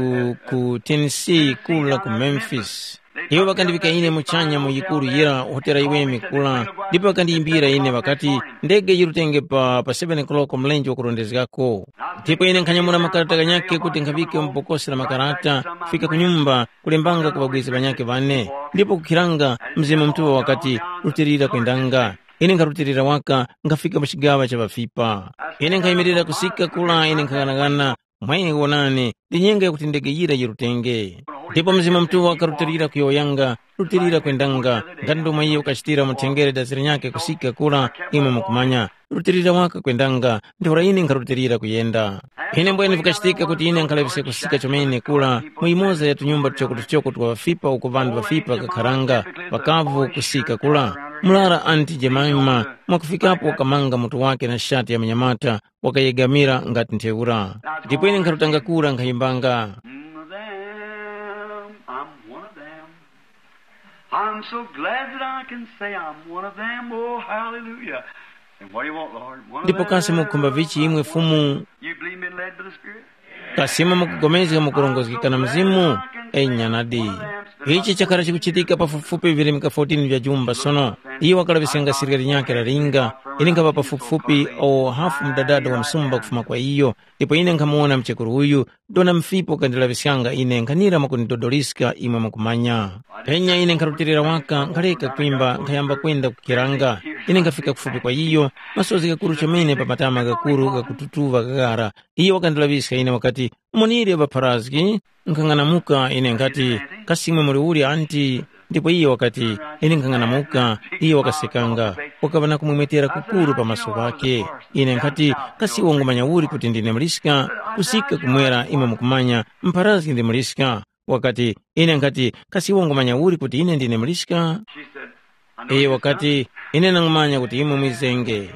ku Tennessee kula ku Memphis. Iwo ŵakandiŵika ine muchanya mu yikuru yira hotera yiweme kula, ndipo ŵakandiyimbira ine ŵakati, ndege yirutenge pa, pa seven o'clock mlenje wakurondezgako. Ndipo ine nkhanyamula makarata ghanyakhe kuti nkhaŵike mu bokosi la makarata, kufika ku nyumba, kulembanga ku ŵabwezi ŵanyakhe ŵane. Ndipo kukhiranga, Mzimu Mutuŵa wakati, rutilira kwendanga. Ine nkharutilira waka, nkhafika mu chigaŵa cha ŵafipa. Ine nkhayimirira kusika kula, ine nkhang'anang'ana, mwe wonani, ndi nyengo yakuti ndege yira yirutenge. Ndipo Mzimu Mutuŵa wakarutilira kuyowoyanga, rutilira kwendanga, ngati ndomwe iyo ukachitira mu thengere dazi linyakhe kusika kula, imwe mukumanya, rutilira waka kwendanga, ntheura ine nkharutilira kuyenda. Ine mbwene vikachitika kuti ine nkhalaŵiske kusika chomene kula mu yimoza ya tunyumba tuchoko-tuchoko twa ŵafipa uko ŵanthu ŵafipa ŵakakharanga, ŵakavu kusika kula. Murara Anti Jemima mwakufikapo wakamanga mutu wake na shati ya munyamata, wakayegamira ngati ntheura. Ndipo ine nkharutanga kura nkhayimbanga. Them, I'm one of them. I'm so glad that I can say I'm one of them. Oh, hallelujah. And what do you want, Lord? One of Ndipo kasi them. Mukhumba vichi imwe Fumu? You believe me led by the Spirit? Kasi imwe mukugomezga mukurongozgeka na Mzimu? Enya nadi. Ichi chakhala chikuchitika pafupifupi virimika fourteen vya jumba sono. Iye wakalaŵiskanga sirika linyakhe lalinga, ine nkhapa pafupifupi o hafu mudadada wa msumba kufuma kwa iyo, ndipo ine nkhamuwona mchekuru uyu, dona mfipo kandilaŵiskanga ine nkhanira mwakundidodoliska imwe mukumanya. Penya ine nkharutilira waka nkhaleka kwimba nkhayamba kwenda kukiranga. Ine nkhafika kufupi kwa iyo, masozi ghakuru chomene pa matama ghakuru ghakututuŵa ghaghara. Iyo wakandilaŵiska ine wakati, umonire ŵapharazgi. Nkhang'anamuka ine nkhati, kasi imwe muli uli anti? Ndipo iyo wakati, ine nkhang'anamuka. Iyo wakasekanga, wakaŵa na kumwemwetera kukuru pa maso ghakhe. Ine nkhati, kasi iwe ungumanya uli kuti ndine muliska? Kusika kumwera imwe mukumanya, mpharazgi ndi muliska. Wakati, ine nkhati, kasi iwe ungumanya uli kuti ine ndine muliska? Iye wakati, ine nangumanya kuti imwe mwizenge.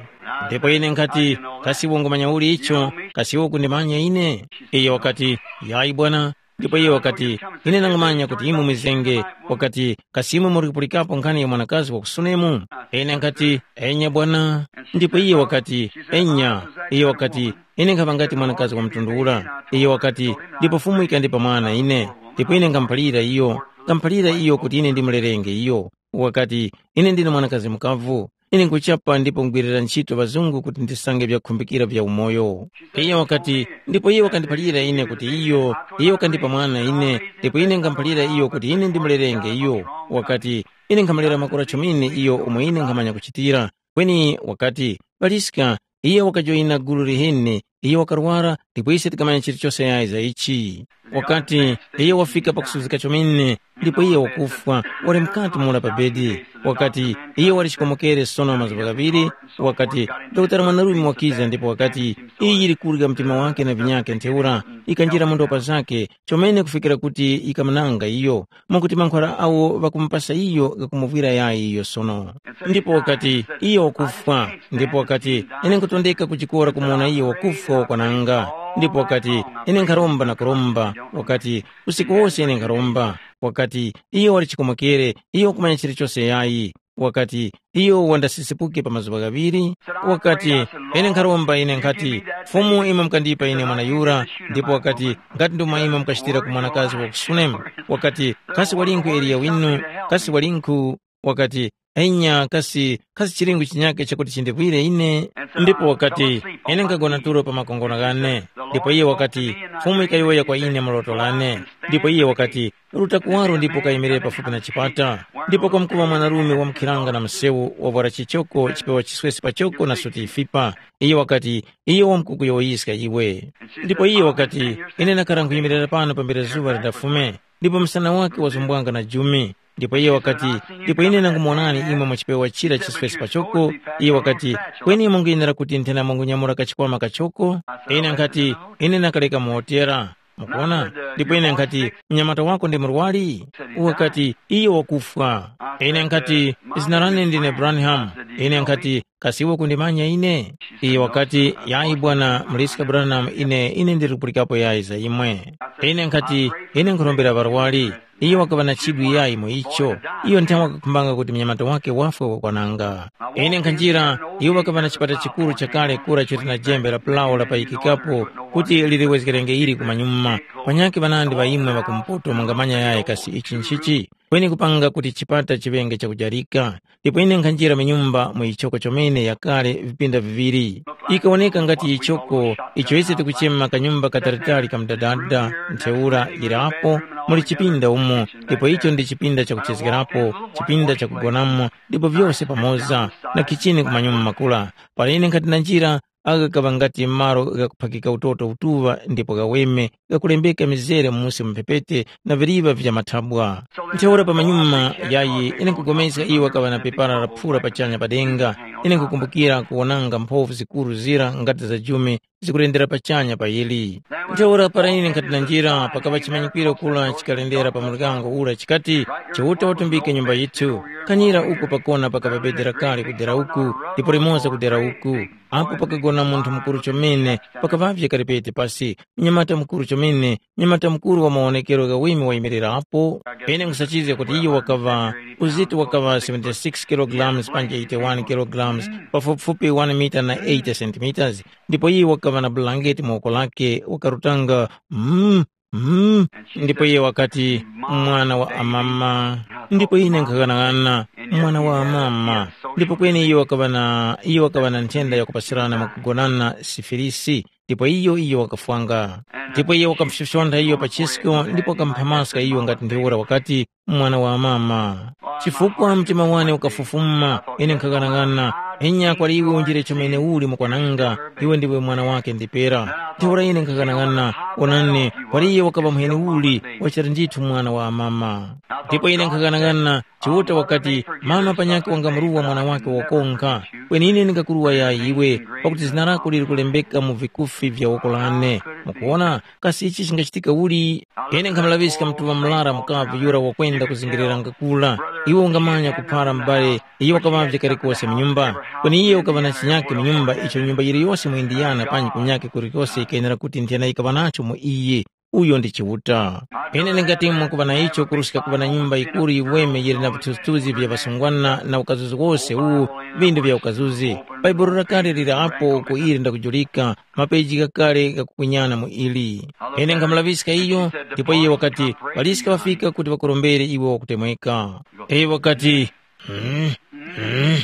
Ndipo ine nkhati, kasi iwe ungumanya uli icho? Kasi iwe ukundimanya ine? Iye wakati, yayi bwana. Ndipo iye wakati, ine nangumanya kuti imwe mwizenge. Wakati, kasi imwe muri kupulikapo nkhani ya mwanakazi wa ku Sunemu? Ine nkhati, enya bwana. Ndipo iye wakati, enya. Iye wakati, ine nkhapa ngati mwanakazi wa mtundu ura. Iye wakati, ndipo Fumu ikandipa mwana ine. Ndipo ine nkamphalira iyo, nkamphalira iyo kuti ine ndimulelenge iyo. Wakati, ine ndine mwanakazi mukavu. Ine nkuchapa ndipo ngwirira ntchito ŵazungu kuti ndisange vyakhumbikira vya umoyo. Iye wakati, ndipo iye wakandiphalira ine kuti iyo, iye wakandipa mwana ine, ndipo ine nkamphalira iyo kuti ine ndimulelenge iyo. Wakati, ine nkhamulera makora chomene iyo omwe ine nkhamanya kuchitira. Kweni wakati, paliska, iye wakajoyina gulu liheni, iye wakarwara, ndipo ise tikamanya chilichose yayi za ichi. Wakati, iye wafika pakusuzika chomene, ndipo iye wakufwa, wali mukati mura pa bedi. Wakati, iye wali chikomokere sono mazuŵa ghaŵiri. Wakati, dokotala mwanarume wakiza ndipo wakati, iyi yili kurya mtima wake na vinyake ntheura, ikanjira mu ndopa zake, chomene kufikira kuti yikamunanga iyo, mwakuti mankhwala awo ŵakumupasa iyo ghakumuvwira yayi iyo sono. Ndipo wakati, iyo wakufwa. Ndipo wakati, ine nkutondeka kuchikora kumuwona iyo wakufwa wakwananga. Ndipo wakati, ine nkharomba na kuromba. Wakati, usiku wose ine nkharomba. Wakati, iyo wali chikomokere, iyo wakumanya chilichose yayi. Wakati, iyo wandasisipuke pa mazuŵa ghaŵiri. Wakati, ine nkharomba ine nkhati, Fumu imwe mukandipa ine mwana yura. Ndipo wakati, ngati ndomwe imwe mukachitira ku mwanakazi wa ku Sunemu. Wakati, kasi walinkhu Eliya winu? Kasi walinkhu? Wakati, enya, kasi, kasi chilingu chinyake chakuti chindivwire ine? Ndipo wakati, ine nkagona tulo pa makongono ghane. Ndipo iye wakati, Fumu ikayowoya kwa ine mu loto lane. Ndipo iye wakati, ruta kuwaro ndipo ukayimirire pafupi na chipata. Ndipo kwamkuŵa mwanarume wamkhiranga na msewu wavwara chichoko chipewa chiswesi pachoko na suti yifipa. Iye wakati, iyo wamkukuyowoyiska iwe. Ndipo iye wakati, ine nakara nkhuyimirira pano pambere zuŵa lindafume, ndipo msana wake wazumbwanga na jumi. Ndipo iye wakati, ndipo ine nangumuwonani imwe mu chipewa chira chiswesi pachoko. Iye wakati, kweni imwe mukuyenera kuti nthena mungunyamula kachikwama kachoko? Ine nkhati, ine nakaleka mu hotera. Mukuona? Ndipo ine nkhati, mnyamata wako ndi murwari? Wakati, iyo wakufwa. Ine nkhati, zina lane ndine Branham. Ine nkhati, kasi iwe kundimanya ine? Iyo wakati, yayi bwana, muliska Branham, ine, ine ndiri kupulikapo yayi za imwe. Ine nkhati, ine nkhurombera ŵarwari. Iyo wakaŵa na chidwi yayi mu icho. Iyo nthawe wakakhumbanga kuti munyamata wake wafwe wakwananga. Ine nkhanjira, iwo ŵakaŵa na chipata chikuru chakale kura chili na jembe la pulawo lapayikikapo kuti liliwezgerenge ili kumanyuma. Panyakhe ŵanandi ŵa imwe ŵakumpoto mungamanya yayi kasi ichi nchichi? Kweni kupanga kuti chipata chiŵenge chakujarika. Ndipo ine nkhanjira mu nyumba mu yichoko chomene yakale vipinda viŵiri. Yikawoneka ngati yichoko icho ise tikuchema kanyumba katalitali ka mdadada, ntheura yirapo muli chipinda umo, ndipo icho ndi chipinda chakuchezgerapo, chipinda chakugonamo, ndipo vyose pamoza, na khichini ku manyuma makula. Para ine nkhati na njira, agha ghaŵa ngati malo ghakuphakika utoto utuŵa ndipo ghaweme, ghakulembeka mizere musi mu mphepete na viliva vya mathabwa. Ntheura pamanyuma yayi ine nkupulikana iwo ŵakaŵa na pepara laphura pachanya pa denga, ine nkukumbukira kuwonanga mphovu zikuru zira ngati za jume zikulendera pachanya pa yili. Ntheura para ine nkhati na njira pakaŵa chimanyikwiro kura chikalendera pa muryango ura chikati, Chiuta watumbike nyumba yithu. Kanyira uku pakona pakaŵa bedi lakale kudera uku, ndipo limoza kudera uku. Apo pakagona munthu mukuru chomene, pakaŵavye karipeti pasi, mnyamata mukuru chomene, mnyamata mukuru wa mawonekero ghaweme wayimirirapo. Ine nkhusachizga kuti iyo wakaŵa, uzito wakaŵa seventy-six kilograms panja eighty-one kilograms, pafupifupi one mita na eighty centimeters, ndipo iyo wakaŵa na bulangeti mu woko lake, wakarutanga, mm, mm, ndipo iye wakati, mwana wa amama. Ndipo ine nkhaghanaghananga, mwana wa amama. Ndipo kweni iyo wakaŵa na iyo wakaŵa na nthenda yakupasirana mwakugonana, sifilisi. Ndipo iyo iyo wakafwanga. Ndipo iye wakamufyofyontha iyo pa chisko ndipo wakamuphamaska iyo ngati ntheura wakati, mwana wa amama. Chifukwa mtima wane ukafufuma, ine nkhaghanaghananga, enya kwali iwe unjire chomene uli mukwananga, iwe ndiwe mwana wake ndipera. Ntheura ine nkhaghanaghananga, onani, kwali iye wakaŵa muheni uli, wachali ndithu mwana wa amama. Ndipo ine nkhaghanaghananga, Chiuta wakati, mama panyakhe wangamuruwa mwana wake wokonkha, kweni ine ndingakuruwa yayi iwe, pakuti zina lako lili kulembeka mu vikufi vya woko lane. Mukuwona, kasi ichi chingachitika uli? Ine nkhamulaŵiska mtuŵa murara mukavu yura wakwenda kuzingirira ngakula. Iwe ungamanya kuphara m'bale, iyo wakaŵavye kalikose mu nyumba. Kweni iye ukaŵa na chinyake mu nyumba icho nyumba yiliyose mu Indiyana panji kunyake kulikose yikayenera kuti nthena yikaŵa nacho mu iye. Uyo ndi Chiuta. Ine ndingati mwakuŵa na icho kuruska kuŵa na nyumba yikuru yiweme yili na vithuzithuzi vya ŵasungwana na ukazuzi wose uwu, vindu vya ukazuzi. Bhaibuli lakale lili apo uko ili ndakujulika, mapeji ghakale ghakukunyana mu ili. Ine nkhamulaŵiska iyo, ndipo iye wakati, ŵaliska ŵafika kuti ŵakurombere iwe wakutemweka. Iyo wakati, mm, mm,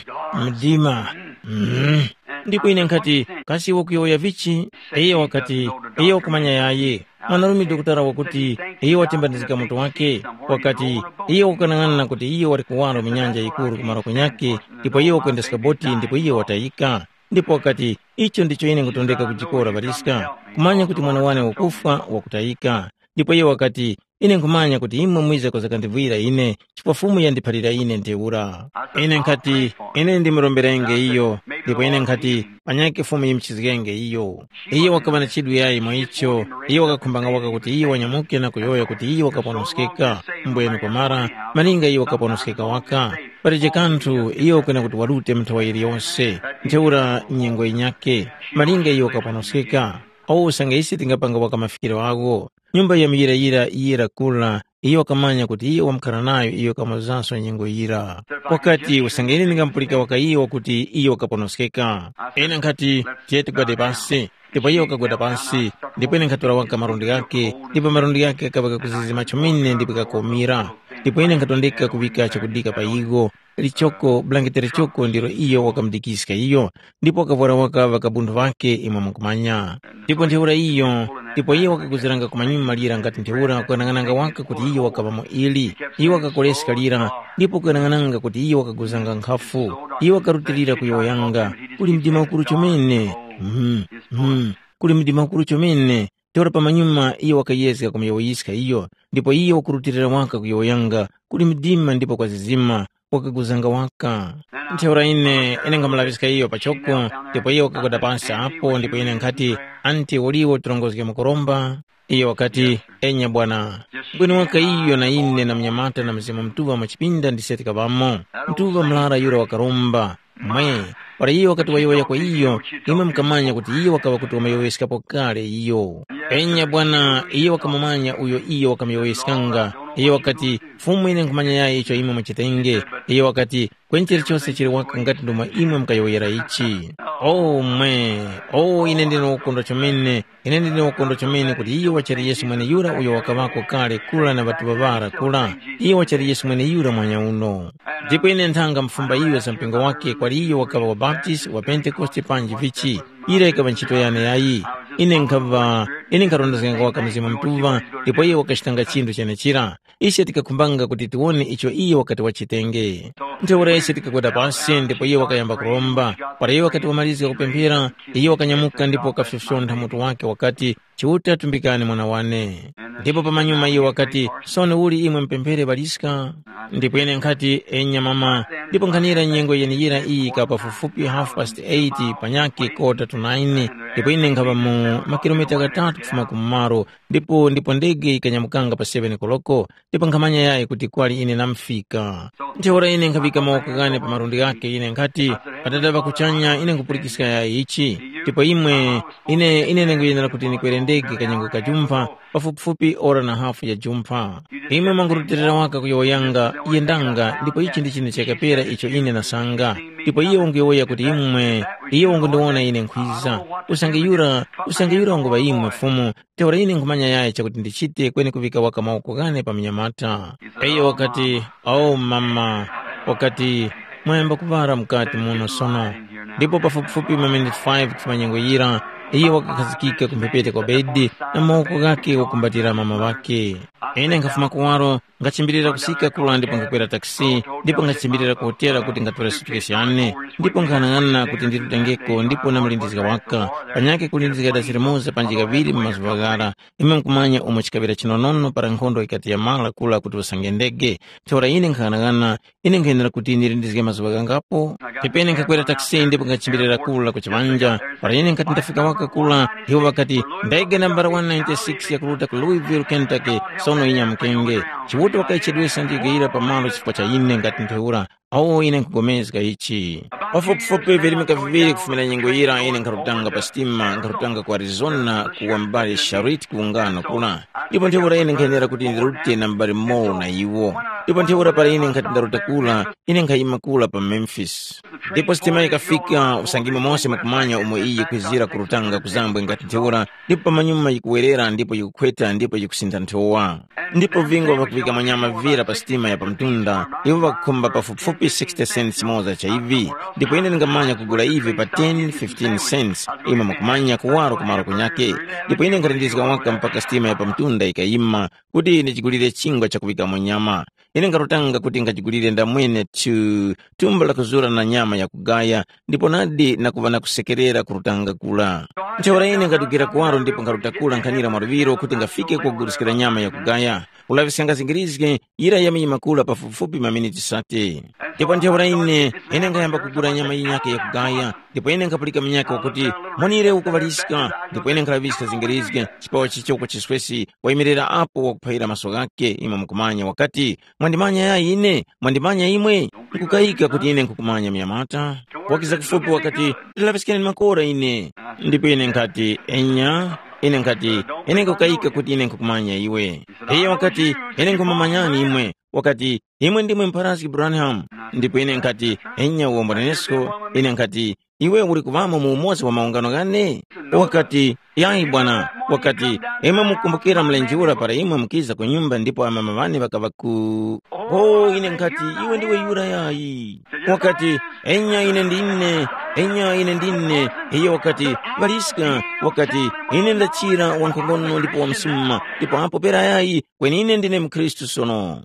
mdima, mm. Ndipo ine nkhati, kasi wakuyowoya vichi? Iyo wakati, iyo wakumanya yayi. Mwanarume dokotala wakuti, iyo watembanizika mutu wake, wakati, iyo wakanang'ana kuti iyo wali kuwaro mu nyanja yikuru kumaro kunyake, ndipo iyo wakwendeska boti ndipo iyo watayika. Ndipo wakati, icho ndicho ine nkutondeka kujikora ŵaliska, kumanya kuti mwana wane wakufwa wakutayika. Ndipo iyo wakati, ine nkhumanya kuti imwe mwiza kuzakandivwira ine, chifukwa Fumu yandiphalira ine ntheura. Ine nkhati, ine ndimuromberenge iyo, ndipo ine nkhati, panyakhe Fumu yimuchizgenge iyo. Iyo wakaŵa na chidwi yayi mwa icho, iyo wakakhumbanga waka kuti iyo wanyamuke na kuyowoya kuti iyo wakaponoskeka, mbwenu kwamara, malinga iyo wakaponoskeka waka. Palije kanthu iyo kwena kuti warute mu nthawa yiliyose, ntheura nyengo yinyakhe, malinga iyo wakaponoskeka. Awo usange ise tingapanga waka mafikiro agho, nyumba ya muyirayira yira kura, iyo wakamanya kuti iyo wamkhara nayo iyo kamuzanso nyengo yira. Wakati, usange ine ndingamupulika waka iyo wakuti iyo wakaponoskeka. Ine nkhati, tiye tigwade pasi. Ndipo iyo wakagwada pasi, ndipo ine nkhatora waka malundi ghake, ndipo malundi ghake ghakaŵa ghakuzizima chomene ndipo ghakomira. Ndipo ine nkhatondeka kuŵika chakudika pa igho, lichoko, bulangete lichoko ndilo iyo wakamudikiska iyo, ndipo wakavwara waka ŵakabunthu ŵakhe imwe mukumanya. Ndipo ntheura iyo, ndipo iyo wakaguziranga kumanyuma lira ngati ntheura kuyang'ananga waka kuti iyo wakaŵa mu ili. Iyo wakakoleska lira, ndipo kuyang'ananga kuti iyo wakaguzanga nkhafu. Iyo wakarutilira kuyowoyanga, kuli mdima ukuru chomene. Mm, mm, kuli mdima ukuru chomene. Ntheura pamanyuma iyo wakayezga kumuyowoyiska iyo, ndipo iyo wakurutilira waka kuyowoyanga, kuli mdima ndipo kwazizima, wakaguzanga waka. Ntheura ine, ine nkhamulaŵiska iyo pachoko, ndipo iyo wakagwada pansi apo, ndipo ine nkhati, anti uliwo tirongozge mukuromba? Iyo wakati, enya bwana. Kweni waka iyo na ine na mnyamata na Mzimu Mutuŵa mu chipinda ndise tikaŵamo. Mutuŵa murara yura wakaromba. Mwe, para iyo wakati wayowoya kwa iyo, imwe mukamanya kuti iyo wakaŵa kuti wamuyowoyeskapo kale iyo. Enya bwana, iyo wakamumanya uyo iyo wakamuyowoyeskanga, Iyo wakati, “Fumu ine nkhumanya yayi icho imwe muchitenge.” Iyo wakati, “Kweni chilichose chili waka ngati ndomwe imwe mukayowoyera ichi.” “O mwe! O ine ndine wokondwa chomene! Ine ndine wokondwa chomene kuti iyo wachali Yesu mweneyura uyo wakaŵako kale kura na ŵatuŵa ŵara kura. Iyo wachali Yesu mweneyura mwanyauno.” Ndipo ine nthanga mufumba iyo za mpingo wake kwali iyo wakaŵa wa Baptist, wa Pentekoste panji vichi. Ira yikaŵa ntchito yane yayi. Ine nkhaŵa, ine nkharondezganga waka Mzimu Mutuŵa, ndipo iyo wakachitanga chinthu chenechira. Ise tikakhumbanga kuti tiwone icho iyo wakati wachitenge. Ntheura ise tikakwera pasi ndipo iyo wakayamba kuromba. Para iyo wakati wamalizga kupemphera, iyo wakanyamuka ndipo wakafyofyontha mutu wake wakati, “Chiuta tumbikani mwana wane.” Ndipo pamanyuma iyo wakati, “Sono uli imwe mupemphere ŵaliska?” Ndipo ine nkhati, “Enya mama.” Ndipo nkhanira nyengo yeneyira iyi ka pafupifupi half past eight panyakhe kota to nine, ndipo ine nkhaŵa mu makilomita ghatatu kufuma kumumalo, ndipo ndipo ndege yikanyamukanga pa seven koloko, ndipo nkhamanya yayi kuti kwali ine namufika. Ntheura ine nkhaŵika mawoko ghane pa malundi ghakhe, ine nkhati, “Atata ŵa kuchanya, ine nkhupulikiska yayi ichi, ndipo imwe, ine, ine ndinguyenera kuti ndikwere ndege kanyengo ka jumpha, pafupifupi ora na hafu ya jumpha. Imwe mwangurutilira waka kuyowoyanga, yendanga, ndipo ichi ndi chine chakapera icho ine nasanga. Ndipo iye wanguyowoya kuti imwe, iye wangundiwona ine nkhwiza. Usange yura, usange yura wanguŵa imwe Fumu, ntheura ine nkhumanya yayi chakuti ndichite kweni kuŵika waka mawoko ghane pa munyamata.” Iyo wakati, “O mama,” wakati, “Mwayamba kuŵala mukati muno sono.” Ndipo pafupifupi maminiti five kufuma nyengo yira, iyo wakakhazikika ku mphepete kwa bedi na mawoko ghakhe wakumbatira mama ŵakhe. Ine nkhafuma kuwaro, ngachimbirira kusika kura ndipo ngakwera takisi, ndipo ngachimbirira ku hotela kuti ngatore sutukesi yane, ndipo nkhanang'ana kuti ndirutengeko ndipo namulindizga waka, panyakhe kulindizga dasi limoza panji kaŵiri mu mazuŵa ghara, imwe mukumanya umo chikaŵira chinonono para nkhondo yikati yamala kula kuti usange ndege. Ntheura ine nkhanang'ana, ine nkhayenera kuti nilindizge mazuŵa ghangapo? Ndipo ine nkhakwera takisi ndipo nkhachimbirira kula ku chiŵanja. Para ine nkhati ndafika waka kula, iwo ŵakati, “Ndege nambala one ninety-six yakuruta ku Louisville, Kentucky, sono inyamukenge.” Chiuta wakaichedwesa ndege yira pamalo chifukwa cha ine ngati ntheura. Awo ine nkhupulikana ichi. Pafupifupi virimika viŵiri kufumira nyengo yira ine nkharutanga pa sitima, nkharutanga ku Arizona, ku wa m'bale Sharit ku ungano kula. Ndipo ntheura ine nkhayenera kuti ndirute na m'bale Moore na iwo. Ndipo ntheura para ine nkhati ndaruta kura, ine nkhayima kura pa Memphis. Ndipo sitima yikafika, usange imwe mose mukumanya umo iyi yikwizira kurutanga ku zambwe ngati ntheura, ndipo pamanyuma yikuwerera ndipo yikukhweta ndipo yikusintha nthowa. Ndipo vingo ŵakuŵika manyama vira pa sitima ya pamtunda, iwo ŵakukhumba pafupifupi sixty cents moza cha ivi, ndipo ine ndingamanya kugula ivi pa ten, fifteen cents, imwe mukumanya kuwaro kumaro kunyake. Ndipo ine nkhalindizika waka mpaka sitima ya pamtunda yikayima, kuti ine chigulire chingwa chakuŵikamo nyama. Ine nkharutanga kuti ngachigulire ndamwene tu, thumba lakuzura na nyama yakugaya, ndipo nadi na kuŵa na kusekerera kurutanga kura. Ntheura ine nkhadugira kuwaro ndipo nkharuta kura nkhanira mwaluŵiro kuti ngafike kuguliskira nyama yakugaya. Ulaŵiskanga zingirizge, yira yamanyima kura pafupifupi maminiti sate. Ndipo ntheura ine, ine nkhayamba kugula nyama yinyakhe yakugaya, ndipo ine nkhapulika munyakhe wakuti, “Monire uko ŵaliska,” ndipo ine nkhalaŵiska zingirizge, chipawa chicho kwa chiswesi, wayimirira apo wakuphayira maso ghakhe, imwe mukumanya, wakati, “Mwandimanya yayi ine? Mwandimanya imwe? Nkukayika kuti ine nkhukumanya munyamata.” Wakiza kufupi wakati, “Ndilaŵiskeni makora ine.” Ndipo ine nkhati, “Enya.” Ine nkhati, “Ine nkukayika kuti ine nkhukumanya iwe.” Iyo wakati, “Ine nkhumumanyani imwe.” Wakati, “Imwe ndimwe mpharazgi Branham.” Ndipo ine nkhati, “Enya uwombonenesko.” Ine nkhati, “Iwe uli kuŵamo mu umoza wa maungano ghane?” Wakati, “Yayi bwana.” Wakati, “Imwe mukumbukira mlenje ura para imwe mukiza ku nyumba ndipo amama ŵane ŵakaŵa ku. Oh, ine nkhati, iwe ndiwe yura yayi. Wakati, “Enya ine ndine, enya ine ndine.” Iyo wakati, “Ŵaliska.” Wakati, “Ine ndachira wankhongono ndipo wamsuma, ndipo apo pera yayi, kweni ine ndine mukhristu sono.”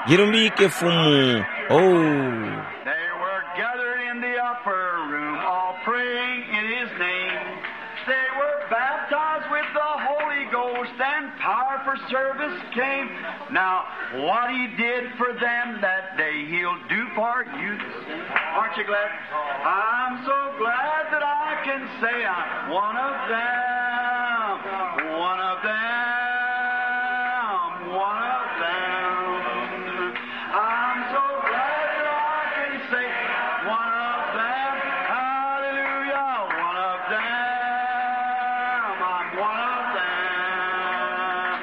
Yirumbike Fumu. Oh. They were gathered in the upper room, all praying in his name. They were baptized with the Holy Ghost, and power for service came. Now, what he did for them that day, he'll do for you. Aren't you glad? I'm so glad that I can say I'm one of them. One of them. One of them. I'm so glad that I can say one of them. Hallelujah. One of them. I'm one of them.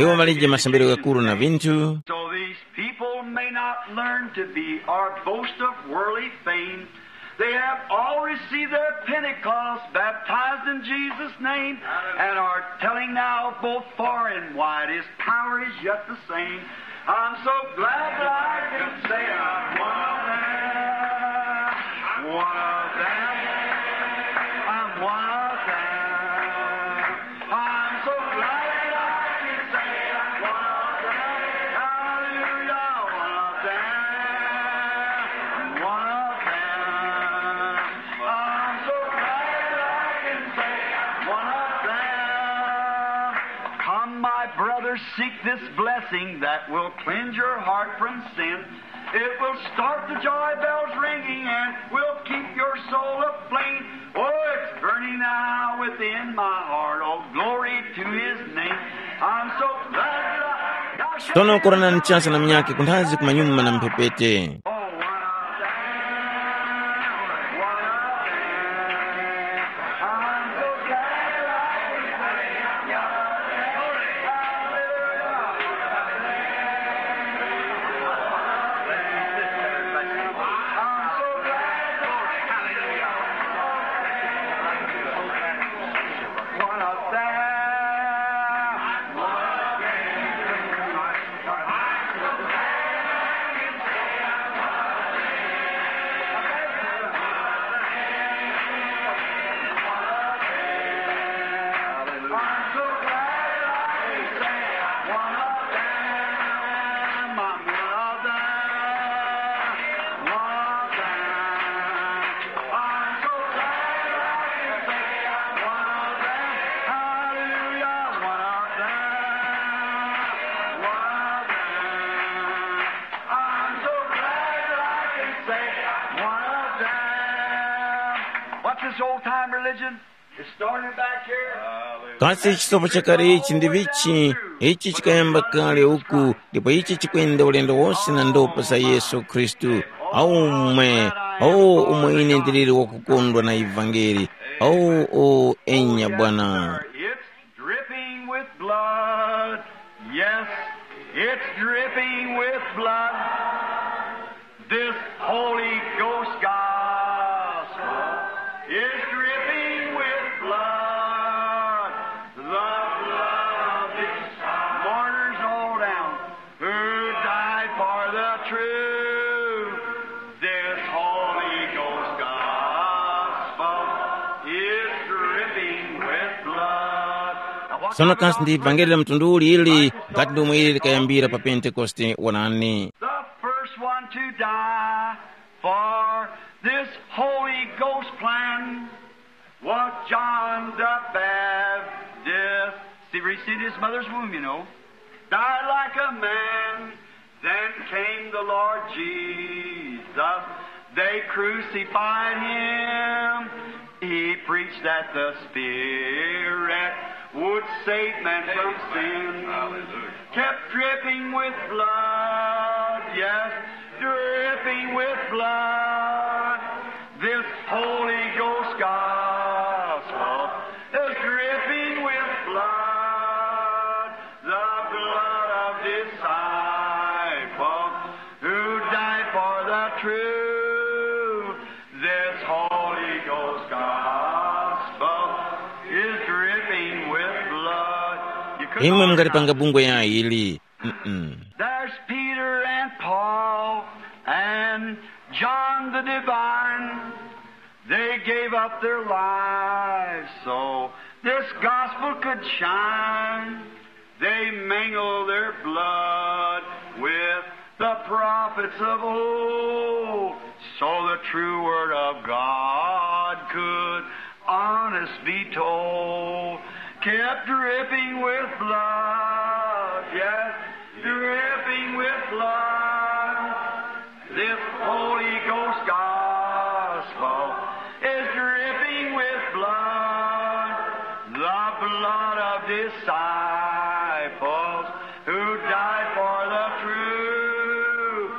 Iwo malije masambiro ghakuru na vinthu. So these people may not learn to be or boast of worldly fame. They have all received their Pentecost, baptized in Jesus' name, and are telling now both far and wide, His power is yet the same. I'm so glad that I can say I'm one of them. One of them. I'm one of them. I'm so glad that I can say I'm one of them. Hallelujah, one of them. One of them. I'm so glad that I can say I'm one of them. Come, my brothers, seek this blessing that will cleanse your heart from sin. It will start the joy bells ringing and will keep your soul aflame. Oh, it's burning now within my heart. Oh, glory to His name. I'm so glad that I got Sono koranani chance na munyakhe kunthazi kumanyuma na mphepete. Oh, what a day. What a day. I'm so glad I can say I'm glad. I'm so glad. What a day. What's this old time religion? It started back here. Kasi chisopo chakale ichi ndi vichi? Ichi chikayamba kale uku, ndipo ichi chikwenda ulendo wose na ndopa za Yesu Khristu. Aumwe, o umwe ine ndiliri wakukondwa na ivangeli. O, o, enya Bwana. It's dripping with blood. Yes, it's dripping with blood. This Holy Ghost gospel is dripping with blood. The blood of these martyrs all down who died for the truth. This Holy Ghost gospel is dripping with blood. Now, what Sono kasi ndi ivangeli la mtundu uli ili ngati ndomwe ili likayambira pa Pentekoste? Wonani. The first one to die for this Holy Ghost plan was John the Baptist. He received his mother's womb, you know. Died like a man. Then came the Lord Jesus. They crucified him. He preached that the Spirit would save men from sin. Kept dripping with blood, yes, dripping with blood. This Holy Ghost gospel is dripping with blood, the blood of disciples who died for the truth. This Holy Ghost gospel is dripping with blood. You couldn't Imwe always mungalipanga bungwe ya ili. Mm-mm. There's Peter and Paul and John the Divine. They gave up their lives so this gospel could shine. They mingled their blood with the prophets of old, so the true word of God could honest be told. Kept dripping with blood, yes, dripping with blood. This Holy Ghost gospel is dripping with blood, the blood of disciples who died for the truth.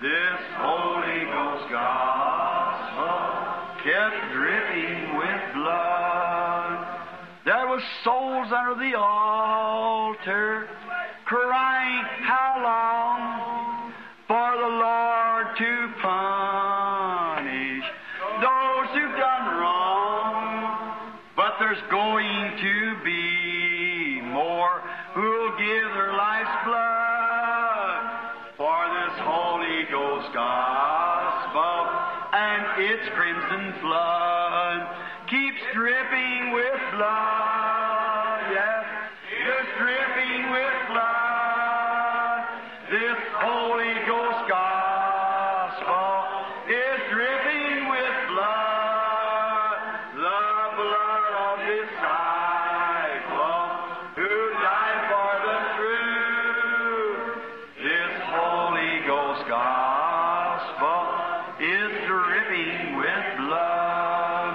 This Holy Ghost gospel kept dripping with blood. There was souls under the altar How long for the Lord to punish those who've done wrong? But there's going to be more who'll give their life's blood for this Holy Ghost gospel and its crimson flood keeps dripping with blood. Yes, it's dripping with blood. This Holy Ghost gospel is dripping with blood, the blood of disciples who died for the truth. This Holy Ghost gospel is dripping with blood.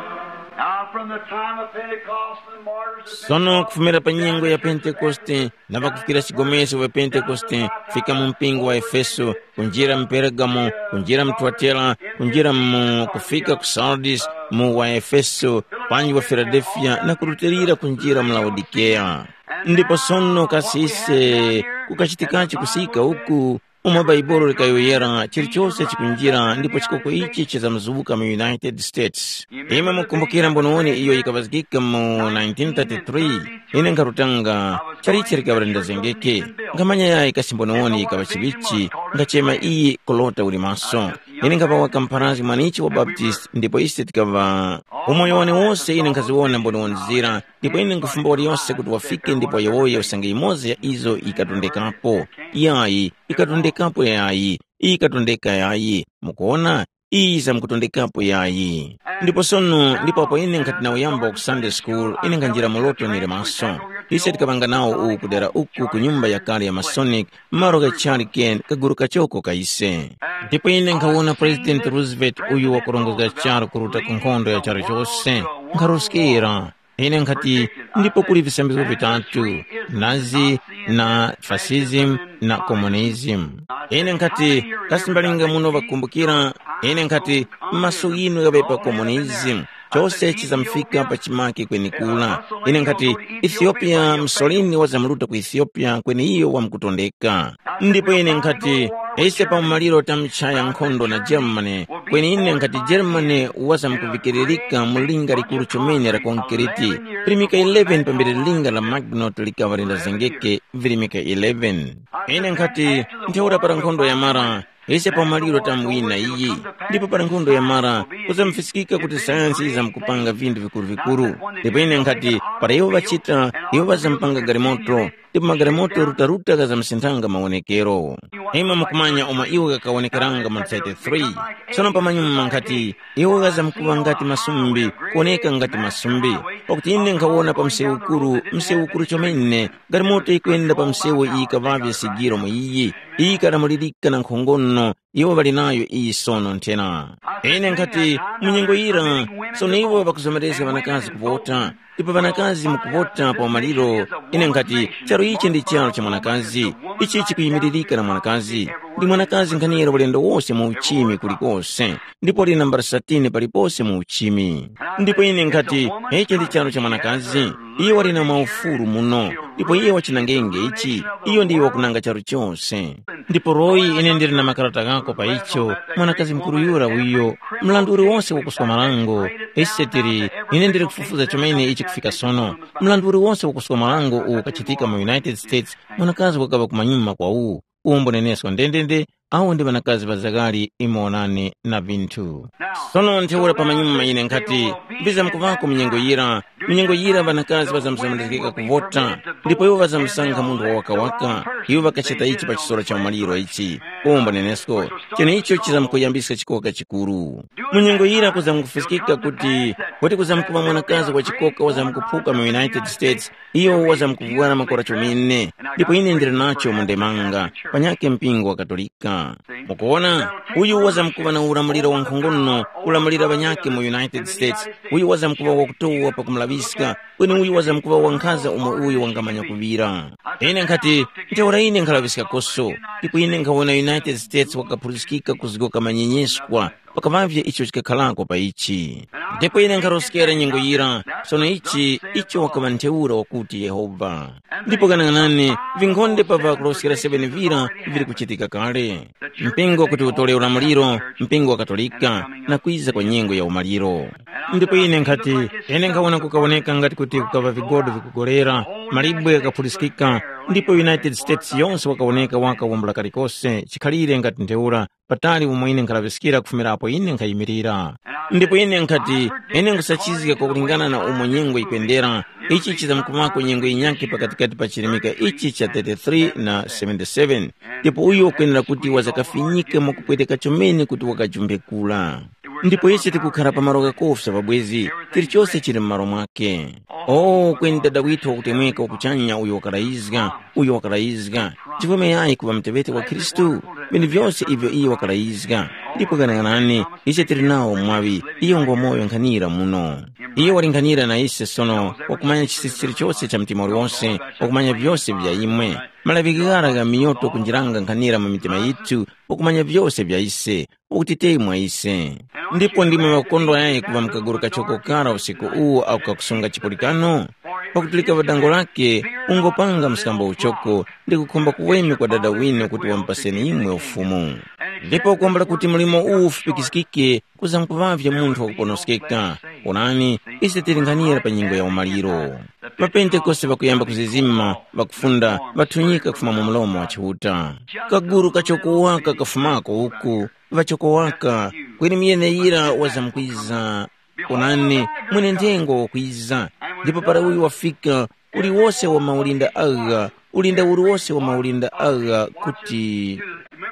Now, from the time of Pentecost, the martyrs of Sono kufumira pa nyengo ya Pentekoste na ŵakufikira chigomeso wa Pentekoste, fika mu mpingo wa Efeso, kunjira mu Pergamo, kunjira mu Tuatera, kunjira mu kufika ku Sardis, mu wa Efeso, panji wa Filadelfiya na kurutilira kunjira mu Laodikeya. Ndipo sono kasi ise kukachitikachi kusika uku? Umo Bhaibuli likayowoyera, chilichose chikunjira ndipo chikoko ichi chizamzubuka mu United States. Imwe mukumbukira mbonewoni iyo yikaŵazgika mu nineteen thirty-three. Ine nkharutanga, chalichi likaŵa lindazengeke. Nkhamanya yayi kasi mbonewoni yikaŵa chiŵichi, ngachema iyi Kolota uli maso. Ine nkhaŵa waka mpharazgi mwanichi wa Baptist ndipo ise tikaŵa umoyo wane wose ine nkhaziwona mbonewoni zira. Ndipo ine nkhufumba waliyose kuti wafike ndipo wayowoye usange yimoza ya izo yikatondekapo. Yayi, ikatondekapo yayi, ikatondeka yayi. Mukuona? Iyi yizamkutondekapo yayi. Ndipo sono ndipo apo ine nkhati nawuyamba ku Sunday school, ine nkhanjira mu loto nili maso. Ise tikaŵanga nawo uwu kudera uku ku nyumba yakale ya Masonic, malo ghachali kaguru kachoko ka ise. Ndipo ine nkhawona President Roosevelt uyu wakurongozga charu kuruta ku nkhondo ya charu chose, nkharuskira. Ine nkhati, ndipo kuli visambizgo vitatu, Nazi, na fascism, na communism. Ine nkhati, kasi mbalinga muno ŵakumbukira? Ine nkhati, maso ghinu ghaŵe pa communism. Chose chizamfika pa chimake kwenikula. Ine nkhati, Ethiopia, Mussolini wazamruta ku Ethiopia kweni iyo wamkutondeka. Ndipo ine nkhati, ise pa umaliro tamchaya nkhondo na Germany, kweni ine nkhati Germany wazamkuvikiririka mu linga likuru chomene la konkriti, virimika eleven pambere linga la Maginot likaŵa lindazengeke, virimika eleven. Ine nkhati, ntheura para nkhondo yamara, ise pa umaliro tamwina iyi, ndipo para nkhondo yamara, kuzamufisikika kuti sayansi yizamkupanga vinthu vikuru-vikuru. Ndipo ine nkhati, para iwo ŵachita, iwo ŵazampanga galimoto, ndipo magalimoto rutaruta ghazamusinthanga mawonekero. Imwe mukumanya umo iwo ghakawonekeranga mu thirty-three. Tsono pamanyuma nkhati, iwo ghazamkuŵa ngati masumbi, kuwoneka ngati masumbi. Pakuti ine nkhawona pa msewu ukuru, msewu ukuru chomene, galimoto yikwenda pa msewu iyi kaŵavye sigiro mu iyi, iyi kalamulirika na nkhongono, iwo ŵali nayo iyi sono nthena. Ine nkhati, mu nyengo yira, sono iwo ŵakuzomerezga ŵanakazi kuvota, ndipo ŵanakazi mukuvota pa umaliro. Ine nkhati, charu ichi ndi charu cha mwanakazi, ichi chikuyimiririka na mwanakazi. Ndi mwanakazi nkhanira ulendo wose mu uchimi kulikose, ndipo ali nambala thirteen palipose mu uchimi. Ndipo ine nkhati, ichi ndi charu cha mwanakazi, iye wali na maufulu muno, ndipo iye wachinangenge ichi, iyo ndiye wakunanga charu chose. Ndipo Royi, ine ndili na makarata ghako pa icho, mwanakazi mukuru yura uyo, mrandu uliwonse wakuswa marango, ise tili, ine ndili kufufuza chomene ichi kufika sono, mrandu uliwonse wakuswa marango uwo ukachitika mu United States, mwanakazi wakaŵa kumanyuma kwa uwu, uwo mbunenesko ndendende, awo ndi ŵanakazi ŵa zaghali imo wonani na vinthu. Sono ntheura pamanyuma ine nkhati, vizamkuvako munyengo yira, munyengo yira ŵanakazi ŵazamzamandizgika kuvota, ndipo iwo ŵazamsankha munthu wawakawaka, iwo ŵakachita ichi pa chisoro cha umaliro ichi. Umbwa nenesko, cheneicho chizamkuyambiska chikoka chikuru. Munyengo yira kuzamkufiskika kuti, kuti kuzamkuŵa mwanakazi wa chikoka wazamkuphuka mu United States, iyo wazamkuvwara makora chomene, ndipo ine ndili nacho mu ndemanga, panyakhe mpingo wa Katolika. Mukuwona, uyu wazamkuŵa na ulamuliro wankhongono, kulamulira ŵanyakhe mu United States, uyu wazamkuŵa wakutowa pakumulaŵiska, kweni uyu wazamkuŵa wankhaza umo uyo wangamanya kuŵira. Ine nkhati, ntheura ine nkhalaŵiskakoso, Ndipo ine nkhawona United States wakaphuliskika kuzgoka manyenyeskwa, pakaŵavye icho chikakharako pa ichi. Ndipo ine nkharoskera nyengo yira, sono ichi icho wakaŵa ntheura wakuti Yehova. Ndipo kanang'anani, vinkhonde pa ŵakuloskera seven vira vili kuchitika kale. Mpingo kuti utole ulamuliro, mpingo wa Katolika, na kwiza kwa nyengo ya umaliro. Ndipo ine nkhati, ine nkhawona kukawoneka ngati kuti kukaŵa vigodo vikugolera, malibwe ghakaphuliskika, ndipo United States yonse wakawoneka waka wambula kalikose chikhalire ngati ntheura, patali umo ine nkhalaŵiskira kufumira apo ine nkhayimirira. Ndipo ine nkhati, ine nkhusachizga kwakulingana na umo nyengo yikwendera, ichi chizamkumako nyengo yinyakhe pakatikati pa chirimika ichi cha thirty-three na seventy-seven. Ndipo uyo ukwenera kuti wazakafinyika mwakupweteka chomene kuti wakajumbe kula. Ndipo ise tikukhara pa malo ghakofya pabwezi, chilichose chili m'malo mwake. O kweni Dada withu wakutemweka wakuchanya uyo wakarayizga, uyo wakarayizga, chifukwa yayi kuŵa muteŵeti wa Khristu, vinthu vyose ivyo iye wakarayizga. Ndipo ghanaghanani, ise tili nawo mwaŵi, iyo ngwa moyo nkhanira muno. Iye walinghanira na ise sono, wakumanya chisisi chilichose cha mtima uliwose, wakumanya vyose vya imwe. Malaŵighara gha miyoto kunjiranga nkhanira mu mitima yithu, wakumanya vyose vya ise, ukutitemwa ise. Ndipo ndimwe ŵakukondwa yayi kuŵa mukaguru kachoko kara usiku uwu ako kakusunga chipulikano? Pakuti likaŵa dango lake, ungopanga mskambo uchoko ndi kukhomba kuweme kwa Dada winu kuti wamupaseni imwe ufumu. Ndipo kuwambula kuti mlimo uwu ufupikiskike, kuzamkuŵavye munthu wakuponoskeka. Onani, ise tili nkhanira pa nyengo ya umaliro. Mapentekoste ŵakuyamba kuzizima, ŵakufunda, ŵathunyika kufuma mu mlomo wa Chiuta. Kaguru kachoko waka kafumako uku, ŵachoko waka, kweni muyeneyira wazamkwiza. Onani, mwenenthengo wakwiza, ndipo para uyu wafika, uliwose wa maulinda agha, ulinda uliwose wa maulinda agha kuti.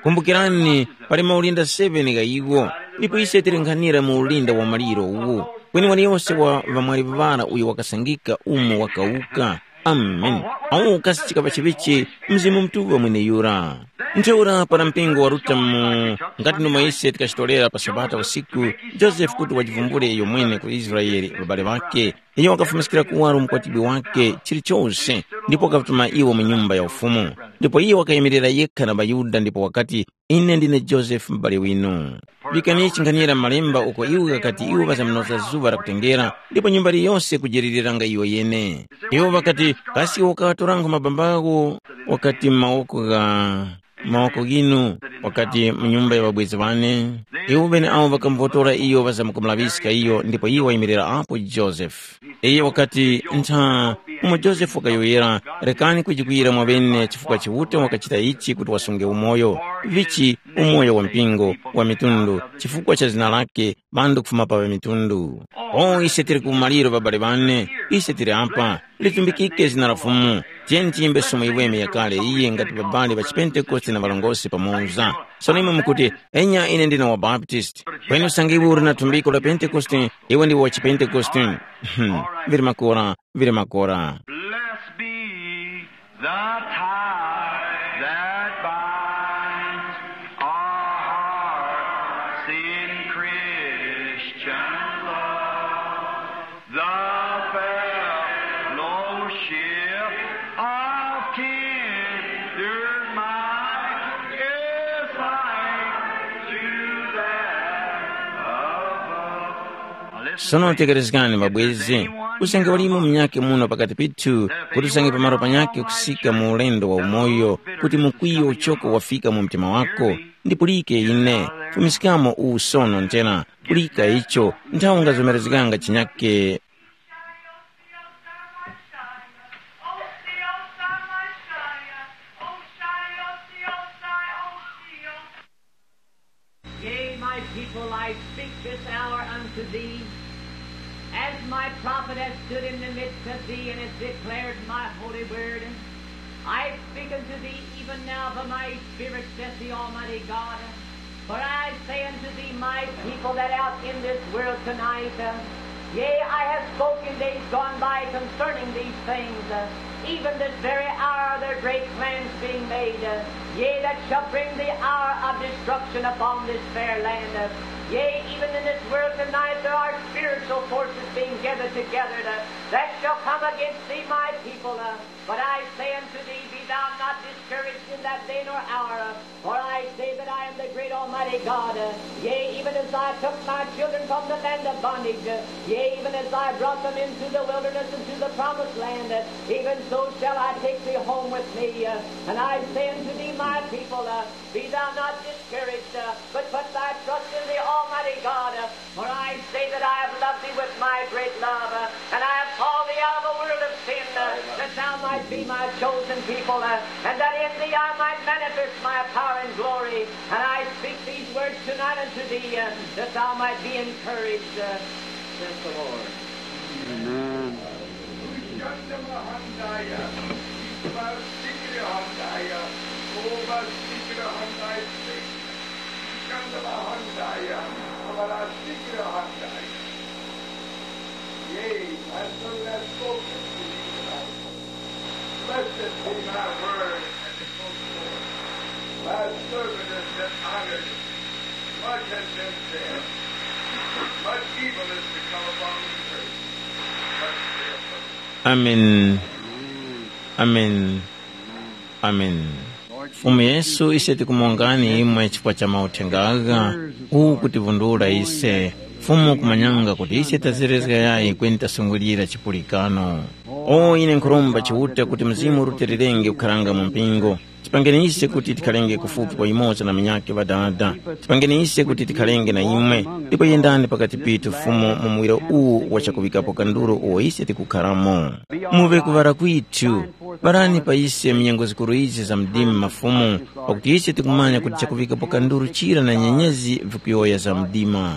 Kumbukirani, pali maulinda seven gha iwo, ndipo ise tilinghanira mu ulinda wa maliro uwu. Kweni waliyose wa ŵamwali ŵara uyo wakasangika umo wakawuka. Amen. Awo ukasichika pa chiŵichi Mzimu Mutuŵa mweneyura. Ntheura para mpingo waruta mu ngati nomwe ise tikachitolera pa Sabata usiku, Josefe kuti wajivumbule iyo mwene ku Israele ŵabale ŵake, iyo wakafumiskira kuwaro mukwatibwi wake chilichose, ndipo wakatuma iwo mu Nyumba ya Ufumu. Ndipo iyo wakayimirira yekha na ŵaYuda ndipo wakati, “Ine ndine Josefe mubali winu.” Pikani chinghanira malemba uko iwo ghakati iwo ŵazamunoza zuŵa lakutengera, ndipo nyumba yiliyose kujeleliranga iyo yene. Iwo ŵakati, “Kasi iwo wakaŵatoranga mabambawo?” Wakati, “Mawoko gha mawoko ghinu,” wakati, “mu nyumba ya ŵabwezi ŵane.” Iwo ŵeneawo ŵakamuvotora iyo ŵazamkumulaŵiska iyo, ndipo iyo wayimirira apo Josefe. Iyo wakati, “Ntha umo Josefe wakayowoyera, rekani kujikwira mwaŵene chifukwa Chiuta wakachita ichi kuti wasunge umoyo, vichi umoyo wa mpingo wa mitundu, chifukwa cha zina lake, ŵanthu kufuma pa ŵamitundu. O ise tili ku umaliro ŵabale ŵane, ise tili apa, litumbikike zina la Fumu. Tiyeni tiyimbe somo yiweme yakale iyi ngati ŵabale ŵa chipentekoste na ŵarongozgi pamoza. Sono imwe mukuti, enya ine ndine wa Baptist. Kweni usange iwe uli na thumbiko la Pentekoste, iwe ndiwe wa chipentekoste. Vili makora, vili makora. Blessed be the tie that binds our hearts in Christian love. The fellowship of kindred mind is like to that above. Sono tekerezgani mabwezi, usange walimo munyakhe muno pakati pithu, kuti usange pamaro panyakhe kusika mu ulendo wa umoyo, kuti mukwiyo uchoko wafika mu mtima wako, ndipulike ine, fumiskamo uwu sono nthena, pulika icho, nthawi ungazomerezganga chinyakhe. Yea, my people, I speak this hour unto thee, as my prophet has stood in the midst of thee and has declared my holy word. I speak unto thee even now by my Spirit, saith the Almighty God. For I say unto thee, my people that out in this world tonight, uh, yea, I have spoken days gone by concerning these things, uh, even this very hour their great plans being made, uh, yea, that shall bring the hour of destruction upon this fair land. Uh, yea, even in this world tonight there are spiritual forces being gathered together, uh, that shall come against thee, my people. Uh, but I say unto thee, be thou not discouraged in that day nor hour. Uh, for I say that I am the great Almighty God. Uh, yea, even as I took my children from the land of bondage, uh, yea, even as I brought them into the wilderness and to the promised land, uh, even so shall I take thee home with me. Uh, and I say unto thee, my people, uh, be thou not discouraged, uh, but put thy trust in the Almighty God. Uh, for I say that I have loved thee with my great love, uh, and I have called thee out of a world of sin, uh, that thou might be my chosen people, uh, and that in thee I might manifest my power and glory. And I speak these words tonight unto thee, uh, that thou might be encouraged, uh, says the Lord. Amen. Yea, my servant has spoken to me tonight. Blessed be my word and it goes forth. My servant has been honored. Much has been said. Much evil is to come upon the earth. But still, Amen. Amen. Amen. Fumu Yesu, ise tikumongani imwe chifukwa cha mauthenga agha, uwu kutivundula ise. Fumu kumanyanga kuti ise tazerezga yayi kweni tasungulira chipulikano. O ine nkhuromba Chiuta kuti Mzimu urutilirenge kukharanga mu mpingo. Tipangeni ise kuti tikharenge kufupi kwa yumoza na munyakhe Ŵadada. Tipangeni ise kuti tikharenge na imwe, ndipo yendani pakati pithu Fumu mu muwiro uwu wa chakuŵikapo kanduru uwo ise tikukharamo. Muŵe kuŵala kwithu. Parani pa ise mu nyengo zikuru izi za mdima mafumu, pakuti ise tikumanya kuti chakuŵikapo kanduru chira na nyenyezi vikuyowoya za mdima.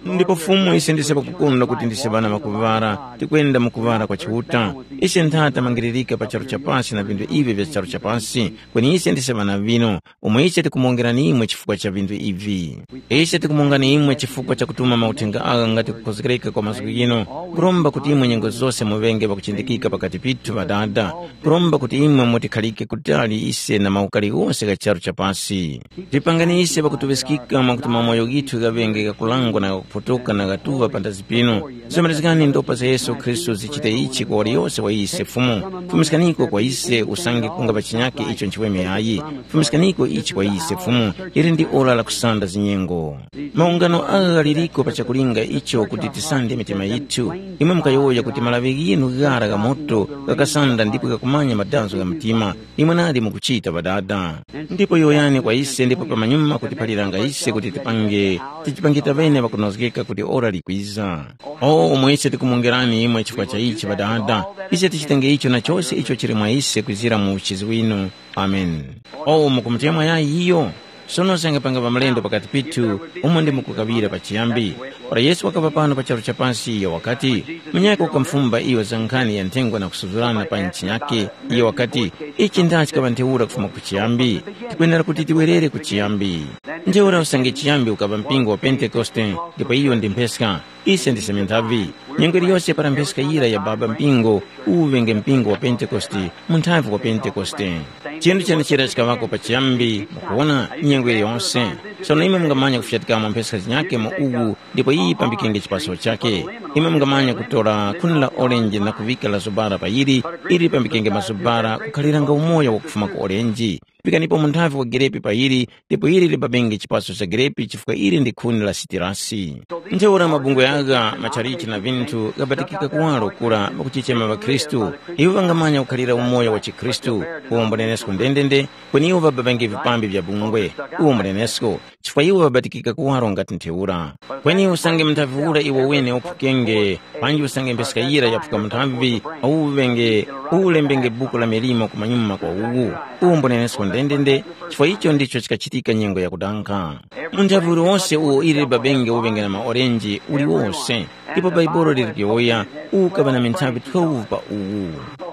Ndipo Fumu ise ndise pakukondwa kuti ndise ŵana ŵakuŵala, tikwenda mu kuŵala kwa Chiuta. Ise ntha tamangiririka pa charu cha pasi na vinthu ivi vya charu cha pasi, kweni ise ndise ŵana vinu, umo ise tikumwongerani imwe chifukwa cha vinthu ivi. Ise tikumwongani imwe chifukwa cha kutuma mauthenga agha ngati kukhozekereka kwa mazgu ghinu, kuromba kuti imwe nyengo zose muŵenge pakuchindikika pakati pithu Ŵadada, kuromba kuti imwe mutikhalike kutali ise na maukari ghose gha charu cha pasi. Tipangani ise pakutuŵiskika mwakuti mamoyo ghithu ghaŵenge ghakulangwa na ghakuphotoka na ghatuŵa panthazi pinu. Zomerezgani ndopa za Yesu Khristu zichite ichi kwa waliyose wa ise Fumu. Fumiskaniko kwa ise usange kunga pa chinyake icho nchiweme yayi. Fumiskaniko ichi kwa ise Fumu, ili ndi ora la kusanda zinyengo. Maungano agha ghaliriko pa chakulinga icho kuti tisande mitima yithu. Imwe mukayowoya kuti malaŵi ghinu ghara gha moto ghakasanda ndipo ghakumanya madanzo gha mtima. Imwe nadi mukuchita Ŵadada. Ndipo yowoyani kwa ise ndipo pamanyuma kutiphaliranga ise kuti tipange, tichipange taŵene ŵakunozgeka kuti ora likwiza. O umo ise tikumwongerani imwe chifukwa cha ichi Ŵadada, ise tichitenge icho na chose icho chili mwa ise kwizira mu uchizi winu. Amen. O mukumutemwa yayi iyo? Sono sangapanga pa mlendo pakati pithu umo ndi mukukaŵira pachiyambi. Para Yesu wakaŵa pano pa charu cha pasi iyo wakati, munyakhe wakamufumba iyo za nkhani ya nthengwa na kusuzurana pa nchinyakhe, iyo wakati, ichi ndachikaŵa ntheura kufuma ku chiyambi. Tikwenera kuti tiwerere ku chiyambi. Ntheura usange chiyambi ukaŵa mpingo wa Pentekoste, ndipo iyo ndi mpheska. Ise ndise minthavi. Nyengo iliyose para mpheska yira ya baba mpingo, uwu ŵenge mpingo wa Pentekoste, munthavi wa Pentekoste. Chinthu chenechera chikaŵako pachiyambi, mukuwona, nyengo iliyose. Sono imwe mungamanya kufyatikamo mpheska zinyakhe mu uwu, ndipo iyi yipambikenge chipaso chakhe. Imwe mungamanya kutora khuni la orenji na kuŵika la zubara pa yili, ili lipambikenge mazubara kukhaliranga umoyo wakufuma ku orenji. Pikanipo munthavi wa gerepi pa yili, ndipo ili libabenge chipaso cha gerepi chifukwa ili ndi khuni la sitirasi. Ntheura mabungwe agha, matchalichi na vinthu ghabatikika kuwaro kura pakuchichema ŵakhristu. Iwo ŵangamanya kukhalira umoyo wa chikhristu, uwombonenesko ndendende, kweni iwo ŵababenge vipambi vya bungwe, uwombonenesko, chifukwa iwo ŵabatikika kuwaro ngati ntheura. Kweni usange munthavi ura iwo wene uphukenge, panji usange mpheska yira yaphuka munthavi, uwenge, uwulembenge buku la milimo kumanyuma kwa uwu, uwombonenesko ndendende, chifukwa icho ndicho chikachitika nyengo yakudankha. Munthavi uliwose uwo ili libabenge uŵenge na maorenji uliwose, ndipo Baibolo lili kuyowoya, ukaŵa na minthavi twelve pa uwu.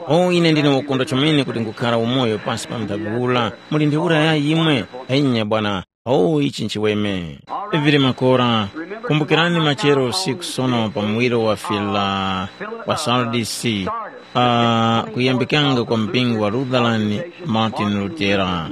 O ine ndine wakondwa chomene kuti ngukhara umoyo pasi pa munthavi ura, muli ntheura ya yimwe, enya bwana, o ichi nchiweme. Vili makora, kumbukirani machero usiku sono pa muwiro wa fila wa Sardisi, uh, kuyambikanga kwa mpingo wa Lutheran Martin Lutera.